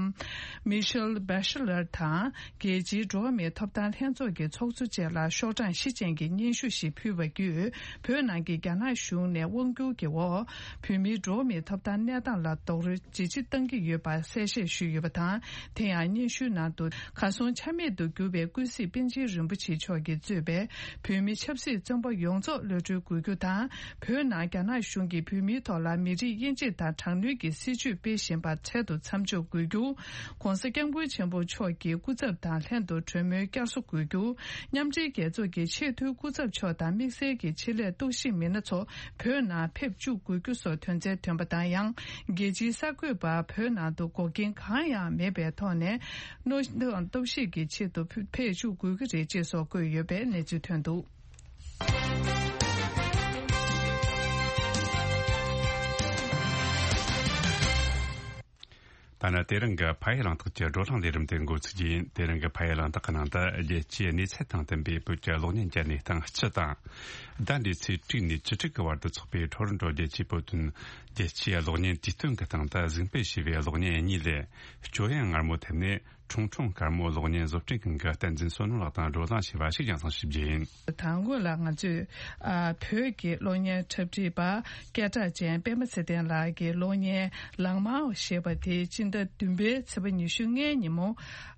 མི་ཤེལ་བྷེ་ཤེ་ལར་དང་། རྒྱལ་སྤྱིའི་འགྲོ་བ་མིའི་ཐོབ་ཐང་ལྷན་ཚོགས་ཀྱི་ཚོགས་གཙོ་བཅས་ལ་ཤོག་གྲངས་བཞི་ཅན་གྱི་སྙན་ཞུ་ཞིག་ཕུལ་བ་བརྒྱུད། བོད་ནང་གི་རྒྱ་ནག་གཞུང་ནས་དབང་བསྒྱུར་གྱི་འོག་བོད་མིའི་འགྲོ་བ་མིའི་ཐོབ་ཐང་གནས་སྟངས་ལ་རྡོག་རོལ་ཇི་ཆེ་བཏང་གི་ཡོད་པ་གསལ་བཤད་ཞུས་ཡོད་པ་དང་། དེ་ཡང་སྙན་ཞུའི་ནང་དུ། གར་སོང་ཆ་མེད་དུ་གྱུར་བའི་ཀུན་གཟིགས་པཎ་ཆེན་རིན་པོ་ཆེ་མཆོག་གིས་གཙོས་པའི་བོད་མི་ཆབ་སྲིད་བཙོན་པ་ཡོངས་རྫོགས་གློད་གྲོལ་དགོས་རྒྱུ་དང་། བོད་ནང་རྒྱ་ནག་གཞུང་གིས་བོད་མིའི་ཐོག་ལ་མི་རིགས་དབྱེ་འབྱེད་དང་དྲག་གནོན་གྱི་སྲིད་བྱུས་སྤེལ་བཞིན་པ་འཕྲལ་དུ་མཚམས་འཇོག་དགོས་རྒྱུ། ༸གོང་ས་༸སྐྱབས་མགོན་ཆེན་པོ་མཆོག་གི་སྐུ་ཚབ་དང་ལྷན་དུ་གྲོས་མོལ་བསྐྱར་གསོ་དགོས་རྒྱུ། མཉམ་འབྲེལ་རྒྱལ་ཚོགས་ཀྱི་ཆེས་མཐོའི་སྐུ་ཚབ་མཆོག་དང་དམིགས་བསལ་གྱི་ཆེད་ལས་རྟོག་ཞིབ་མི་སྣ་ཚོ་བོད་ནང་ཕེབས་བཅུག་དགོས་རྒྱུ་སོགས་དོན་ཚན་ཐོན་པ་དང་། ཡང་རྒྱལ་སྤྱིའི་གསར་འགོད་པ་བོད་ནང་དུ་འགོག་རྐྱེན་གང་ཡང་མེད་པའི་ཐོག་ནས་རྟོག་ཞིབ་ཀྱི་ཆེད་དུ་ཕེབས་བཅུག་དགོས་ཀྱི་རེད་ཅེས་སོགས་བཀོད་ཡོད་པའི་གནས་ཚུལ་ཐོན་འདུག། ད་ནི་དེ་རིང་གི་ཕ་ཡུལ་གླེང་སྟེགས་ཀྱི་བགྲོ་གླེང་ལས་རིམ་དེ་འགོ་ཚུགས་རྒྱུ་ཡིན། དེ་རིང་གི་ཕ་ཡུལ་གླེང་སྟེགས་ཀྱི་ནང་དུ་རྒྱལ་སྤྱིའི་གནས་ཚད་དང་མཐུན་པའི་བོད་ཀྱི་གློག་བརྙན་གྱི་གནས་སྟངས་སྤྱི་དང་། ཟླ་འདིའི་ཚེས་དྲུག་ནས་བཅུ་དྲུག་གི་བར་དུ་འཚོགས་པའི་ཊོ་རོན་ཊོ་རྒྱལ་སྤྱིའི་བོད་དོན་རྒྱལ་སྤྱིའི་གློག་བརྙན་དུས་སྟོན་གྱི་སྟེང་དུ་གཟིགས་འབུལ་ཞུས་པའི་གློག་བརྙན་གཉིས་ལས། སྐྱོ་ཡང་མངར་མོ་ཐེབས་ནས། ཁྲུང་ཁྲུང་དཀར་མོ་གློག་བརྙན་བཟོ་སྐྲུན་ཁང་གི་བསྟན་འཛིན་བསོད་ནམས་ལགས་དང་བགྲོ་གླེང་བྱས་པ་ཞིག་ཡང་སང་ཞིབ་རྒྱས་ཡིན། དང་པོ་ལ་ང་ཚོས་ཨ་བོད་ཀྱི་གློག་བརྙན་འཁྲབ་ཁྲིད་པ་སྐད་གྲགས་ཅན་པད་མ་ཚེ་བརྟན་ལགས་ཀྱི་གློག་བརྙན་ལང་མའོ་ཞེས་པ་དེ་སྤྱི་ཟླ་བདུན་པའི་ཚེས་པ་ཉི་ཤུ་ལྔའི་ཉིན་མོ།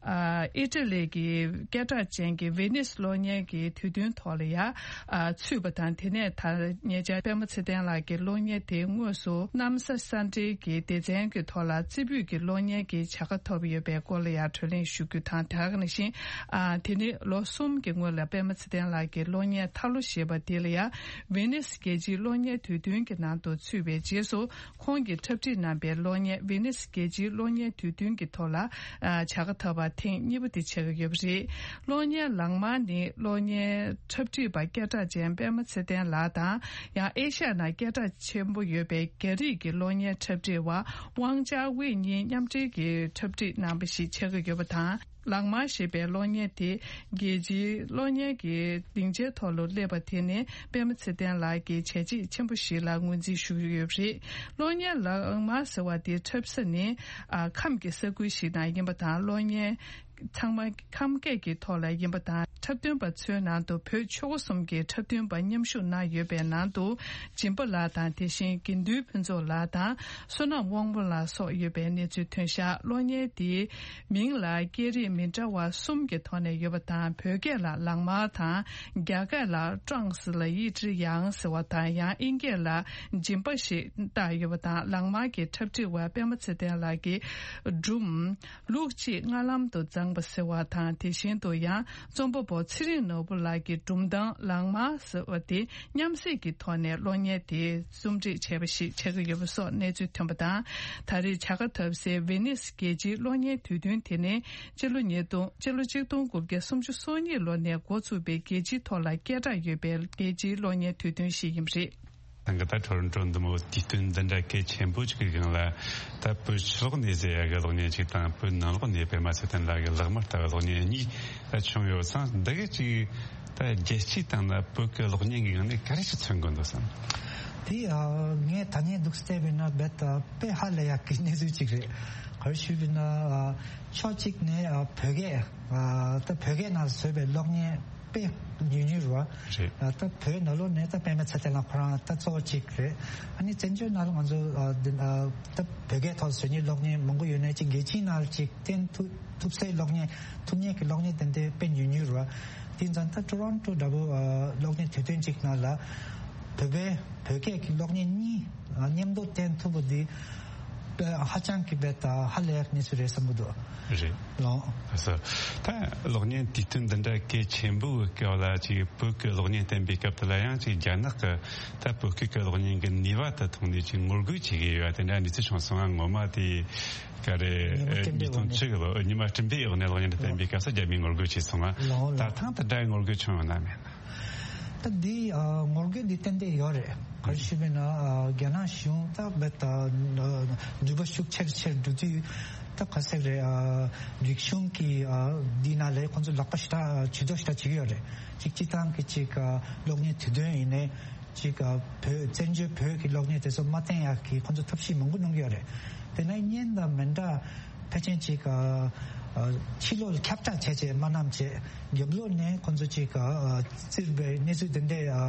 ཨ་ཨི་ཊ་ལི་གི་སྐད་གྲགས་ཅན་གྱི་ཝེ་ནིས་གློག་བརྙན་གྱི་དུས་སྟོན་ཐོག་ལ་ཡ་ཨ་ཚུད་པ། དང་། དེ་ནས་ད་ཉེ་ཆར་པད་མ་ཚེ་བརྟན་ལགས་ཀྱི་གློག་བརྙན་དེ་དངོས་སུ་གནམ་ས་ས་འབྲེལ་གྱི་སྡེ་ཚན་གྱི་ཐོག་ལ་རྩེ་ཕུད་ཀྱི་གློག་བརྙན་གྱི་བྱ་དགའ་ཐོབ་ཡོད་པའི་སྐོར་ལ་ཡང་གྲོས་གླེང་ཞུ་རྒྱུ་དང་། དེ་ག་ནང་བཞིན་ཨ་དེ་ནི་ལོ་གསུམ་གྱི་སྔོན་ལ་པད་མ་ཚེ་བརྟན་ལགས་ཀྱི་གློག་བརྙན་ཐར་ལོ་ཞེས་པ་དེ་ལ་ཡང་ཝེ་ནིས་རྒྱལ་སྤྱིའི་གློག་བརྙན་དུས་སྟོན་གྱི་ནང་དུ་ཚུད་པའི་རྗེས་སུ། ཁོང་གིས་འཁྲབ་ཁྲིད་གནང་པའི་གློག་བརྙན་ཝེ་ནིས་རྒྱལ་སྤྱིའི་གློག་བརྙན་དུས་སྟོན་གྱི་ཐོག་ལ་ཨ་བྱ་དགའ་ཐོབ་པ་ཐེངས་གཉིས་པ་དེ་ཆགས་ཀྱི་ཡོད་པ་རེད། གློག་བརྙན་ལག་དམར་ནི་གློག་བརྙན་འཁྲབ་ཁྲིད་པ་སྐད་གྲགས་ཅན་པད་མ་ཚེ་བརྟན་ལགས་དང་། ཡང་ཨེ་ཤ་ཡ་ནང་སྐད་གྲགས་ཆེན་པོ་ཡོད་པའི་རྒྱ་རིགས་ཀྱི་གློག་བརྙན་འཁྲབ་ཁྲིད་པ་ཝང་ཅཱ་ཝེ་གཉིས་མཉམ་འབྲེལ་གྱིས་འཁྲབ་ཁྲིད་གནང་པ་ཞིག་ཆགས་ཀྱི་ཡོད་པ་དང་། ལག་དམར་ཞེས་པའི་གློག་བརྙན་དེ་རྒྱལ་སྤྱིའི་གློག་བརྙན་གྱི་སྡིངས་ཆའི་ཐོག་ལ་སླེབས་པ་དེ་ནི་པད་མ་ཚེ་བརྟན་ལགས་ཀྱི་བྱས་རྗེས་ཆེན་པོ་ཞིག་ལ་ངོས་འཛིན་ཞུ་གི་ཡོད་པ་རེད། གློག་བརྙན་ལག་དམར་ཟེར་བ་དེ་འཁྲབ་ས་ནི་ཨ་ཁམས་ཀྱི་ས་ཁུལ་ཞིག་ནང་ཡིན་པ་དང་། གློག་བརྙན་ཚང་མ་ཁམས་སྐད་ཀྱི་ཐོག་ལ་ཡིན་པ་དང་། འཁྲབ་སྟོན་པ་ཚོའི་ནང་དུ་བོད་ཆོལ་ཁ་གསུམ་གྱི་འཁྲབ་སྟོན་པ་མཉམ་ཞུགས་གནང་ཡོད་པའི་ནང་དུ་སྦྱིན་པ་ལགས་དང་། དེ་བཞིན་དགེ་འདུན་ཕུན་ཚོགས་ལགས་དང་བསོད་ནམས་དབང་པོ་ལགས་སོགས་ཡོད་པའི་གནས་ཚུལ་ཐོན་བཞག་གློག་བརྙན་དེའི་མིང་ལ་སྐད་རིགས་མི་འདྲ་བ་གསུམ་གྱི་ཐོག་ནས་ཡོད་པ་དང་། བོད་སྐད་ལ་ལག་དམར་དང་། རྒྱ་སྐད་ལ་ཀྲང་སི་ལ་ཡི་ཀྲི་ཡང་ཟེར་བ་དང་། ཡང་དབྱིན་སྐད་ལ་སྦྱིན་པ་ཞེས་བཏགས་ཡོད་པ་དང་། ལག་དམར་གྱི་འཁྲབ་ཁྲིད་པ་པད་མ་ཚེ་བརྟན་ལགས་ཀྱི་སྒྲུང་ལུག་གཅིག་རྔ་ལམ་དུ་བརྫངས་པ་ཟེར་བ་དང་། དེ་བཞིན་དུ་ཡང་རྩོམ་པ་པོ་ཚེ་རིང་ནོར་བུ་ལགས་ཀྱི་སྒྲུང་གཏམ་ལག་དམར་ཟེར་བ་དེ་མཉམ་བསྲེས་ཀྱི་ཐོག་ནས་གློག་བརྙན་དེ་རྩོམ་སྒྲིག་བྱས་པ་ཞིག་ཆགས་ཀྱི་ཡོད་པ་སོགས་གནས་ཚུལ་ཐོན་པ་དང་། ད་རེས་བྱ་དགའ་ཐོབ་སའི་ཝེ་ནིས་རྒྱལ་སྤྱིའི་གློག་བརྙན་དུས་སྟོན་དེ་ནི་སྤྱི་ལོ་ཉིས་སྟོང་སྤྱི་ལོ་གཅིག་སྟོང་དགུ་བརྒྱ་སུམ་ཅུ་སོ་གཉིས་ལོ་ནས་འགོ་ཚུགས་པའི་རྒྱལ་སྤྱིའི་ཐོག་ལ་སྐད་གྲགས་ཡོད་པའི་རྒྱལ་སྤྱིའི་གློག་བརྙན་དུས་སྟོན་ཞིག་ཡིན་པ་རེད། ད་ག་ད་ཊོ་རོན་ཊོ་འདི་མོ་དུས་སྟོན་འདི་འདྲ་གལ་ཆེན་པོ་ཅིག་གི་སྒང་ལ། ད་བོད་ཕྱི་ལོགས་ནས་ཟེར་ཡ་གི་གློག་བརྙན་ཅིག་དང་། བོད་ནང་ལོགས་ནས་པད་མ་ཚེ་བརྟན་ལགས་ཀྱི་ལག་དམར་ལྟ་བུ་གློག་བརྙན་གཉིས་ད་བྱུང་ཡོད་ཙང་། འདི་གི་ཅིག་ད་རྒྱལ་སྤྱིའི་སྟེང་ན་བོད་ཀྱི་གློག་བརྙན་གྱི་སྒང་ནས་ག་རེ་ཞིག་མཚོན་དགོས་འདུག་བསམ། དེ་ཨ་ངས་ད་ནས་འདུག་བལྟས་པས་ན་རྦད་དེ་དཔེ་ཧ་ལས་ཡག་གི་གནས་ཚུལ་ཅིག་རེད། ག་རེ་ཞུས་པས་ན་ཨ་ཕྱོགས་གཅིག་ནས་ཨ་བོད་སྐད་ཨ་ད་བོད་སྐད་ནང་བཟོས་པའི་གློག་བརྙན་དཔེ་ཉུང་ཉུང་རེད་བ། རེད། ཨ་ད་བོད་ནང་ལོགས་ནས་ད་པད་མ་ཚེ་བརྟན་ལགས་ཁོ་རང་ད་གཙོ་བོ་གཅིག་རེད། ཨ་ནི་བཙན་བྱོལ་ནང་ལ་ང་ཚོ་ཨ་འདི་ཨ་ད་བོད་སྐད་ཐོག་བཟོ་མཁན་གློག་བརྙན་མང་པོ་ཡོད་ནའི་ཅིག་རྒྱལ་སྤྱིའི་ནང་ལ་ཅིག་བསྟན་ཐུབ་ཐུབ་སའི་གློག་བརྙན་ཐུབ་མཁན་གྱི་གློག་བརྙན་དེ་འདྲ་དཔེ་ཉུང་ཉུང་རེད་བ། དེ་ཙང་ད་ཊོ་རོན་ཊོ་འདྲ་པོ་ཨ་གློག་བརྙན་དུས་སྟོན་གཅིག་ནང་ལ་བོད་པའི་བོད་སྐད་ཀྱི་གློག་བརྙན་གཉིས་ཨ་མཉམ་དུ་བསྟན་ཐུབ་པ་འདི་དཔེ་ཧ་ཅང་གི་དཔེ་ད་ཧ་ལས་ཡག་གནས་ཚུལ་རེད་བསམ་གྱི་འདུག་རེད། ལགས། ལགས་སོ། ད་གློག་བརྙན་དུས་སྟོན་འདི་འདྲ་གལ་ཆེན་པོའི་སྐབས་ལ་ཅིག་བོད་ཀྱི་གློག་བརྙན་བསྟན་པའི་སྐབས་དེ་ལ་ཡང་ཅིག་རྒྱ་ནག་གི་ད་བོད་སྐད་ཀྱི་གློག་བརྙན་གྱི་ནུས་པ་དེ་མཐོང་ནས་ཅིག་ངོ་རྒོལ་བྱེད་ཀྱི་ཡོད་པ་དེ་འདྲ་གནས་ཚུལ་བྱུང་སོང་ང་། ངོ་མ་དེ་ག་རེ་ཉི་མ་སྤྲིན་པའི་ཉིས་སྟོང་བཅུ་གི་ལོ་ཉི་མ་སྤྲིན་པའི་འོག་ནས་གློག་བརྙན་དེ་བསྟན་པའི་སྐབས་སུ་རྒྱ་མིས་ངོ་རྒོལ་བྱས་སོང་ང་། ལགས་ལགས། ད་ཐེངས་དེ་འདྲའི་ངོ་རྒོལ་བྱུང་ཡོད་ན་མེད་ན། ད་འདི་ཨ་ངོ་རྒོལ་འདི་ཏན་ཏན་ཡོད་རེད། ག་རེ་ཞུས་པས་ན་ཨ་རྒྱ་ནག་གཞུང་ད་རྦད་དེ་ཨ་འགྱུར་བ་ཤུགས་ཆེར་ཆེར་འགྲོ་དུས་ད་ག་ཟེར་རེད། ཨ་རིག་གཞུང་གི་ཨ་འདི་ནང་ལ་ཁོང་ཚོ་ལག་པ་ཞེ་དྲག་ཇུས་གཏོགས་ཞེ་དྲག་བྱེད་ཀྱི་ཡོད་རེད། གཅིག་སྤྱིར་བཏང་གི་གཅིག་ཨ་གློག་བརྙན་དུས་སྟོན་ཡིན་ནའི་གཅིག་ཨ་བོད་བཙན་བྱོལ་བོད་ཀྱི་གློག་བརྙན་དེ་ཚོ་མ་བསྟན་ཡག་གི་ཁོང་ཚོ་ཐབས་ཤེས་མང་པོ་གནང་གི་ཡོད་རེད། དེ་ནས་བརྙན་དང་མི་འདྲ་ཕལ་ཆེར་ཅིག་ཨ་ཨ་ཕྱི་ལོགས་ལ་ཁྱབ་བསྒྲགས་བྱས་བྱས་མ་གནང་བྱས་རྒྱབ་ལོགས་ནས་ཁོང་ཚོ་ཅིག་ཨ་ཨ་བཙིར་བའི་གནས་ཚུལ་དེ་འདྲ་ཨ་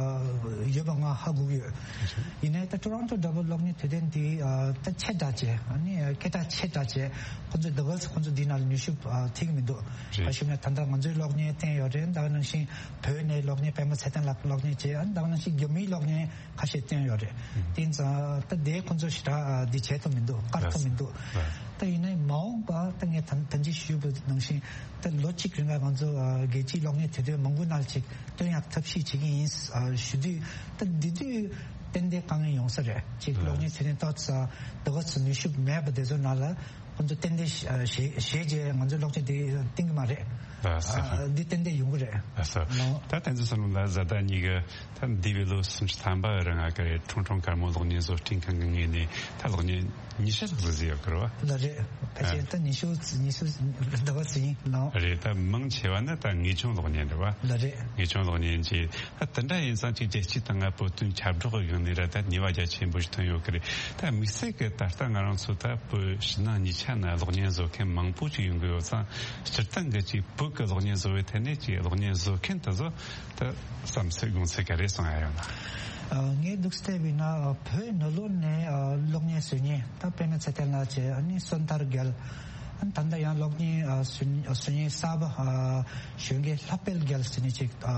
ཡོད་པ་ང་ཧ་གོ་གི་ཡོད། ཡིན་ནའི་ད་ཊོ་རོན་ཊོ་འདྲ་པོ་གློག་བརྙན་དུས་སྟོན་འདི་ཨ་ད་ཆེ་དྲགས་བྱས། ཨ་ནི་སྐད་གྲགས་ཆེ་དྲགས་བྱས་ཁོང་ཚོ་ཟླ་བ་ཁོང་ཚོ་འདི་ནང་ལ་མྱུལ་ཞུགས་ཨ་ཐེབས་ཀྱི་མི་འདུག་རེད། ག་ཞུ་ན་ད་ལྟ་ང་ཚོའི་གློག་བརྙན་བསྟན་ཡོད་རེད། ད་ག་ནང་བཞིན་བོད་ནས་གློག་བརྙན་པད་མ་ཚེ་བརྟན་ལགས་གློག་བརྙན་བྱས། ཨ་ནི་ད་ག་ནང་བཞིན་རྒྱ་མིའི་གློག་བརྙན་ཁ་ཤས་བསྟན་ཡོད་རེད། དེ་ཙང་ད་དེ་ཁོང་ཚོ་ཞེ་དྲག་འདི་བྱེད་ཐུབ་མི་འདུག་དཀར་ཐུབ་མི་འདུག་ད་ཡིན་ནའི་མ་འོངས་པ་ད་ངས་ད་ད་ཅི་ཞུས་པ་ནང་བཞིན་ད་ལོ་གཅིག་རིང་ལ་ང་ཚོ་ཨ་རྒྱལ་སྤྱིའི་གློག་བརྙན་དུས་སྟོན་མང་པོ་ནང་ཅིག་སྟོན་ཡག་ཐབས་ཤེས་བྱེད་ཀྱི་ཡིན་ཨ་ཞུ་དུས་ད་འདི་དུས་ཏན་ཏན་དཀའ་ངལ་ཡོང་ས་རེད། ཅིག་གློག་བརྙན་དུས་སྟོན་ཏོག་ཙམ་ད་ག་ཚོད་ནུས་ཤུགས་མེད་པ་དེ་ཚོ་ནང་ལ། ཁོང་ཚོ་ཏན་ཏན་ཞེ་ཞེ་རྗེས་ང་ཚོའི་གློག་ཆེན་དེ་བཏིང་གི་མ་རེད། ལགས་སོ། ཨ་འདི་ཏན་ཏན་ཡོང་གི་རེད། ལགས་སོ། ལགས། ད་བསྟན་འཛིན་བསོད་ནམས་ལགས། བཟའ་ཟླ་གཉིས་ཀྱིས་ད་འདས་པའི་ལོ་སུམ་ཅུ་ཐམ་པ་རིང་ང་གི་ཁྲུང་ཁྲུང་དཀར་མོ་གློག་བརྙན་བཟོ་སྐྲུན་ཁང་གི་ངོས་ནས་ད་གློག་བརྙན་ཉི་ཤུ་ལྷག་ཙམ་བཟོས་ཡོད་ཀྱི་རེད་བ། ལགས་རེད། ཕལ་ཆེར་ད་ཉི་ཤུ་ཉི་ཤུ་ཟླ་བ་ཙམ་ཡིན། ལགས། རེད། ད་མང་ཆེ་བ་ནི་ད་ངེས་སྐྱོན་གློག་བརྙན་རེད་བ། ལགས་རེད། ངེས་སྐྱོན་གློག་བརྙན་གྱི། ད་དེ་འདྲ་ཡིན་ཙང་ཅིག་རྒྱལ་སྤྱིའི་སྟེང་ང་བོད་དོན་ཁྱབ་བསྒྲགས་ཀྱི་སྒང་ནས་ར་ད་ནུས་པ་རྒྱ་ཆེན་པོ་ཞིག་ཐོན་ཡོད་ཀྱི་རེད། ད་དམིགས་བསལ་གྱི་ད་ལྟ་ང་རང་ཚོ་ད་བོད་ཕྱི་ནང་གཉིས་ཆ་ན་གློག་བརྙན་བཟོ་མཁན་མང་པོ་ཞིག་ཡོང་གི་ཡོད་ཙང་། སྤྱིར་བཏང་གི་ཅིག་བོད་ཀྱི་གློག་བརྙན་བཟོ་བའི་ཐད་ནས་ཅིག་གློག་བརྙན་བཟོ་མཁན་དེ་ཚོ་ད་བསམ་ཚུལ་དགོངས་ཚུལ་ག་རེ་གསུང་ཡ་ཡོད་ན། ཨ་ངས་འདུག་བལྟས་པས་ན་ཨ་བོད་ནང་ལོགས་ནས་ཨ་གློག་བརྙན་བཟོ་མཁན་ད་དཔེར་ན་ཚེ་བརྟན་ལགས་བྱས། ཨ་ནི་བསོད་ཐར་རྒྱལ། ད་ལྟ་ཡང་གློག་བརྙན་ཨ་སུ་སུ་ཉིན་གསར་པ་ཨ་གཞོན་སྐྱེས་ལྷག་དཔལ་རྒྱལ་ཟེར་ནི་ཅིག་ཨ་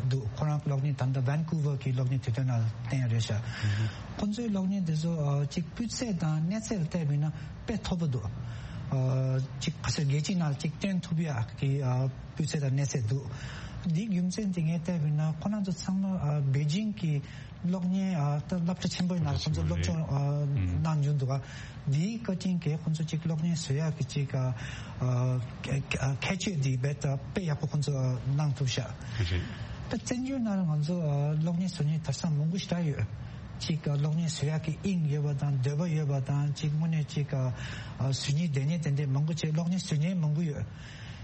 འདུག་ཁོ་རང་གློག་བརྙན་ད་ལྟ་ཝན་ཀུ་ཝར་གྱི་གློག་བརྙན་དུས་སྟོན་ནང་བསྟན་རེད་ཤག་ཁོ་ཚོའི་གློག་བརྙན་དེ་ཚོ་ཨ་ཅིག་སྤུས་ཚད་དང་གནས་ཚད་ལ་བལྟས་པ་ཡིན་ན་དཔེ་མཐོ་པོ་འདུག་ཨ་ཅིག་ག་ཚོད་རྒྱལ་སྤྱིའི་ནང་ཅིག་སྟོན་ཐུབ་ཡག་གི་ཨ་སྤུས་ཚད་དང་གནས་ཚད་འདུག་འདིའི་རྒྱུ་མཚན་དེ་ངས་བལྟས་པ་ཡིན་ན་ཁོ་རང་ཚོ་ཚང་མ་ཨ་པེ་ཅིང་གི་གློག་བརྙན་ཨ་ད་སློབ་གྲྭ་ཆེན་པོའི་ནང་ཁོང་ཚོ་སློབ་སྦྱོང་ཨ་གནང་བྱུང་འདུག་ཨ་འདིའི་བཀའ་དྲིན་གྱིས་ཁོང་ཚོ་ཅིག་གློག་བརྙན་བཟོ་ཡག་གི་ཅིག་ཨ་ཨ་ཁྱད་ཆོས་འདི་རྦད་དེ་དཔེ་ཡག་པོ་ཁོང་ཚོ་ཨ་གནང་ཐུབ་ཤག་ད་བཙན་བྱོལ་ནང་ང་ཚོ་ཨ་གློག་བརྙན་བཟོ་མཁན་དེང་སང་མང་པོ་ཞེ་དྲག་ཡོད། ཅིག་ཨ་གློག་བརྙན་བཟོ་ཡག་གི་དབྱིངས་ཡོད་པ་དང་འདོད་པ་ཡོད་པ་དང་ཅིག་དངོས་གནས་ཅིག་ཨ་ཨ་བཟོ་སྙིང་འདོད་མཁན་དེ་འདྲས་མང་པོ་བྱས་གློག་བརྙན་བཟོ་མཁན་མང་པོ་ཡོད།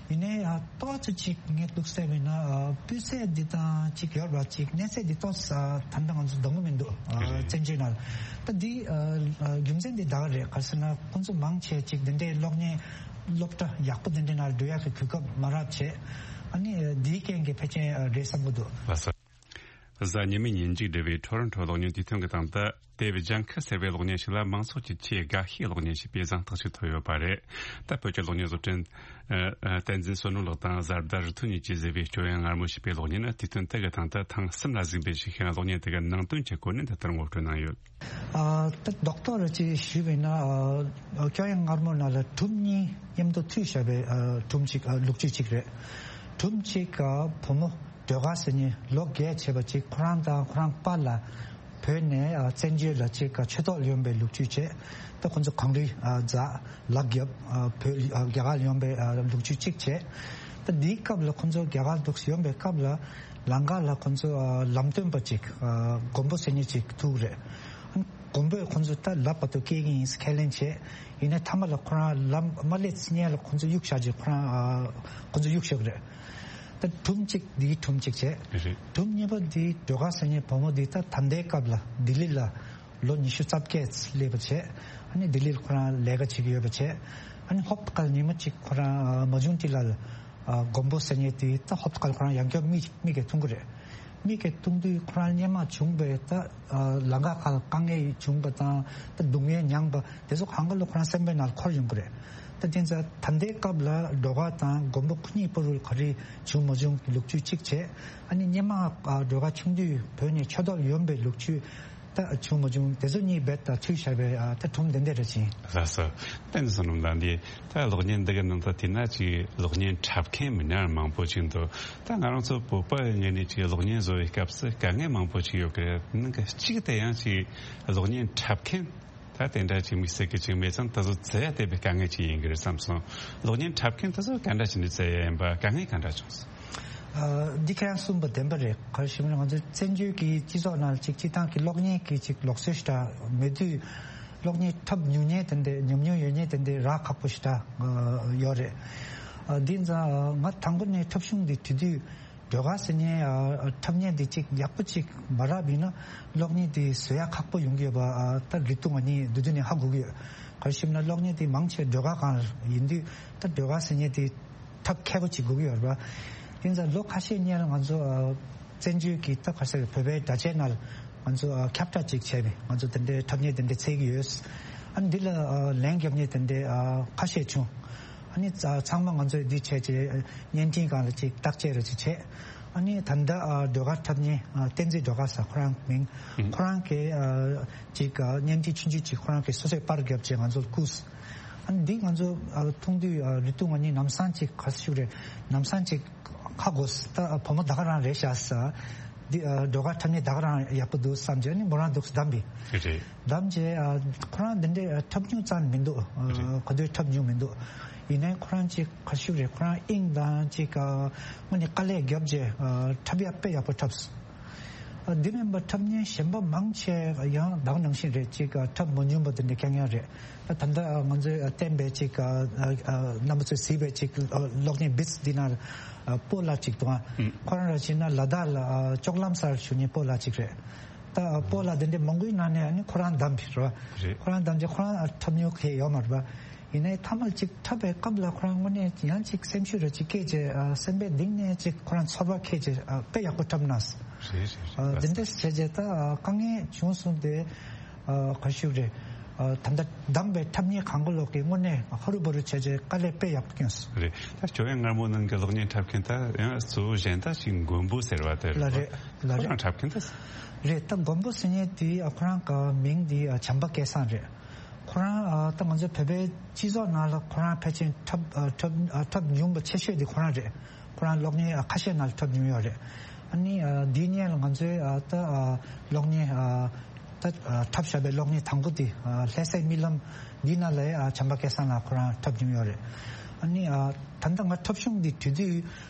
ཡིན་ནའི་ཨ་ཏོག་ཙམ་ཅིག་ངས་འདུག་བསམ་པ་ཡིན་ན་ཨ་སྤུས་ཚད་འདི་དང་ཅིག་ཡོད་པ་ཅིག་གནས་ཚད་འདི་ཏོག་ཙམ་ཨ་ད་ལྟ་ང་ཚོ་འདང་གི་མི་འདུག་ཨ་རེད། བཙན་བྱོལ་ནང་ད་འདི་ཨ་ཨ་རྒྱུ་མཚན་འདི་ད་ག་རེད་ག་ཟེར་ན་ཁོང་ཚོ་མང་ཆེ་ཅིག་འདི་འདྲའི་གློག་བརྙན་སློབ་གྲྭ་ཡག་པོ་འདི་འདྲའི་ནང་འགྲོ་ཡག་གི་གོ་སྐབས་མ་རག་བྱས་ཨ་ནི་ཨ་འདིའི་རྐྱེན་གྱིས་ཕལ་ཆེར་ཨ་རེད་བསམ་གི་འདུག་ལགས་སོ། གཟའ་ཉི་མའི་ཉིན་མཇུག་སྒྲིལ་བའི་ཊོ་རོན་ཊོ་གློག་བརྙན་དུས་སྟོན་གྱི་སྟེང་དུ་དེབ་ལྗང་ཁུ་ཟེར་བའི་གློག་བརྙན་ཞིག་ལ་མང་ཚོགས་ཀྱི་ཆེས་དགའ་ཤོས་གློག་བརྙན་ཞེས་པའི་གཟེངས་རྟགས་ཤིག་ཐོབ་ཡོད་པ་རེད། ད་བོད་ཀྱི་གློག་བརྙན་བཟོ་སྐྲུན་ཨ་ཨ་བསྟན་འཛིན་བསོད་ནོར་ལགས་དང་བཟའ་ཟླ་རི་ཐོན་གཉིས་ཀྱིས་བཟོས་པའི་སྐྱོ་དབྱངས་མངར་མོ་ཞེས་པའི་གློག་བརྙན་ནི་དུས་སྟོན་དེ་གི་སྟེང་དུ་ཐེངས་གསུམ་ལ་གཟིགས་འབུལ་ཞུས་ཤིང་གློག་བརྙན་དེ་གི་ནང་དོན་གྱི་གོ་གནད་འདི་ལྟར་ངོ་སྤྲོད་གནང་ཡོད། ཨ་ད་རྡོག་རྡོག་རེ་ཅིག་ཞུས་པ་ཡིན་ན་ཨ་སྐྱོ་དབྱངས་མངར་མོ་ནང་ལ་སྒྲུང་གཉིས་མཉམ་དུ་མཐུད་བཞག་པའི་ཨ་སྒྲུང་གཅིག་ཨ་ལོ་རྒྱུས་གཅིག་རེད། སྒྲུང་གཅིག་ཨ་བུ་མོ་སྒྲོལ་དཀར་ཟེར་མཁན་ལོ་བརྒྱད་བྱས་པ་ཅིག་ཁོ་རང་དང་ཁོ་རང་པཱ་ལགས་བོད་ནས་ཨ་བཙན་བྱོལ་ལ་ཅིག་ཨ་ཆོས་ཐོག་ལ་ཡོང་པའི་ལོ་རྒྱུས་བྱས། ད་ཁོ་ཚོ་གངས་རི་ཨ་འཛེགས་ལག་བརྒྱབ་ཨ་བོད་ཨ་རྒྱ་གར་ལ་ཡོང་པའི་ཨ་ལོ་རྒྱུས་གཅིག་བྱས། ད་འདིའི་སྐབས་ལ་ཁོ་ཚོ་རྒྱ་གར་འདུག་ཡོང་པའི་སྐབས་ལ་ལམ་ཁ་ལ་ཁོ་ཚོ་ཨ་ལམ་སྟོན་པ་ཅིག་ཨ་མགོན་པོ་ཟེར་མཁན་ཅིག་ཐུག་རེད། མགོན་པོས་ཁོ་ཚོ་ད་ལབ་པ་དང་སྐྱེལ་གྱི་ཡིན་ཁས་ལེན་བྱས། ཡིན་ནའི་མཐའ་མ་ལ་ཁོ་རང་ལམ་མ་སླེབས་སྔོན་ལ་ཁོ་ཚོ་གཡུག་བཞག་ཅིག་ཁོ་རང་ཨ་ཁོ་ཚོ་གཡུག་བཞག་རེད། ད་སྒྲུང་གཅིག་འདིའི་སྒྲུང་གཅིག་བྱས། རེད། སྒྲུང་གཉིས་པ་འདི་སྒྲོལ་དཀར་ཟེར་མཁན་བུ་མོ་འདི་ད་ད་ལྟའི་སྐབས་ལ་ལྡི་ལི་ལ་ལོ་ཉི་ཤུ་རྩ་བརྒྱད་སླེབས་པ་བྱས། ཨ་ནི་ལྡི་ལི་ལ་ཁོ་རང་ལས་ཀ་བྱེད་ཀྱི་ཡོད་པ་བྱས། ཨ་ནི་ཧོབ་ཏེ་ཁ་ལ་ཉི་མ་གཅིག་ཁོ་རང་ཨ་མ་ཇུང་ཊི་ལ་ལ་ཨ་མགོན་པོ་ཟེར་མཁན་དེ་ད་ཧོབ་ཏེ་ཁ་ལ་ཁོ་རང་ཡང་བསྐྱར་མིག་མིག་གིས་མཐོང་གི་རེད། མིག་གིས་མཐོང་དུས་ཁོ་རང་སྔོན་མ་བྱུང་བའི་ད་ཨ་ལམ་ཁ་ཁ་ལ་དཀའ་ངལ་བྱུང་བ་དང་ད་སྡུག་བསྔལ་མྱངས་པ་དེ་ཚོ་གང་ག་ལ་ཁོ་རང་སེམས་པའི་ནང་ལ་འཁོར་ཡོང་གི་རེད། ད་དེ་ཚོ་ད་ལྟའི་སྐབས་ལ་སྒྲོལ་དཀར་དང་མགོན་པོ་ཁོ་གཉིས་བར་ལ་ག་རེ་བྱུང་མ་བྱུང་གི་ལོ་རྒྱུས་གཅིག་བྱས། ཨ་ནི་སྔོན་མ་ཨ་སྒྲོལ་དཀར་ཆུང་དུས་བོད་ནས་ཆོས་ཐོག་ལ་ཡོང་པའི་ལོ་རྒྱུས་ད་བྱུང་མ་བྱུང་དེ་ཚོ་གཉིས་རྦད་དེ་མཐུད་བཞག་པའི་ཨ་ད་སྒྲུང་དེ་འདྲ་རེད་ཅིང་། ལགས་སོ། བསྟན་འཛིན་བསོད་ནམས་ལགས། འདི་ད་གློག་བརྙན་འདི་གི་ནང་དུ་དེ་ན་ཅིག་གློག་བརྙན་འཁྲབ་མཁན་མི་སྣ་མང་པོ་ཅིག་འདུག་ད་ང་རང་ཚོ་བོད་པ་ངོས་ནས་ཅིག་གློག་བརྙན་བཟོ་བའི་སྐབས་སུ་དཀའ་ངལ་མང་པོ་ཅིག་ཡོད་ཀི་རེད། ནང་གི་གཅིག་དེ་ཡང་ཅིག་གློག་བརྙན་འཁྲབ་མཁན་ད་དེ་འདྲ་ཅིག་དམིགས་བསལ་གྱི་ཅིག་མེད་ཙང་ད་གཟོད་བཙལ་ཡ་དེ་དཔེ་དཀའ་ངལ་ཅིག་ཡིན་གི་རེད་བསམ་སོང་། གློག་བརྙན་འཁྲབ་མཁན་ད་གཟོད་ག་འདྲ་བྱས་ནས་བཙལ་ཡ་ཡིན་པ། དཀའ་ངལ་ག་འདྲ་བྱུང་སོང་། ཨ་འདི་ཁྱེད་རང་གསུངས་པ་བདེན་པ་རེད། ག་རེ་ཞུ་ན་ང་ཚོ་བཙན་བྱོལ་གྱི་སྤྱི་ཚོགས་ནང་ལ་ཅིག་སྤྱིར་བཏང་གི་གློག་བརྙན་གྱི་ཅིག་ལུགས་སྲོལ་ཞིག་ད་མེད་དུས་གློག་བརྙན་འཁྲབ་མྱོང་མཁན་དེ་འདྲ་ཉམས་མྱོང་ཡོད་མཁན་དེ་འདྲ་རག་ཁག་པོ་ཞིག་ད་ཡོད་རེད། ཨ་འདི་ཙང་ང་དང་པོ་ནས་འཁྲབ་གཞུང་འདི་དེ་དུས་སྒྲོལ་དཀར་ཟེར་མཁན་ཨ་འཁྲབ་མཁན་འདི་ཅིག་ཡག་པོ་ཅིག་མ་རག་པ་ཡིན་ན་གློག་བརྙན་འདི་བཟོ་ཡག་ཁག་པོ་ཡོང་གི་ཡོད་པ་ཨ་ད་ལོ་དུས་ང་གཉིས་འདི་དུས་ནས་ཧ་གོ་གི་ཡོད། ག་རེ་ཞུ་ན་གློག་བརྙན་འདི་མང་ཆེ་སྒྲོལ་དཀར་སྒང་ཡིན་དུས་ད་སྒྲོལ་དཀར་ཟེར་མཁན་འདི་འཁྲབ་མཁས་པོ་ཅིག་དགོས་ཀྱི་ཡོད་རེད་པ། དེ་ཚོ་ལོ་ཁ་ཤས་སྔོན་ལ་ང་ཚོ་ཨ་བཙན་བྱོལ་གྱི་ད་ག་ཟེར་བོད་པའི་དྲ་རྒྱའི་ནང་ལ་ང་ཚོ་ཨ་ཁྱབ་བསྒྲགས་ཅིག་བྱས་པས། ང་ཚོ་དེ་འདྲའི་འཁྲབ་མཁན་དེ་འདྲ་འཚོལ་གྱི་ཡོད། ཨ་ནི་འདི་ལ་ཨ་ལན་རྒྱབ་མཁན་དེ་འདྲ་ཨ་ཁ་ཤས་བྱུང་། ཨ་ནི་ཚ་ཚང་མ་ང་ཚོས་འདི་བྱས་རྗེས་བརྙན་འཕྲིན་སྒང་ལ་ཅིག་བརྟག་དཔྱད་རེ་ཅིག་བྱས། ཨ་ནི་ད་ལྟ་ཨ་སྒྲོལ་དཀར་འཁྲབ་མཁན་ཨ་བསྟན་འཛིན་སྒྲོལ་དཀར་ཟེར་ཁོ་རང་མིང་། ཁོ་རང་གིས་ཨ་ཅིག་ཨ་བརྙན་འཕྲིན་ཆུང་ཆུང་ཅིག་ཁོ་རང་གིས་སོ་སོས་པར་བརྒྱབ་བྱས་ང་ཚོར་བསྐུར། ཨ་ནི་འདི་ང་ཚོ་ཨ་མཐོང་དུས་ཨ་ལོ་དུས་ང་གཉིས་ལམ་སང་ཅིག་ག་ཟེར་ཞུ་རེད། ལམ་སང་ཅིག་ཧ་གོ་སོང་། ད་ཨ་བུ་མོ་ད་ག་རང་རེད་ཤག་ཟེར། འདི་ཨ་སྒྲོལ་དཀར་འཁྲབ་མཁན་ད་ག་རང་ཡག་པོ་འདུག་བསམ་བྱས་ཨ་ནི་མོ་རང་འདུག་བདམས་པས། རེད། བདམས་བྱས་ཨ་ཁོ་རང་འདི་འདྲའི་ཨ་འཁྲབ་མྱོང་ཙམ་མི་འདུག་ཨ་རེད། ག་དུས་འཁྲབ་མྱོང་མི་འདུག་ཡིན་ནའི་ཁོ་རང་ཅིག་ག་ཞུ་རེད། ཁོ་རང་དབྱིངས་དང་ཅིག་ཨ་དངོས་གནས་དཀའ་ལས་བརྒྱབ་བྱས་ཨ་འཁྲབ་ཡག་དཔེ་ཡག་པོ་འཁྲབ་སོང་། ཨ་འདི་མིན་པ་འཁྲབ་མཁན་གཞན་པ་མང་ཆེ་ཡང་ད་ག་ནང་བཞིན་རེད། ཅིག་ཨ་འཁྲབ་མ་མྱོང་པ་དེ་འདྲ་རྐྱང་རྐྱང་རེད། ད་ད་ལྟ་ཨ་ང་ཚོས་ཨ་བསྟན་པའི་ཅིག་ཨ་ཨ་ཨ་རྣམ་པ་ཚོས་གཟིགས་པའི་ཅིག་ཨ་གློག་བརྙན་བིས་འདི་ནང་ཨ་སྤོ་ལགས་ཅིག་འདུག་ཨ། ཁོ་རང་ར་བྱས་ན་ལ་དྭགས་ལ་ཨ་ལྕོག་ལམ་སར་བཞུགས་མཁན་སྤོ་ལགས་ཅིག་རེད། ད་ཨ་སྤོ་ལགས་དེ་འདྲའི་མང་པོའི་ནང་ནས་ཨ་ནི་ཁོ་རང་བདམས་པ་རེད། རེད། ཁོ་རང་བདམས་རྗེས་ཁོ་རང་ཨ་འཁྲབ་མྱོང་གང་ཡང་ཡོད་མ་རེད་པ། ཡིན་ནའི་མཐའ་མར་ཅིག་འཁྲབ་པའི་སྐབས་ལ་ཁོ་རང་དངོས་གནས་ཡང་ཅིག་སེམས་ཤུགས་རེ་ཅིག་སྐྱེས་བྱས་ཨ་སེམས་པའི་གཏིང་ནས་ཅིག་ཁོ་རང་ཚོར་བ་སྐྱེས་བྱས་ཨ་དཔེ་ཡག་པོ་འཁྲབ་གནང་སོང་། རེད་རེད་རེད། ཨ་དེ་འདྲ་བྱས་བྱས་ད་ཨ་དཀའ་ངལ་བྱུང་སོང་སྟེ་ཨ་ག་ཞུ་རེད། ད་ལྟ་བདམས་པའི་འཁྲབ་མཁན་གང་ག་ལོག་གི་དངོས་གནས་ཧ་རུ་བ་རུ་བྱས་རྗེས་དཀའ་ལས་དཔེ་ཡག་པོ་བསྐྱོན་སོང་། རེད། ད་ཞོ་ཡང་མངར་མོ་ནང་གི་གློག་བརྙན་འཁྲབ་མཁན་ད་ཡང་གཙོ་བོ་གཞན་དག་ཅིག་མགོན་པོ་ཟེར་བ་དེ་ལ་རེད། རེད་ལ་ཁོ་རང་རེད། འཁྲབ་མཁན་ད། རེད། ད་མགོན་པོ་ཟེར་མཁན་དེ་ཁོ་རང་གི་མིང་དེ་བྱམས་པ་སྐལ་བཟང་རེད། ཁོ་རང་ད་ང་ཚོའི་བོད་པའི་སྤྱི་ཚོགས་ནང་ལ་ཁོ་རང་ཕལ་ཆེར་འཁྲབ་འཁྲབ་འཁྲབ་མྱོང་བ་ཆེ་ཤོས་དེ་ཁོ་རང་རེད། ཁོ་རང་གློག་བརྙན་ཁ་ཤས་ནང་ལ་འཁྲབ་མྱོང་ཡོད་རེད། ཨ་ནི་འདིའི་སྔོན་ལ་ང་ཚོའི་ད་གློག་བརྙན་ད་འཁྲབ་བཞག་པའི་གློག་བརྙན་དང་པོ་དེ་ལྷ་སའི་རྨི་ལམ་འདི་ནང་ལ་བྱམས་པ་སྐལ་བཟང་ལགས་ཁོ་རང་འཁྲབ་མྱོང་ཡོད་རེད། ཨ་ནི་ད་ལྟ་ང་འཁྲབ་གཞུང་འདི་བྲིས་དུས་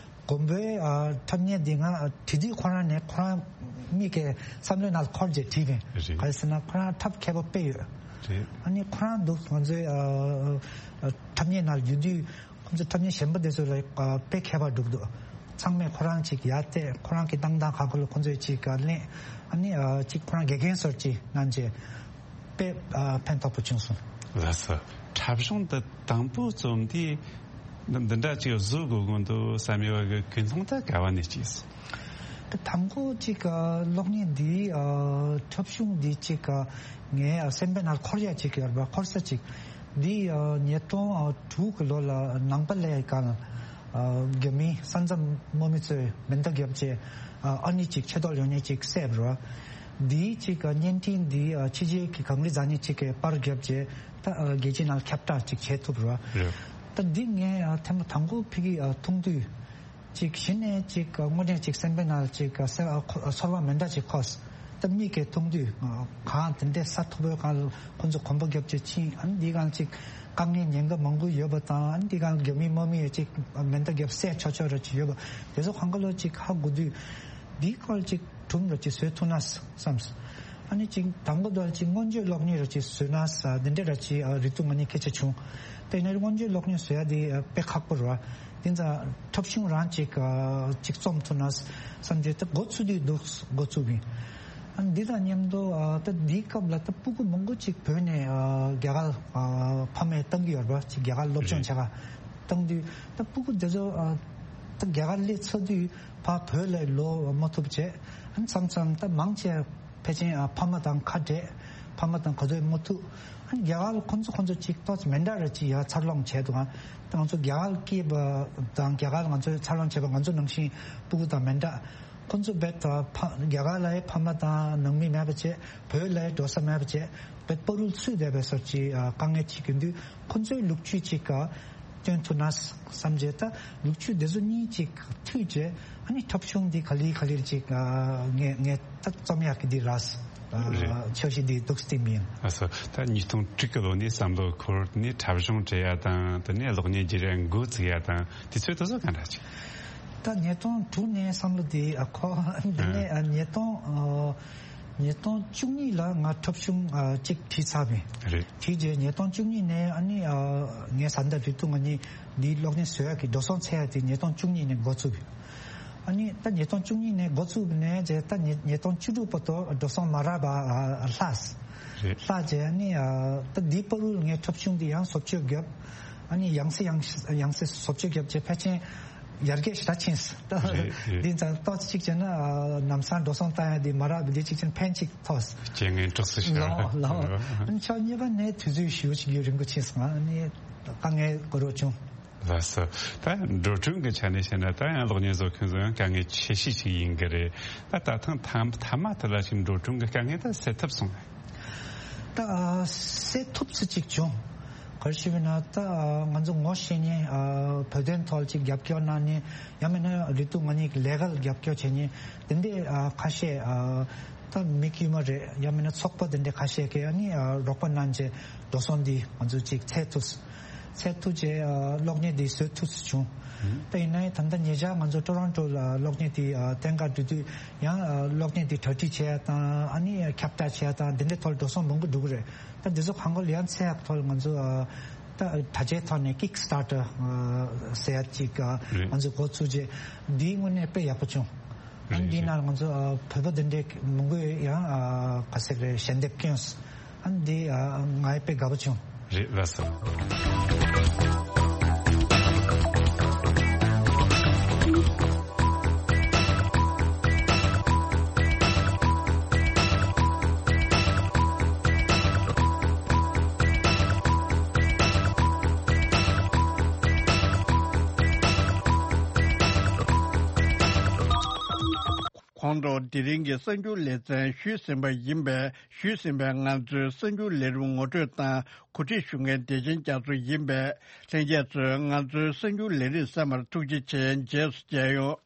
མགོན་པོའི་འཁྲབ་བརྙན་འདི་ང་བྲིས་དུས་ཁོ་རང་ནས་ཁོ་རང་མིག་གི་བསམ་བློའི་ནང་ལ་འཁོར་རྗེས་བྲིས་པས། རེད། ག་རེ་ཟེར་ན་ཁོ་རང་འཁྲབ་མཁས་པོ་དཔེ་ཡོད། རེད། ཨ་ནི་ཁོ་རང་འདུག་ང་ཚོའི་འཁྲབ་བརྙན་ནང་ལ་ཡོད་དུས། ཁོང་ཚོ་འཁྲབ་མཁན་གཞན་པ་དེ་ཚོ་ལ་དཔེ་མཁས་པ་འགྲུབ་འདུག་ཚང་མས་ཁོ་རང་ཅིག་ཡར་བལྟས། ཁོ་རང་གི་བཏང་སྟངས་ག་གོ་ལ་ཁོང་ཚོས་ཅིག་ག་གླེང་། ཨ་ནི་ཅིག་ཁོ་རང་དགེ་རྒན་སོར་ཅིག་གནང་རྗེས་དཔེ་ཕན་ཐོགས་པོ་བྱུང་སོང་། ལགས་སོ། འཁྲབ་གཞུང་འདི་དང་པོ་རྩོམ་དུས་འདི་འདྲ་ཅིག་བཟོ་དགོས་ཀྱི་འདུག་བསམ་ཡོད་པ་གི་ཀུན་སློང་ད་ག་བ་ནས་སྐྱེས་སོང་། དང་པོ་ཅིག་གློག་བརྙན་འདི་འཁྲབ་གཞུང་འདི་ཅིག་ངའི་སེམས་པའི་ནང་འཁོར་ཡ་ཅིག་ཡོད་པ། འཁོར་ས་ཅིག་འདི་ཉིས་སྟོང་དྲུག་གི་ལོ་ལ་ནང་པ་ལས་ཀ་རྒྱ་མི་ས་མཚམས་དམག་མི་ཚོས་མེ་མདའ་བརྒྱབ་རྗེས་ཨ་ནི་ཅིག་ཆེ་མཐོང་ཡོད་མཁན་ཅིག་བསད་པ་རེད། འདི་ཅིག་བརྙན་འཕྲིན་འདི་ཕྱི་རྒྱལ་གྱི་གངས་རི་འཛེགས་མཁན་ཅིག་གིས་པར་བརྒྱབ་རྗེས་ད་རྒྱལ་སྤྱིའི་ནང་ཁྱབ་བསྒྲགས་ཅིག་བྱེད་ཐུབ་རེད། རེད། ད་འདི་ངས་ཐེངས་མ་དང་པོ་ཕ་གིར་མཐོང་དུས། ཅིག་གཞི་ནས་ཅིག་དངོས་གནས་ཅིག་སེམས་པའི་ནང་ཅིག་ཚོར་བ་མི་འདྲ་ཅིག་འཁོར། ད་མིག་གིས་མཐོང་དུས་གངས་དེ་འདྲའི་ས་མཐོ་པོའི་སྒང་ལ་ཁོང་ཚོ་གོམ་པ་རྒྱབ་བྱས་ཕྱིན། ཨ་ནི་འདི་སྒང་ཅིག་དཀའ་ངལ་ཉེན་ཁ་མང་པོ་ཡོད་པ་དང་། ཨ་ནི་འདི་སྒང་རྒྱ་མིའི་དམག་མིས་ཅིག་མེ་མདའ་བརྒྱབ་བསད་ཆོག་ཆོག་ར་ཅིག་ཡོད་པ་དེ་ཚོ་གང་ག་ལོ་ཅིག་ཧ་གོ་དུས། འདིའི་སྐོར་ཅིག་སྒྲུང་ར་ཅིག་བཟོ་ཐུབ་ན་བསམས། ཨ་ནི་ཅིག་དང་པོ་དེ་ཅིག་མངོན་བརྗོད་གློག་བརྙན་ར་ཅིག་བཟོས་ན་ས་འདི་འདྲ་ར་ཅིག་རེ་ལྟོས་ང་གཉིས་སྐད་ཆ་བྱུང་། དེ་ནས་མངོན་བརྗོད་གློག་བརྙན་བཟོ་ཡ་དེ་དཔེ་ཁག་པོ་རེད་བ། དེ་ཙང་འཁྲབ་གཞུང་རང་ཅིག་ཅིག་རྩོམ་ཐུབ་ན་བསམ་རྗེས་ད་འགོ་ཚུགས་དུས་འདུག་འགོ་ཚུགས་པ་ཡིན། ཨ་ནི་འདི་དང་མཉམ་དུ་ད་འདིའི་སྐབས་ལ་ད་སྤུ་གུ་མང་པོ་ཅིག་བོད་ནས་རྒྱ་གར་ཕ་མས་བཏང་གི་ཡོད་རེད་བ། ཅིག་རྒྱ་གར་སློབ་སྦྱོང་བྱེད་ག་བཏང་དུས་ད་སྤུ་གུ་དེ་ཚོ་ད་རྒྱ་གར་སླེབས་ཚར་དུས་ཕར་བོད་ལ་ལོག་མ་ཐུབ་བྱས། ཨ་ནི་མཚམས་མཚམས་ད་མང་ཆེ་ཕལ་ཆེར་ཨ་ཕ་མ་དང་ཁ་བྲལ། ཕ་མ་དང་ག་ཚོད་མ་ཐུག་ཨ་ནི་རྒྱ་གར་ཁོང་ཚོ་ཁོང་ཚོ་ཅིག་ཏོག་ཙམ་མི་འདྲ་ར་ཅིག་ཡར་འཚར་ལོངས་བྱས་འདུག་ཨ་ང་ཚོ་རྒྱ་གར་སྐྱེས་པ་དང་རྒྱ་གར་ང་ཚོས་འཚར་ལོངས་བྱས་པ་ང་ཚོ་ནང་བཞིན་སྤུ་གུ་དང་མི་འདྲ། ཁོང་ཚོ་རྦད་དེ་ཕ་རྒྱ་གར་ལ་ཡང་ཕ་མ་དང་ནང་མི་མེད་པ་བྱས། བོད་ལ་ཡང་འགྲོ་ས་མེད་པ་བྱས། རྦད་བར་དུ་ཚུད་བསྡད་པའི་སོར་ཅིག་དཀའ་ངལ་ཅིག་ཡིན་དུས་ཁོང་ཚོའི་ལོ་རྒྱུས་ཅིག་སྟོན་ཐུབ་ན་བསམ་བྱས། ད་ལོ་རྒྱུས་དེ་ཚོ་གཉིས་ཅིག་མཐུད་བྱས། ཨ་ནི་འཁྲབ་གཞུང་འདི་ག་ལེར་ག་ལེར་ཅིག་ངས་ངས་ད་རྩོམ་ཡག་གི་འདི་རག་རེད། འཆར་གཞི་འདི་འདུག་སེ་མིན། ཨ་ས་ད་ཉིས་སྟོང་དྲུག་གི་ལོ་ནས་བསམ་བློ་འཁོར་ནས་འཁྲབ་གཞུང་བྲིས་ཡ་དང་དེ་ནས་གློག་བརྙན་བརྒྱུད་རིམ་འགོ་ཚུགས་ཡ་དང་དུས་ཚོད་དེ་ཚོ་ག་འདྲ་ཅིག་ད་ཉིས་སྟོང་དྲུག་ནས་བསམ་བློ་འདི་ཨ་ཁོ་འདི་ནས་ཨ་ཉིས་སྟོང་ཨ་ཉིས་སྟོང་བཅུ་གཉིས་ལ་ང་འཁྲབ་གཞུང་ཨ་གཅིག་བྲིས་ཚར་བས། རེད། དེ་རྗེས་ཉིས་སྟོང་བཅུ་གཉིས་ནས་ཨ་ནི་ཨ་ངའི་བཟའ་ཟླ་རེ་ལྟོས་ང་གཉིས་འདིའི་གློག་བརྙན་བཟོ་ཡག་གི་འགྲོ་སོང་འཚོལ་ཡག་དེ་ཉིས་སྟོང་བཅུ་གཉིས་ནས་འགོ་ཚུགས་པས། ཨ་ནི་ད་ཉིས་སྟོང་བཅུ་གཉིས་ནས་འགོ་ཚུགས་ནས་རྗེས་ད་ཉིས་ཉིས་སྟོང་བཅུ་དྲུག་བར་དུ་འགྲོ་སོང་མ་རག་པ་ཨ་ལྷག་རེད། ལྷག་རྗེས་ཨ་ནི་ཨ་ད་འདིའི་བར་དུ་ངའི་འཁྲབ་གཞུང་འདི་ཡང་བཟོ་བཅོས་བརྒྱབ། ཨ་ནི་ཡང་སེ་ཡང་ཡང་སེ་བཟོ་བཅོས་བརྒྱབ་རྗེས་ཕལ་ཆེར་ཡར་རྒྱས་ཞེ་དྲག་ཕྱིན་སོང་། རེད་རེད། འདི་ཙང་ཏོག་ཙམ་ཅིག་བྱས་ན་ཨ་ལམ་སང་འགྲོ་སོང་བཏང་ཡ་འདི་མ་རག་པ་འདི་ཅིག་བྱས་ན་ཕན་ཅིག་ཐོགས། རྐྱེན་ངན་གྲོགས་སུ་ཤར། ལགས་ལགས། ཕྱོགས་གཉིས་པ་ནས་དུས་ཚོད་ཞེ་པོ་ཅིག་རིང་པོ་ཕྱིན་སོང་། ཨ་ནི་དཀའ་ངལ་གོ་རོགས་བྱུང་། ལགས་སོ། ད་འགྲོ་གྲོན་གྱི་ཆ་ནས་བཤད་ན་ད་ཡང་གློག་བརྙན་བཟོ་མཁན་ཚོ་ཡང་དཀའ་ངལ་ཆེ་ཤོས་ཤིག་ཡིན་གྱི་རེད། ད་ད་ཐེངས་མཐའ་མ་དེ་ལ་ཞིག་འགྲོ་གྲོན་གྱི་དཀའ་ངལ་ད་སེལ་ཐུབ་སོང་ངས། ད་སེལ་ཐུབ་ས་ཅིག་བྱུང་། ག་རེ་ཞུ་བ་ན་ད་ང་ཚོ་ངོ་ཤེས་མཁན་བོད་དོན་ཐོག་ཅིག་རྒྱབ་སྐྱོར་གནང་མཁན། ཡང་མིན་ན་རེ་ལྟོས་ང་གཉིས་ཀྱི་ལས་ཀ་ལ་རྒྱབ་སྐྱོར་བྱེད་མཁན་དེ་འདྲའི་ཁ་ཤས་ད་མི་དཀྱུས་མ་རེད། ཡང་མིན་ན་ཚོགས་པ་དེ་འདྲའི་ཁ་ཤས་ཀྱིས་ཨ་ནི་རོགས་པ་གནང་རྗེས་འགྲོ་སོང་འདི་ང་ཚོ་ཅིག་འཚོལ་ཐུབ། འཚོལ་ཐུབ་རྗེས་གློག་བརྙན་འདི་བཟོ་ཐུབ་སུ་བྱུང་། ད་ཡིན་ནའི་ད་ལྟ་ཉེ་ཆར་ང་ཚོ་ཊོ་རོན་ཊོ་ལ་གློག་བརྙན་འདི་བསྟན་གར་འགྲོ་དུས་ཡང་གློག་བརྙན་འདི་གྲ་སྒྲིག་བྱེད་ཡ་དང་ཨ་ནི་ཁྱབ་བསྒྲགས་བྱེད་ཡ་དང་འདི་འདྲའི་ཐོག་ལ་འགྲོ་སོང་མང་པོ་འགྲོ་གི་རེད། ད་འདི་ཚོ་གང་ག་ལ་ཡང་འཚོལ་ཡག་ཐོག་ལ་ང་ཚོ་ད་དྲ་རྒྱའི་ཐོག་ནས་ཀིག་སི་ཊར་ཊར་ཟེར་ཡ་ཅིག་རེད། ང་ཚོ་འགོ་ཚུགས་རྗེས་འདིའི་དངོས་གནས་དཔེ་ཡག་པོ་བྱུང་། ཨ་ནི་འདིའི་ནང་ལ་ང་ཚོ་བོད་པ་འདི་འདྲའི་མང་པོས་ཡང་ག་ཟེར་རེད་ཞལ་འདེབས་བསྐྱོན། ཨ་ནི་འདི་ང་དཔེ་དགའ་པོ་བྱུང་། རེད་ལགས་སོ། ཁོང་ཚོ་དེ་རིང་གི་གསར་འགྱུར་ལེ་ཚན་ཞུས་ཟིན་པ་ཡིན་པས། ཞུས་ཟིན་པའི་ང་ཚོའི་གསར་འགྱུར་ལས་རིམ་ངོ་སྤྲོད་དང་གོ་སྒྲིག་ཞུ་མཁན་བདེ་ཆེན་རྒྱ་མཚོ་ཡིན་པས། ལྷན་རྒྱས་ཚོས་ང་ཚོའི་གསར་འགྱུར་ལས་རིམ་གསན་པར་ཐུགས་རྗེ་ཆེ། རྗེས་སུ་མཇལ་ཡོང་།